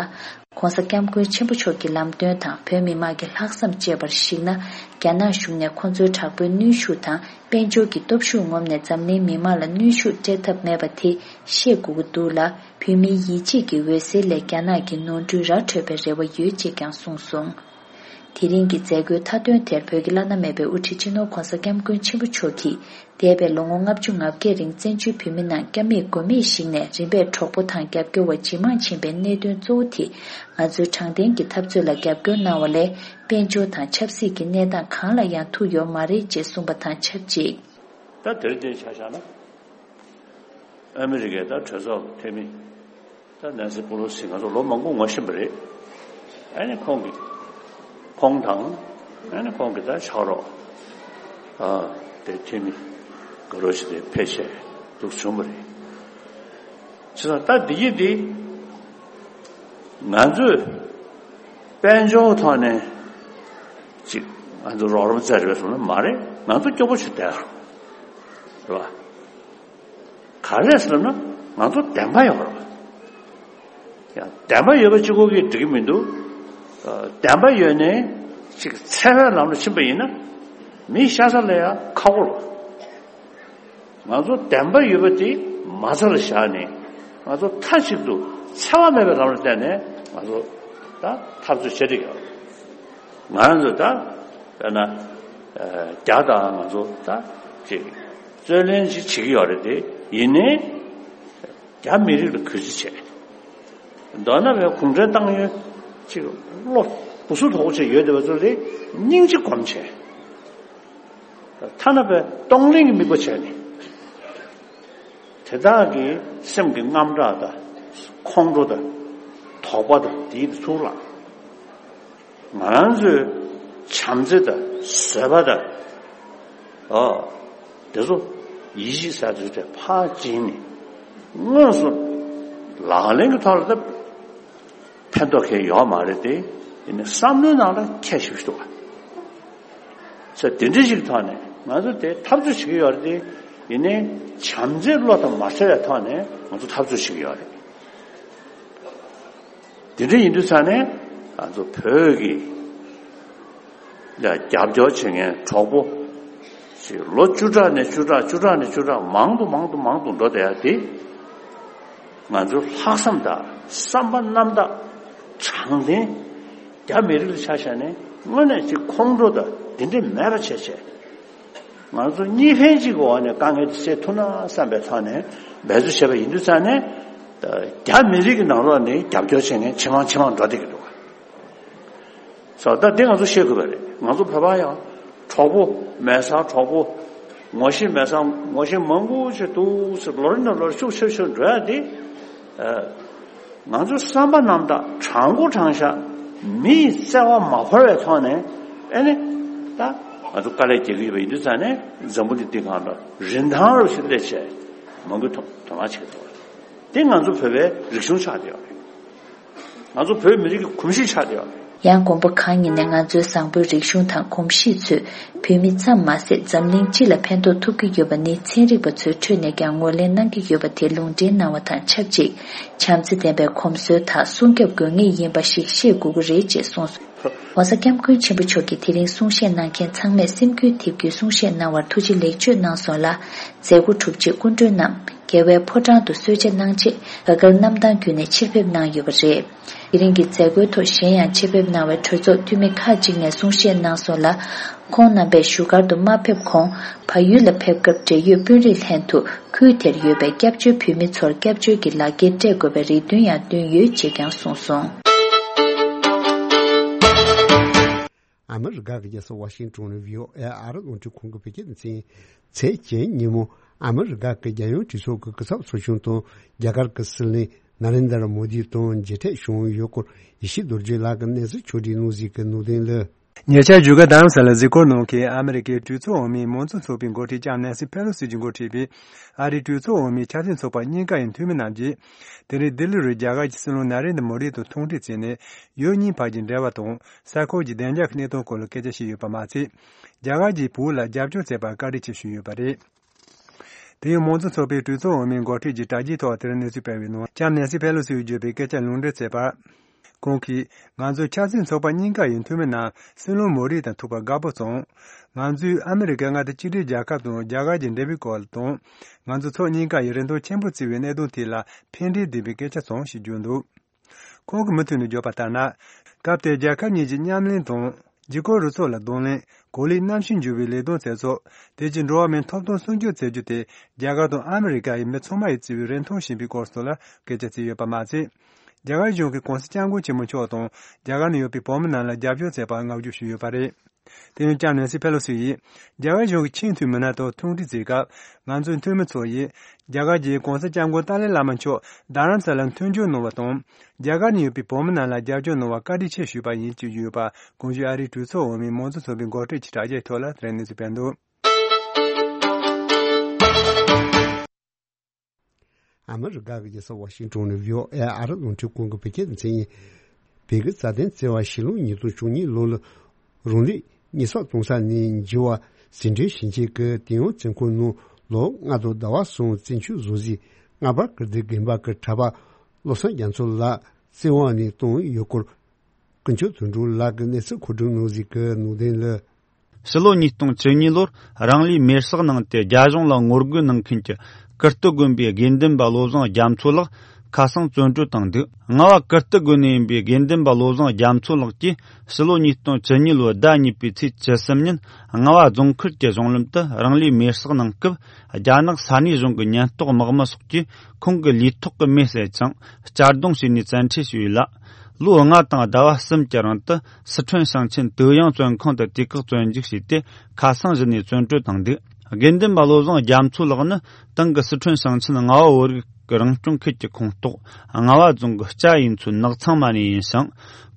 ༧གོང་ས་༧སྐྱབས་མགོན་ཆེན་པོ་མཆོག་གི་ལམ་སྟོན་དང་བོད་མི་མང་གི་ལྷག་བསམ་བཅས་པར་གཞིགས་ན། རྒྱ་ནག་གཞུང་ནས་ཁོང་ཚོའི་དྲག་པོའི་གནོན་ཤུགས་དང་། དཔལ་འབྱོར་གྱི་སྟོབས་ཤུགས་ངོམས་ནས་འཛམ་གླིང་མི་མང་ལ་གནོན་ཤུགས་སྤྲད་ཐབས་མེད་པ་དེ་ཤེས་དགོས་ཀྱི་འདུག་ལ། བོད་མིའི་ཡིད་ཆེས་ཀྱི་འོད་ཟེར་ལས་རྒྱ་ནག་གི་ནོར་འཁྲུལ་ར་འཕྲོད་པའི་རེ་བ་ཡོད་ཅེས་ཀྱང་གསུངས་སོང་། དེ་རིང་གི་མཛད་སྒོའི་མཐའ་དོན་དེར་བོད་ཀྱི་བླ་ན་མེད་པའི་དབུ་ཁྲིད་སྤྱི་ནོར་༧གོང་ས་༧སྐྱབས་མགོན་ཆེན་པོ་མཆོག་གིས། འདས་པའི་ལོ་ངོ་ལྔ་བཅུ་ང་བརྒྱད་རིང་བཙན་བྱོལ་བོད་མི་རྣམས་སྐྱབས་མེད་མགོན་མེད་ཞིག་ནས་རིམ་པས་གྲོགས་པོ་དང་རྒྱབ་སྐྱོར་བ་ཇེ་མང་ཕྱིན་པའི་གནད་དོན་གཙོ་བོ་དེ། ང་ཚོའི་དྲང་བདེན་གྱི་འཐབ་རྩོད་ལ་རྒྱབ་སྐྱོར་གནང་བ་ལས། དཔལ་འབྱོར་དང་ཆབ་སྲིད་ཀྱི་གནས་སྟངས་གང་ལ་ཡང་ཐུག་ཡོད་མ་རེད་ཅེས་གསུངས་པ་དང་ཆབས་ཅིག་ད་དེར་བལྟས་ཆ་བཞག་ན། ཨ་མི་རི་ཀའི་ད་གྲོས་ཚོགས་འཐུས་མི་ད་ནན་སི་པོ་ལོ་སི་ང་ཚོ་ལོ་མང་པོ་ངོ་ཤེས་པ་རེད། ཨ་ནི་ཁོང་གིས་ཁོང་དང་ཨ་ནི་ཁོང་གི་ད་ཕྱག་རོགས་ཨ་དེ་འཐུས་མི་དགའ་རོགས་ཞིག་དེ་ཕལ་ཆེར་འདུག་བྱུང་བ་རེད། བྱས་ཙང་ད་འདི་ཡིག་འདི་ང་ཚོས་དཔལ་འབྱོར་ཐོག་ནས་ཅིག་ང་ཚོ་རོགས་རམ་བཙལ་རེད་པས་སོང་ན་མ་རེད། ང་ཚོ་སྐྱོ་པོ་ཞིག་བསྡད་རེད་པ། ག་རེ་ཟེར་ན་ང་ཚོ་བདེན་པ་ཡོད་རེད་པ། ཡང་བདེན་པ་ཡོད་པ་གཅིག་པོ་གིས་འགྲིག་གི་མི་འདུག་བདེན་པ་ཡོད་ནས་ཅིག་འཚེ་བའི་ལམ་ལ་ཕྱིན་པ་ཡིན་ན་མི་ཤ་ཚ་ལ་ཡང་ཁག་པོ་རེད་པ། ང་ཚོ་བདེན་པ་ཡོད་པ་དེ་མ་རྩ་ལ་བཞག་ནས་ང་ཚོ་མཐའ་གཅིག་ཏུ་འཚེ་བ་མེད་པའི་ལམ་ལ་བརྟེན་ནས་ང་ཚོ་ད་འཐབ་རྩོད་བྱེད་ཀྱི་ཡོད་རེད། ང་རང་ཚོ་ད་དཔེར་ན་རྒྱ་དང་ང་ཚོ་ད་ཅིག་རྩོད་གླེང་ཅིག་བྱེད་ཀྱི་ཡོད་རེད་དེ། ཡིན་ནའི་རྒྱ་མི་རིགས་ལ་གུས་བརྩི་བྱས། མདོར་ན་བའི་གུང་ཁྲན་ཏང་ཡོན་ཅིག་བློ་སྦུ་སུ་དོག་པོ་བྱས་ཡོད་བསྡད་པ་ཚོ་ལ་སྙིང་རྗེ་སྒོམ་བྱས། ཐ་ན་བའི་གཏོང་ལེན་གྱི་དམིགས་པ་བྱས་ནས། དེ་དག་གི་སེམས་ཀྱི་དངངས་སྐྲག་དང་ཁོང་ཁྲོ་དང་དོགས་པ་དང་དེའི་ཚུར་ལངས། ང་རང་ཚོའི་བྱམས་བརྩེ་དང་བཟོད་པ་དང་། ཨོ། དེ་ཚོ་ཡིད་ཆེས་ཟེར་ཚུལ་དེ་ཕར་བྱིན་ནས་དངོས་སུ་ལག་ལེན་གྱི་ཐོག་ལ་ད་ཕན་ཐོགས་ཁེལ་ཡོད་མ་རེད་དེ། ཡིན་ནའི་བསམ་བློའི་ནང་ལ་ཁྱད་ཞུགས་ཤིག་འདུག་བ། ས་དེ་འདྲ་ཞིག་ཐོག་ནས་ང་ཚོ་དེ་འཐབ་རྩོད་བྱེད་ཀྱི་ཡོད་རེད་དེ། ཡིན་ནའི་བྱམས་བརྩེའི་བློ་དང་མ་བྲལ་བའི་ཐོག་ནས་ང་ཚོ་འཐབ་རྩོད་བྱེད་ཀྱི་ཡོད་རེད། དེ་འདྲ་ཡིན་དུས་ཙང་ནས་ང་ཚོ་བོད་ཀྱི་ལ་རྒྱབ་སྐྱོར་བྱེད་མཁན་གྲོགས་པོ་ ལོ་བཅུ་ཕྲག་ནས་བཅུ་ཕྲག་བཅུ་ཕྲག་ནས་བཅུ་ཕྲག་མང་དུ་མང་དུ་མང་དུ་འགྲོ་བསྡད་ཡ་དེ། ང་ཚོའི་ལྷག་བསམ་དང་བསམ་པ་རྣམ་དག་དྲང་བདེན་རྒྱ་མི་རིགས་ལ་ཆ་བཞག་ནས་དངོས་གནས་ཅིག་ཁོང་ཁྲོ་དང་དེ་འདྲ་མེད་པ་བྱས་བྱས། ང་ཚོ་གཉིས་ཕན་གཅིག་གི་འོག་ནས་དཀའ་ངལ་དེ་སེལ་ཐུབ་ན་བསམ་པའི་ཐོག་ནས་འབད་རྩོལ་བྱས་པ་ཡིན་དུས་ཙང་ནས། རྒྱ་མི་རིགས་ཀྱི་ནང་ལོགས་ནས་རྒྱབ་སྐྱོར་བྱེད་མཁན་ཇེ་མང་ཇེ་མང་འགྲོ་བསྡད་ཀྱི་འདུག་ག། སོ་ད་དེ་ང་ཚོ་ཤེས་དགོས་པ་རེད། ང་ཚོ་བོད་པ་ཡང་གྲོགས་པོ། མེད་སར་གྲོགས་པོ། ངོ་ཤེས་མེད་སར་ངོ་ཤེས་མང་པོ་ཞིག་འདུག་ཟེར། ལོ་རེ་ནས་ལོ་རེ་ཤུགས་ཆེ་ཤུགས་འགྲོ་ཡ་དེ། ཨ། ང་ཚོ་བསམ་པ་རྣམ་དག་དྲང་པོ་དྲང་བཞག་མི་ཡི་བརྩེ་བ་མ་འཁོར་བའི་ཐོག་ནས། ཨེ་ནི། ད་ང་ཚོ་དཀའ་ལས་རྒྱག་གི་ཡོད་པ་ཡིན་དུས་ཙང་ནས་འཛམ་བུ་གླིང་འདི་སྒང་ལ་རིན་ཐང་རུ་ཞིག་སླེབས་བྱས་མང་པོས་དོ་དོ་སྣང་བྱེད་ཀྱི་འདུག། དེ་ང་ཚོ་བོད་པའི་རིག་གཞུང་ཆགས་བསྡད་ཡོད་རེད། ང་ཚོ་བོད་མི་རིགས་ཀྱི་གོམས་གཤིས་ཆགས་བསྡད་ཡོད་རེད། ཡང་དགོན་པ་གང་ཡིན་ནའི་ང་ཚོའི་བཟང་པོའི་རིག་གཞུང་དང་གོམས་གཤིས་ཚོས་བོད་མི་ཙམ་མ་ཟད་འཛམ་གླིང་སྤྱི་ལ་ཕན་ཐོགས་ཐུབ་ཀྱི་ཡོད་པ་ནི་ཚན་རིག་པ་ཚོའི་ཁྲོད་ནས་ཀྱང་ངོས་ལེན་གནང་གི་ཡོད་པ་དེ་ལུང་འདྲེན་གནང་བ་དང་ཆབས་ཅིག། བྱམས་བརྩེ་ལྡན་པའི་གོམས་སྲོལ་དག་སྲུང་སྐྱོབ་དགོས་ངེས་ཡིན་པ་ཞིག་ཤེས་དགོས་ཀྱི་རེད་ཅེས་གསུངས་སོང་། ༸གོང་ས་༸སྐྱབས་མགོན་ཆེན་པོ་མཆོག་གིས་དེ་རིང་གསུང་བཤད་གནང་མཁན་ཚང་མས་སེམས་འགུལ་ཐེབས་རྒྱུའི་གསུང་བཤད་གནང་བར་ཐུགས་རྗེ་ལེགས་བརྗོད་གནང་སོང་ལ། མཛད་སྒོ་གྲུབ་རྗེས་སྐུ་མགྲོན་རྣམས་རྒྱལ་བའི་ཕོ་བྲང་དུ་གསོལ་ཇ་གནང་རྗེས་རྒྱ་གར་གནམ་ཐང་བརྒྱུད་ནས་ཕྱིར་ཕེབས་གནང་ཡོད་པ་རེད། དེ་རིང་གི་མཛད་སྒོའི་ཐོག་གཞན་ཡང་ཕྱིར་ཕེབས་གནང་བའི་གྲོས་ཚོགས་འཐུས་མི་ཁག་ཅིག་ནས་གསུང་བཤད་གནང་སོང་ལ། ཁོང་རྣམ་པས་བཞུགས་སྒར་དུ་མ་ཕེབས་གོང་བལ་ཡུལ་ལ་ཕེབས་སྐབས་འབྲེལ་ཡོད་དཔོན་རིགས་ལྷན་དུ་ཁུལ་དེར་ཡོད་པའི་སྐྱབས་བཅོལ་བོད་མི་ཚོར་སྐྱབས་བཅོལ་གྱི་ལག་འཁྱེར་སྤྲད་དགོས་པའི་རེ་འདུན་ཡང་བཏོན་ཡོད་ཅེས་ཀྱང་གསུངས་སོང་། ཨ་མི་རི་ཀ་གི་རྒྱལ་ས་ཝ་ཤིང་ཏོན་ནས་བྷི་ཨོ་ཨེ་ཨ་རི་རླུང་འཕྲིན་ཁང་གི་བོད་སྐད་སྡེ་ཚན། ཚེས་བརྒྱད་ཉིན་མོ་ཨ་མི་རི་ཀ་གི་རྒྱལ་ཡོངས་གྲོས་ཚོགས་ཀྱི་སྐུ་ཚབ་ཚོགས་ཆུང་དང་རྒྱ་གར་གྱི་སྲིད་བློན་ན་རེན་དར་མོ་དི་དང་མཇལ་འཕྲད་བྱུང་ཡོད་སྐོར་ཡེ་ཤེས་རྡོ་རྗེ་ལགས་ཀྱིས་གནས་ཚུལ་ཕྱོགས་བསྒྲིགས་གནང་གཟིགས་ཀྱི་ནང་དོན་ལ། ཉེ་ཆར་བཞུགས་སྒར་རྡ་རམ་ས་ལར་གཟིགས་སྐོར་གནང་མཁན་ཨ་མི་རི་ཀའི་གྲོས་ཚོགས་འོག་མའི་མང་གཙོ་ཚོགས་པའི་འགོ་ཁྲིད་ལྕམ་ནེན་སི་ཕེ་ལོ་སི་གྱིས་འགོ་ཁྲིད་པའི་ཨ་རིའི་གྲོས་ཚོགས་འོག་མའི་ཆབ་སྲིད་ཚོགས་པ་གཉིས་ཀ་ཡི་འཐུས་མི་རྣམས་ཀྱིས། དེ་རིང་ལྡི་ལི་རུ་རྒྱ་གར་གྱི་སྲིད་བློན་ན་རེན་དྲ་མོ་དི་དང་ཐུག་འཕྲད་བྱས་ནས། ཡུལ་གཉིས་བར་གྱི་འབྲེལ་བ་དང་། ས་ཁུལ་གྱི་བདེ་འཇགས་ཀྱི་གནད་དོན་སྐོར་ལ་སྐད་ཆ་བཤད་ཡོད་པ་མ་ཚད། རྒྱ་གར་གྱིས་བོད་ལ་རྒྱབ་སྐྱོར་བྱས་པར་བཀའ་དྲིན་ཆེ་ཞུས་ཡོད་པ་རེད། དེ་ཡང་མང་གཙོ་ཚོགས་པའི་གྲོས་ཚོགས་འོག་མའི་འགོ་ཁྲིད་ཀྱིས་དྲ་རྒྱའི་ཐོག་དེར་གནས་ཚུལ་སྤེལ་བའི་ནང་། ལྕམ་ནེན་སི་ཕེ་ལོ་སིས་བརྗོད་པའི་སྐད་ཆ་ལུང་འདྲེན་བྱས་པར། ཁོང་གིས། ང་ཚོའི་ཆབ་སྲིད་ཚོགས་པ་གཉིས་ཀ་ཡི་འཐུས་མི་རྣམས་སྲིད་བློན་མོ་རི་དང་ཐུག་པར་དགའ་པོ་བྱུང་། ང་ཚོས་ཨ་མི་རི་ཀའི་མངའ་སྡེ་གཅིག་སྒྲིལ་རྒྱལ་ཁབ་དང་རྒྱ་གར་གྱི་འབྲེལ་བའི་སྐོར་དང་། ང་ཚོ་ཕྱོགས་གཉིས་ཀ་ཡི་རིན་ཐང་ཆེན་པོ་བརྩི་བའི་གནད་དོན་ཐད་ལ་ཕན་འབྲས་ལྡན་པའི་སྐད་ཆ་བྱུང་ཞེས་བརྗོད་འདུག། ཁོང་གིས་མུ་མཐུད་ནས་བརྗོད་པ་ལྟར་ན། སྐབས་དེར་རྒྱལ་ཁབ་གཉིས་ཀྱི་མཉམ་ལས་དང་། རྒྱལ་ཁབ་རུ་ཚོགས་ལ་གདོང་ལེན། གོ་ལའི་གནམ་གཤིས་འགྱུར་བའི་ལས་དོན་བྱེད་ཕྱོགས། དེ་བཞིན་འགྲོ་བ་མིའི་ཐོབ་ཐང་སྲུང་སྐྱོབ་བྱེད་རྒྱུ་དེ་རྒྱ་གར་དང་ཨ་མི་རི་ཀ་ཡི་མི་ཚང་མ་ཡིས་བརྩི་བའི་རིན་ཐང་ཡིན་པའི་སྐོར་སོགས་ལ་སྐད་ཆ་བྱས་ཡོད་པ་མ་ཟད། རྒྱ་གར་གཞུང་གིས་༸གོང་ས་༸སྐྱབས་མགོན་ཆེན་པོ་མཆོག་དང་རྒྱ་གར་ནང་ཡོད་པའི་བོད་མི་རྣམས་ལ་རྒྱབ་སྐྱོར་བྱས་པར་བསྔགས་བརྗོད་ཞུས་ཡོད་པ་རེད། དེ་ཡང་ལྕམ་ནེན་སི་ཕེ་ལོ་སི་ཡིས། རྒྱ་གར་གཞུང་གི་ཆེས་མཐོའི་མི་སྣ་དང་ཐུག་འཕྲད་མཛད་སྐབས། ང་ཚོའི་འཐུས་མི་ཚོ་ཡིས། རྒྱ་གར་གྱི་༸གོང་ས་༸སྐྱབས་མགོན་ཏཱ་ལའི་བླ་མ་མཆོག་རྡ་རམ་ས་ལར་མཐུན་འགྱུར་གནང་བ་དང་། རྒྱ་གར་ནང་ཡོད་པའི་བོད་མི་རྣམས་ལ་རྒྱབ་སྐྱོར་གནང་བར་བཀའ་དྲིན་ཆེ་ཞུས་པ་ཡིན་ཞེས་བརྗོད་ཡོད་པ། གོང་ཞུས་ཨ་རིའི་གྲོས་ཚོགས་འོག་མའི་མང་གཙོ་ཚོགས་པའི་འགོ་ཁྲིད་ཀྱི་དྲ་རྒྱའི་ཐོག་ལ་དེ་རིང་གནས་ཚུལ་སྤེལ་འདུག། ཨ་མི་རི་ཀ་གི་རྒྱལ་ས་ཝ་ཤིང་ཊོན་ནས་བྷི་ཨོ་ཨེ་ཨ་རི་རླུང་འཕྲིན་ཁང་གི་བོད་སྐད་སྡེ་ཚན་ཡིན། བོད་ཀྱི་རྩ་དོན་བརྩེ་བ་ཕྱི་ལོ་ཉིས་སྟོང་བཅུ་གཉིས་ལོ་ལ་རང་ལུས་ཉེས་གསོག་གཏོང་ས་ནས་འགྱུར་བ་ཟིན་བྲིས་ཞིབ་མཆན་གྱི་དེ་ཡང་བཙོན་ཁང་ནང་ལོ་ལྔ་དང་ཟླ་བ་གསུམ་བཙོན་འཇུག་བཟོ་རྩིས་རྔ་པ་ཀིརྟི་དགོན་པ་གི་གྲྭ་པ་བློ་བཟང་རྒྱ་མཚོ་ལགས་བཙོན་འོག་ནས་བཏང་ཡོད་སྐོར། ཀུན་མཆོག་དོན་གྲུབ་ལགས་ཀྱིས་གནས་ཚུལ་མཁོ་སྒྲུབ་གནང་གཟིགས་ཀྱི་ནང་དོན་ལ། ཕྱི་ལོ་ཉིས་སྟོང་བཅུ་གཉིས་ལོར་རང་ལུས་མེར་སྲེག་གནང་སྟེ་རྒྱ་གཞུང་ལ་ངོ་རྒོལ་གནང་མཁན་གྱི་ཀིརྟི་དགོན་པའི་དགེ་འདུན་པ་བློ་བཟང་རྒྱ་མཚོ་ལགས་ཁ་སང་བཙོན་གྲོལ་བཏང་འདུག། རྔ་བ་ཀིརྟི་དགོན་ནས་ཡིན་པའི་དགེ་འདུན་པ་བློ་བཟང་རྒྱ་མཚོ་ལགས་ཀྱིས་ཕྱི་ལོ་ཉིས་སྟོང་བཅུ་གཉིས་ལོའི་ཟླ་གཉིས་པའི་ཚེས་བཅུ་གསུམ་ཉིན་རྔ་བ་རྫོང་ཁུལ་གྱི་གཞུང་ལམ་དུ་རང་ལུས་མེར་སྲེག་གནང་སྐབས། རྒྱ་ནག་ས་གནས་གཞུང་གི་ཉེན་རྟོག་དམག་མི་སོགས་ཀྱིས་ཁོང་གི་ལུས་ཐོག་གི་མེ་བསད་ཅིང་གཅར་རྡུང་བྱས་ནས་བཙན་ཁྲིད་བྱས་ཡོད་ལ། ལོ་ལྔ་དང་ཟླ་བ་གསུམ་གྱི་རིང་དུ་སི་ཁྲོན་ཞིང་ཆེན་ཏུའུ་དབྱང་བཙོན་ཁང་དུ་དུས་བཀག་བཙོན་འཇུག་བྱས་ཏེ་ཁ་སང་གཞི་ནས་བཙོན་གྲོལ་བཏང་འདུག། དགེ་འདུན་པ་བློ་བཟང་རྒྱ་མཚོ་ལགས་ནི་ཏང་གི་སི་ཁྲོན་ཞིང་ཆེན་རྔ་བ་བོད་རིགས་ཀྱི་རང་སྐྱོང་ཁུལ་གྱི་ཁོངས་གཏོགས་རྔ་བ་རྫོང་གི་སྤྱ་ཡུལ་ཚོའི་ནགས་ཚང་མ་ནས་ཡིན་ཞིང་།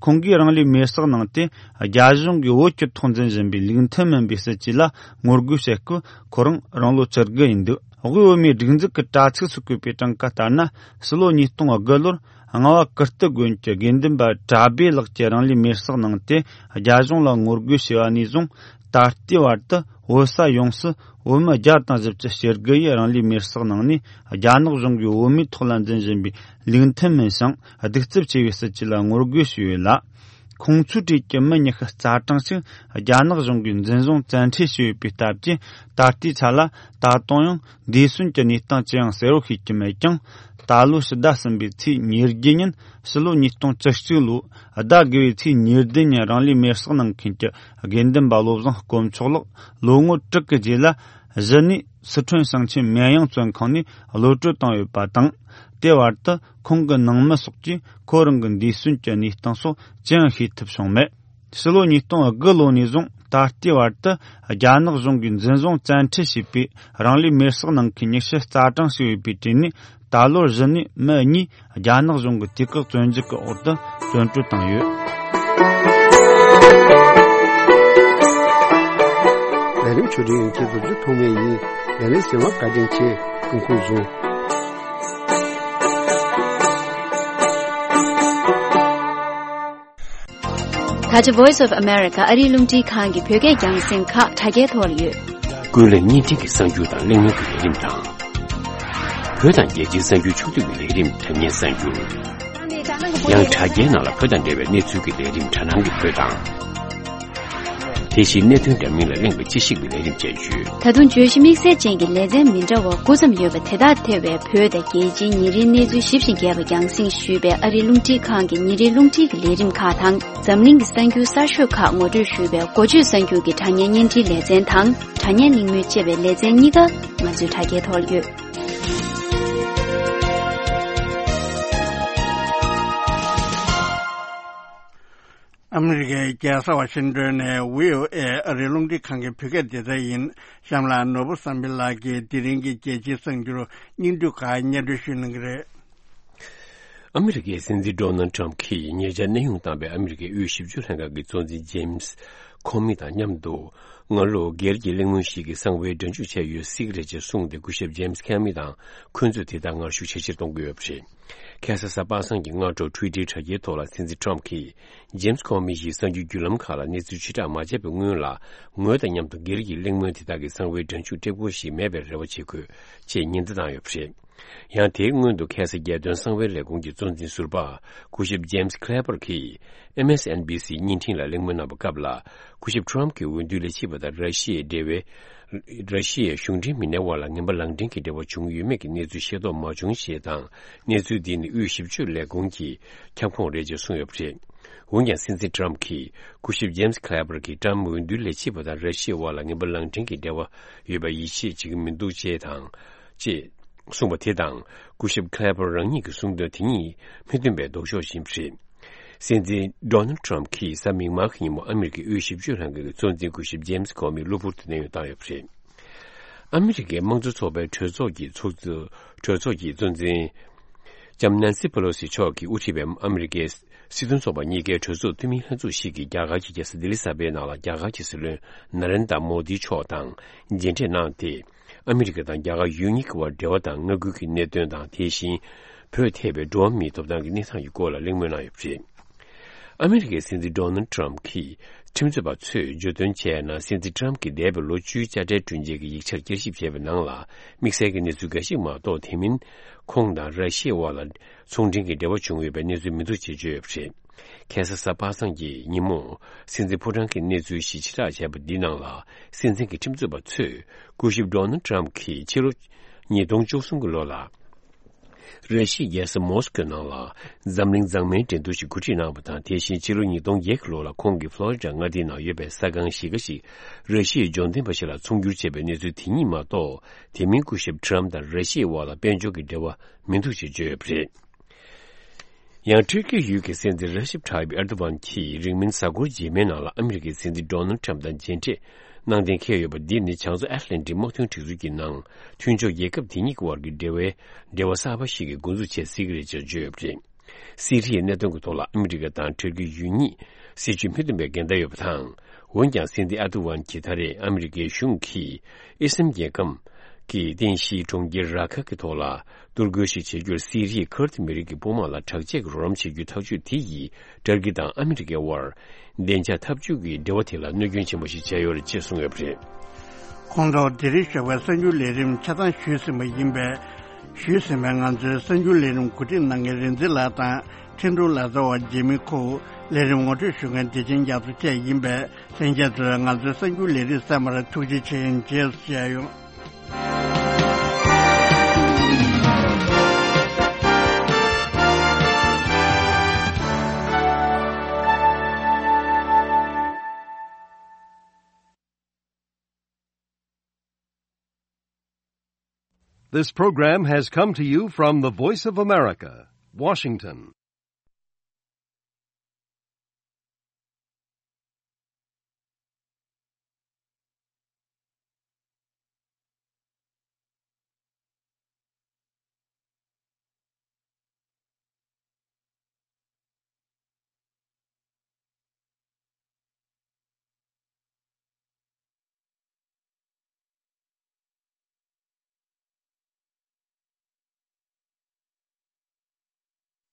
ཁོང་གིས་རང་ལུས་མེར་སྲེག་གནང་སྟེ་རྒྱ་གཞུང་གིས་བོད་ཀྱི་ཐོག་འཛིན་བཞིན་པའི་ལུགས་མཐུན་མིན་པའི་སྲིད་བྱུས་ལ་ངོ་རྒོལ་བྱེད་སྐབས་ཁོ་རང་རང་ལོ་བཅུ་དགུ་ཡིན་འདུག། དབུས་བོད་མིའི་སྒྲིག་འཛུགས་ཀྱི་དྲ་ཚིགས་སུ་བཀོད་པའི་གྲངས་ཀ་ལྟར་ན། ཕྱི་ལོ་ཉིས་སྟོང་དགུ་ལོར་རྔ་བ་ཀིརྟི་དགོན་གྱི་དགེ་འདུན་པ་གྲྭ་སྦས་ལགས་ཀྱིས་རང་ལུས་མེར་སྲེག་གནང་སྟེ་རྒྱ་གཞུང་ལ་ངོ་རྒོལ་བྱས་པ་ནས་བཟུང་ད་ལྟའི་བར་དུ་བོད་ས་ཡོངས་སུ་བོད་མི་བརྒྱ་དང་བཞི་བཅུ་ཞེ་དགུ་ཡིས་རང་ལུས་མེར་སྲེག་གནང་ནས་རྒྱ་ནག་གཞུང་གིས་བོད་མིའི་ཐོག་ལ་འཛིན་བཞིན་པའི་ལུགས་མཐུན་མིན་ཞིང་གདུག་རྩུབ་ཆེ་བའི་སྲིད་བྱུས་ལ་ངོ་རྒོལ་ཞུས་ཡོད་ལ། ཁོང་ཚོའི་གྲས་ཀྱི་མི་ཉི་ཤུ་རྩ་གྲངས་ཤིག་རྒྱ་ནག་གཞུང་གིས་འཛིན་བཟུང་བཙན་ཁྲིད་བྱས་ཡོད་པའི་སྟབས་ཀྱིས། ད་ལྟའི་ཆ་ལ་ད་དུང་ཡང་འདས་གསོན་གྱི་གནས་སྟངས་ཅི་ཡང་གསལ་བོ་ཤེས་ཀྱི་མེད་ཀྱང་། ད་ལོའི་ཕྱི་ཟླ་གསུམ་པའི་ཚེས་ཉེར་བརྒྱད་ཉིན། ཕྱི་ལོ་ཉིས་སྟོང་བཅུ་གཅིག་ལོའི་ཟླ་དགུ་བའི་ཚེས་ཉེར་བདུན་ཉིན། རང་ལུས་མེར་སྲེག་གནང་མཁན་གྱི་དགེ་འདུན་པ་བློ་བཟང་དཀོན་མཆོག་ལགས། ལོ་ངོ་དྲུག་གི་རྗེས་ལ། གཞི་ནས་སི་ཁྲོན་ཞིང་ཆེན་མེན་དབྱང་བཙོན་ཁང་ནས་གློད་བཀྲོལ་བཏང་ཡོད་པ་དང་། དེ་བར་དུ་ཁོང་གི་ནང་མི་སོགས་ཀྱིས་ཁོ་རང་གི་འདས་གསོན་གྱི་གནས་སྟངས་སོགས་ཅི་ཡང་ཤེས་ཐུབ་བྱུང་མེད། ཕྱི་ལོ་ཉིས་སྟོང་དགུ་ལོ་ནས་བཟུང་ད་ལྟའི་བར་དུ། རྒྱ་ནག་གཞུང་གིས་འཛིན་བཟུང་བཙན་ཁྲིད་བྱས་པའི་རང་ལུས་མེར་སྲེག་གནང་མཁན་ཉི་ཤུ་རྩ་གྲངས་ཤིག་ཡོད་པའི་གྲས་ནས། ད་ལོར་གཞི་ནས་མི་གཉིས་རྒྱ་ནག་གཞུང་གི་དུས་བཀག་བཙོན་འཇུག་གི་འོག་ཏུ་བཙོན་གྲོལ་བཏང་ཡོད། ལས་རིམ་ཆོས་སྒྲིག་ཡིན་གྱི་རྡོ་རྗེ་ཐོགས་མེད་ཡིན། ལས་རིམ་གསན་པར་བཀའ་དྲིན་ཆེ། སྐུ་ཁམས་བཟང་། ད་ཆ་Voice of America ཨ་རིའི་རླུང་འཕྲིན་ཁང་གི་བོད་སྐད་རྒྱང་སྲིང་ཁག་དྲ་རྒྱའི་ཐོག་ལ་ཡོད། ཀུན་གླེང་བརྙན་འཕྲིན་གྱི་གསར་འགྱུར་དང་གླེང་མོལ་གྱི་ལས་རིམ་དང་། བོད་དང་རྒྱལ་སྤྱིའི་གསར་འགྱུར་ཕྱོགས་བསྡུས་ཀྱི་ལས་རིམ་དྲ་བརྙན་གསར་འགྱུར། ཡང་དྲ་རྒྱའི་ནང་ལ་བོད་དང་འབྲེལ་བའི་གནས་ཚུལ་གྱི་ལས་རིམ་དྲ་སྣང་གི་བོད་དང་། དེ་བཞིན་གནད་དོན་འདྲ་མིན་ལ་གླེང་བའི་དཔྱད་ཞིབ་ཀྱི་ལས་རིམ་བཅས་ཡོད། ད་དུང་བརྗོད་གཞི་དམིགས་བསལ་ཅན་གྱི་ལེ་ཚན་མི་འདྲ་བ་དགུ་ཙམ་ཡོད་པ་དེ་དག་ཐེ་བའི་བོད་དང་རྒྱལ་སྤྱིའི་ཉིན་རེའི་གནས་ཚུལ་ཞིབ་ཅིང་རྒྱས་པ་རྒྱང་སྲིང་ཞུས་པའི་ཨ་རིའི་རླུང་འཕྲིན་ཁང་གི་ཉིན་རེའི་རླུང་འཕྲིན་གྱི་ལས་རིམ་ཁག་དང་། འཛམ་གླིང་གི་གསར་འགྱུར་གསར་ཤོས་ཁག་ངོ་སྤྲོད་ཞུས་པའི་འགོ་བརྗོད་གསར་འགྱུར་གྱི་དྲ་བརྙན་བརྙན་འཕྲིན་ལེ་ཚན་དང་། དྲ་བརྙན་གླེང་མོལ་ཅེས་པའི་ལེ་ཚན་གཉིས་ཀ་ང་ཚོའི་དྲ་རྒྱའི་ཐོག་ལ་ཡོད། ཨ་མི་རི་ཀའི་རྒྱལ་ས་ཝ་ཤིང་ཏོན་ནས་བྷི་ཨོ་ཨེ་ཨ་རིའི་རླུང་འཕྲིན་ཁང་གི་བོད་སྐད་སྡེ་ཚན་ཡིན། གཤམ་ལ་ནོར་བུ་བསམ་འཕེལ་ལགས་ཀྱིས་དེ་རིང་གི་རྒྱལ་སྤྱིའི་གསར་འགྱུར་སྙིང་བསྡུས་ཁག་སྙན་སྒྲོན་ཞུ་གནང་གི་རེད། ཨ་མི་རི་ཀའི་སྲིད་འཛིན་ཌོ་ནལ་ཊམ་གྱིས་ཉེ་ཆར་གནས་དབྱུང་བཏང་བའི་ཨ་མི་རི་ཀའི་དབུས་ཞིབ་འཇུག་ལྷན་ཁང་གི་གཙོ་འཛིན་ཇེམ་སི་ཁོ་མི་དང་མཉམ་དུ། སྔ་ལོ་སྒེར་གྱི་གླེང་མོལ་ཞིག་གི་གསང་བའི་སྒྲ་འཇུག་བྱས་ཡོད་སྲིད་ཀྱི་རེད་ཅེས་གསུངས་ཏེ། སྐུ་ཞབས་ཇེམ་སི་ཁོ་མི་དང་འཁོན་རྩོད་དེ་དག་ངར་ཤུགས་ཇེ་ཆེར་གཏོང་གི་ཡོད་པ་རེད། ཁ་སང་གཟའ་པ་སངས་ཀྱི་སྔ་དྲོ་ཊུའི་ཊར་དྲ་རྒྱའི་ཐོག་ལ་སྲིད་འཛིན་ཊམ་གྱིས་ཇེམ་སི་ཁོ་མི་ཡིས་གསར་འགྱུར་བརྒྱུད་ལམ་ཁག་ལ་གནས་ཚུལ་ཕྱིར་བསྒྲགས་མ་བྱས་པའི་སྔོན་ལ། ངོས་དང་མཉམ་དུ་སྒེར་གྱི་གླེང་མོལ་དེ་དག་གི་གསང་བའི་སྒྲ་འཇུག་ཀྲེག་པོ་ཞིག་མེད་པའི་རེ་བ་བྱེད་དགོས་ཅེས་ཉེན་བརྡ་བཏང་ཡོད་པ་རེད། ཡང་དེའི་སྔོན་དུ་ཁ་སང་རྒྱལ་དོན་གསང་བའི་ལས་ཁུངས་ཀྱི་གཙོ་འཛིན་ཟུར་པ་སྐུ་ཞབས་ཇེམ་སི་ཁི་ལེ་པར་གྱིས་ཨེམ་ཨེས་ཨེན་བྷི་སི་བརྙན་འཕྲིན་ལ་གླེང་མོལ་གནང་བའི་སྐབས་ལ། སྐུ་ཞབས་ཊམ་གྱི་འོས་བསྡུའི་ལས་བྱེད་པ་དང་ར་ཤི་ཡའི་འབྲེལ་བའི། ར་ཤི་ཡའི་གཞུང་འབྲེལ་མི་སྣའི་དབར་ལ་ངན་པ་ལག་འབྲེལ་གྱི་འབྲེལ་བ་བྱུང་ཡོད་མེད་ཀྱི་གནས་ཚུལ་ཤེས་རྟོགས་མ་བྱུང་ཞེས་དང་། གནས་ཚུལ་འདི་ནི་དབུས་ཞིབ་དཔྱོད་ལས་ཁུངས་ཀྱི་ཁྱབ་ཁོངས་རེད་ཅེས་གསུངས་ཡོད་པ་རེད། འོན་ཀྱང་སྲིད་འཛིན་ཊམ་གྱིས་སྐུ་ཞབས་ཇེམ་སི་ཁི་ལེ་པར་གྱིས་ཊམ་འོས་བསྡུའི་ལས་བྱེད་པ་དང་ར་ཤི་ཡའི་དབར་ལ་ངན་པ་ལག་འབྲེལ་གྱི་འབྲེལ་བ་ཡོད་པར་ཡིད་ཆེས་བྱེད་ཀྱི་མི་འདུག་ཅེས་དང་། ཅེས་གསུངས་པ་དེ་དང་། སྐུ་ཞབས་ཁི་ལེ་པར་རང་ཉིད་ཀྱིས་གསུངས་དོན་དེ་གཉིས་མི་མཐུན་པའི་ལྡོག་ཕྱོགས་ཤིག་ཡིན་པ་རེད། སྲིད་འཛིན་ཌོ་ནལ་ཊམ་གྱིས་གཟའ་མིག་དམར་གྱི་ཉིན་མོ་ཨ་མི་རི་ཀའི་དབུས་ཞིབ་དཔྱོད་ལྷན་ཁང་གི་གཙོ་འཛིན་སྐུ་ཞབས་ཇེམ་སི་ཁོ་མིའི་གློ་བུར་དུ་གནས་དབྱུང་བཏང་ཡོད་པ་རེད། ཨ་མི་རི་ཀའི་དམངས་གཙོ་ཚོགས་པའི་གྲོས་ཚོགས་ཀྱི་ཚོགས་གཙོ། གྲོས་ཚོགས་ཀྱི་གཙོ་འཛིན་ལྕམ་ནན་སི་པེ་ལོ་སི་མཆོག་གིས་དབུ་ཁྲིད་པའི་ཨ་མི་རི་ཀའི་སྲིད་དོན་ཚོགས་པ་གཉིས་ཀའི་གྲོས་ཚོགས་འཐུས་མིའི་ལྷན་ཚོགས་ཤིག་གིས་རྒྱ་གར་གྱི་རྒྱལ་ས་ལྡི་ལི་གསར་པའི་ནང་ལ་རྒྱ་གར་གྱི་སྲིད་བློན་ན་རེན་དྲ་མོ་དི་མཆོག་དང་མཇལ་འཕྲད་གནང་སྟེ། ཨ་མི་རི་ཀ་དང་རྒྱ་གར་ཡུལ་གཉིས་ཀྱི་བར་འབྲེལ་བ་དང་མངའ་ཁུལ་གྱི་གནད་དོན་དང་། དེ་བཞིན་བོད་ཐེ་བའི་འགྲོ་བ་མིའི་ཐོབ་ཐང་གི་གནས་སྟངས་ཀྱི་སྐོར་ལ་གླེང་མོལ་གནང་ཡོད་པ་རེད། ཨ་མི་རི་ཀའི་སྲིད་འཛིན་ཌོ་ནལ་ཊམ་གྱིས་ཁྲིམས་རྩོད་པ་ཚོས་བརྗོད་དོན་བྱས་ན། སྲིད་འཛིན་ཊམ་གྱིས་འདས་པའི་ལོ་བཅུའི་དཔྱ་ཁྲལ་བསྐྲུན་རྗེས་ཀྱི་ཡིག་ཆར་བསྐྱར་ཞིབ་བྱས་པའི་ནང་ལ། དམིགས་བསལ་གྱི་གནས་ཚུལ་འགའ་ཞིག་མ་གཏོགས། དེ་མིན་ཁོང་དང་ར་ཤི་ཡའི་དབར་ལ་ཚོང་འབྲེལ་གྱི་འབྲེལ་བ་བྱུང་ཡོད་པའི་གནས་ཚུལ་མི་འདུག་ཅེས་བརྗོད་ཡོད་པ་རེད། ཁ་སང་གཟའ་པ་སངས་ཀྱི་ཉིན་མོ། སྲིད་འཛིན་ཕོ་བྲང་གི་གནས་ཚུལ་ཞིག་ཕྱིར་བསྒྲགས་བྱས་པ་འདིའི་ནང་ལ། སྲིད་འཛིན་གྱི་ཁྲིམས་རྩོད་པ་ཚོས་སྐུ་ཞབས་ཌོ་ནལ་ཊམ་གྱིས་ཕྱི་ལོ་ཉིས་སྟོང་བཅུ་གསུམ་གྱི་ལོ་ལ། ར་ཤི་ཡའི་རྒྱལ་ས་མོ་སི་ཀོའི་ནང་ལ་འཛམ་གླིང་མཛངས་མའི་འགྲན་བསྡུར་ཞིག་གོ་སྒྲིག་གནང་བ་དང་། དེ་བཞིན་ཕྱི་ལོ་ཉིས་སྟོང་བརྒྱད་ཀྱི་ལོ་ལ་ཁོང་གིས་ཕློ་རི་ཌ་མངའ་སྡེའི་ནང་ཡོད་པའི་ས་ཁང་གཞིས་ཀ་ཞིག་ར་ཤི་ཡའི་འབྱོར་ལྡན་པ་ཞིག་ལ་ཚོང་བསྒྱུར་བྱས་པའི་གནས་ཚུལ་དེ་གཉིས་མ་གཏོགས། དེ་མིན་སྐུ་ཞབས་ཊམ་དང་ར་ཤི་ཡའི་དབར་ལ་དཔལ་འབྱོར་གྱི་འབྲེལ་བ་མི་འདུག་ཅེས་བརྗོད་ཡོད་པ་རེད། ཡང་ཊར་ཀི་ཡུལ་གྱི་སྲིད་འཛིན་ར་ཤིབ་ཐཱ་ཡིབ་ཨེར་དོ་ཝན་གྱིས་རིང་མིན་གཟའ་འཁོར་རྗེས་མའི་ནང་ལ་ཨ་མི་རི་ཀའི་སྲིད་འཛིན་ཌོ་ནལ་ཊམ་དང་མཇལ་འཕྲད་གནང་གཏན་འཁེལ་ཡོད་པ་འདི་ནི་བྱང་མཚོ་ཨེཊ་ལན་ཊིག་དམག་དོན་སྒྲིག་འཛུགས་ཀྱི་ནང་མཐུན་ཕྱོགས་རྒྱལ་ཁབ་དེ་གཉིས་ཀྱི་དབར་གྱི་འབྲེལ་བའི་འབྲེལ་བ་གསར་པ་ཞིག་གི་འགོ་འཛུགས་བྱེད་སྲིད་ཀྱི་རེད་ཅེས་བརྗོད་ཡོད་པ་རེད། སི་རི་ཡའི་གནད་དོན་གྱི་ཐོག་ལ་ཨ་མི་རི་ཀ་དང་ཊར་ཀི་ཡུལ་གཉིས་སྲིད་ཇུས་མི་མཐུན་པའི་འགལ་ཟླ་ཡོད་པ་དང་། འོན་ཀྱང་སྲིད་འཛིན་ཨེར་དོ་ཝན་གྱིས་ད་རེས་ཨ་མི་རི་ཀའི་གཞུང་གིས་ཨི་སི་ལམ་རྒྱལ་ཁམས་ཀྱི་རྟེན་གཞིའི་གྲོང་ཁྱེར་ར་ཁ་གི་ཐོག་ལ་གཏོར་རྒོལ་ཞིག་བྱེད་རྒྱུར་སི་རི་ཡའི་ཁུར་ཏི་མི་རིགས་ཀྱི་དཔུང་དམག་ལ་དྲག་ཆས་ཀྱི་རོགས་རམ་བྱེད་རྒྱུའི་ཐག་གཅོད་དེ་ཡིས་ཏུར་ཀི་དང་ཨ་མི་རི་ཀའི་དབར་བདེ་འཇགས་འཐབ་ཇུས་ཀྱི་འབྲེལ་བ་དེ་ལ་གནོད་སྐྱོན་ཆེན་པོ་ཞིག་བྱས་ཡོད་རེད་ཅེས་གསུངས་ཡོད་པ་རེད། ཁོང་ཚོ་དེ་རིང་ཞོགས་པའི་གསར་འགྱུར་ལས་རིམ་ཆ་ཚང་ཞུས་ཟིན་པ་ཡིན་པས། ཞུས་ཟིན་པའི་ང་ཚོའི་གསར་འགྱུར་ལས་རིམ་གོ་སྒྲིག་གནང་མཁན་རིག་འཛིན་ལགས་དང་། ཐིན་ཀྲུང་ལག་རྩལ་བ་ཇི་མི་ཁོའུ། ལས་རིམ་ངོ་སྤྲོད་ཞུ་མཁན་བདེ་ཆེན་རྒྱ་མཚོ་བཅས་ཡིན་པས། ལྷན་རྒྱས་ཚོས་ང་ཚོའི་གསར་འགྱུར་ལས་རིམ་གསན་པར་ཐུགས་རྗེ་ཆེ། རྗེས་སུ་མཇལ་ཡོང་། This program has come to you from the Voice of America, Washington.